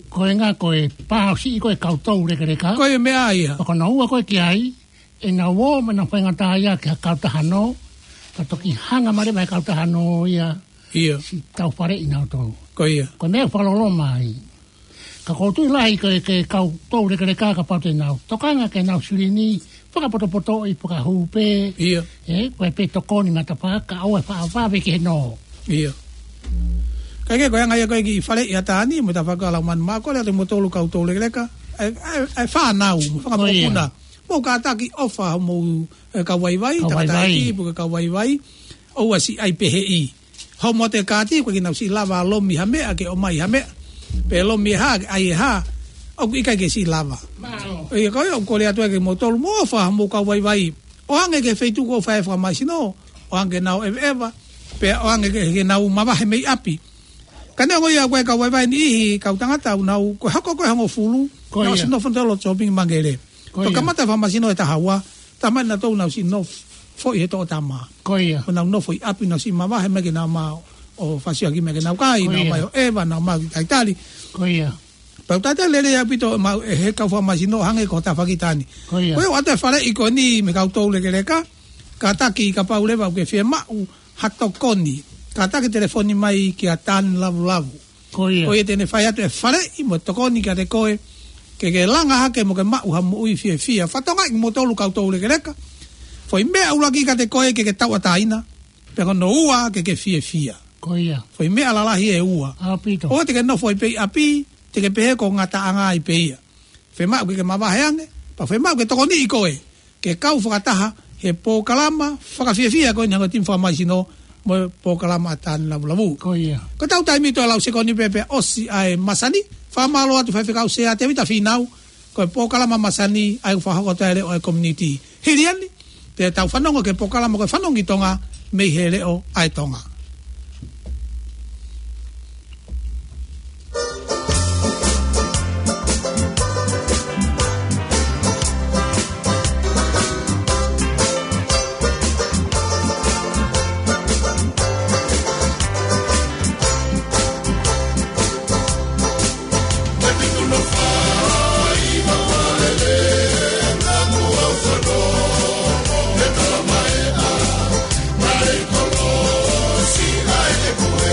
ko e ngaahi, ko e pāsiʻi ko ē e kau toulekeleka. Ko e meʻa ia. Ko hono ua ko ē ki ai, ʻenau ō mo ʻenau faingataʻaʻia ki ha kautaha nō, ka toki hanga mai leva e kautaha nō ia. ʻIo. Siʻi tau faleʻi nautolu. Ko ia. Ko e meʻa ʻoku fakaloloma ai. Ka ʻoku ou tui lahi ko e, ko e kau toulekeleka kapau te nau tokanga ki heʻenau silini, fakapotopotoʻi, fakahū pē. ʻIo. Ē, ko e pē tokoni matafa, kae ʻoua ʻe faʻa vave ki he nō. ʻIo. Ka ʻoku ʻikai ko e anga ia ko e kiʻi faleʻi ʻa Tani, mo e tafaʻaki ʻa Laumanu, mau kole atu kimoutolu kau toulekeleka. ʻE, ʻe, ʻe fānau, mo e fanga Ko ia. mokopuna. Mou kātaki ʻofa homou, ē, kau vaivai, Kau tangataʻeiki, vaivai. pe ko e kau vaivai. ʻOua siʻi ʻai peheʻi. Homo te kāti, ʻoku ʻikai ke nau siʻi lava lomi ha meʻa, ke ʻomai ha meʻa. Pe lomi e hā, ke ʻai e hā. ʻOku ʻikai ke siʻi lava. Mālō. ʻIo, ko ia ʻoku ou kole atu ai kimoutolu, mou ʻofa homou kau vaivai. ʻOange ki he feituʻu ʻoku fai ai e fakamaisino, ʻoange ke nau ʻeveʻeva, pea ʻoange ke, ke nau mavahe mei ʻapi. Ka neongo ia ko e kau vaivai niʻihi, kau tangata ʻoku nau, ko e hoko ko ē ʻe hongofulu, Ko nau ia. siʻi nofo ʻo tolo shopping Mangere. Ko ia. Pea kamata e fakamaisino ʻe taha ua, talamai nautolu ʻoku nau siʻi nofoʻi he toʻo tama. Ko ia. ʻOku nau nofo ʻi ʻapi, nau siʻi mavahe mai ke nau ō mai ʻo fasiaki mai ke nau kai, Ko nau ia. ō mai ʻo ʻeva, nau ō mai ʻo talitali. Ko ia. Pea ʻoku talitali lelei ʻaupito ʻemau, ʻe he kau fakamaisino hangē ko e tafaʻaki ʻa Tani. Ko ia. Ko ia ʻoatu e faleʻi ko eni mei he kau toulekeleka, kātaki kapau leva ʻoku ke fiemaʻu ha tokoni. Kātaki telefoni mai kia Tani Lavulavu. Ko ia. Ko ia te ne fai atu e faleʻi mo e tokoni kiate koe, ke ke langa hake mo ke maʻu ha moʻui fiefia. Fakatokangaʻi kimoutolu kau toulekeleka. Foʻi meʻa ʻuluaki kiate koe ke ke tauʻatāina. Pea ko hono ua ke ke fiefia. Ko ia. Foʻi meʻa lalahi ʻe ua. ʻAupito. ʻOua te ke nofo ai pē ʻi ʻapi, te ke pehē ko e ngataʻanga ai pē ia. Fiemaʻu ke ke mavahe ange, pea fiemaʻu ke tokoniʻi koe ke kau fakataha he polokalama fakafiefia ko eni ʻa e ongo timi fakamaisino mo e polokalama ʻa Tani Lavulavu. Ko ia. Ko ʻetau taimi ʻe tolu lau sekoni pē pea ʻosi ʻa e masani, fakamālō atu Faifekau Sea Tēvita Fīnau, ko e polokalama masani ʻa ia ʻoku fakahoko atu ai e leʻo ʻa e community. Hili eni, te tau fanongo ki he polokalama ko e Fanongo ki Tonga mei he leʻo ʻa e Tonga.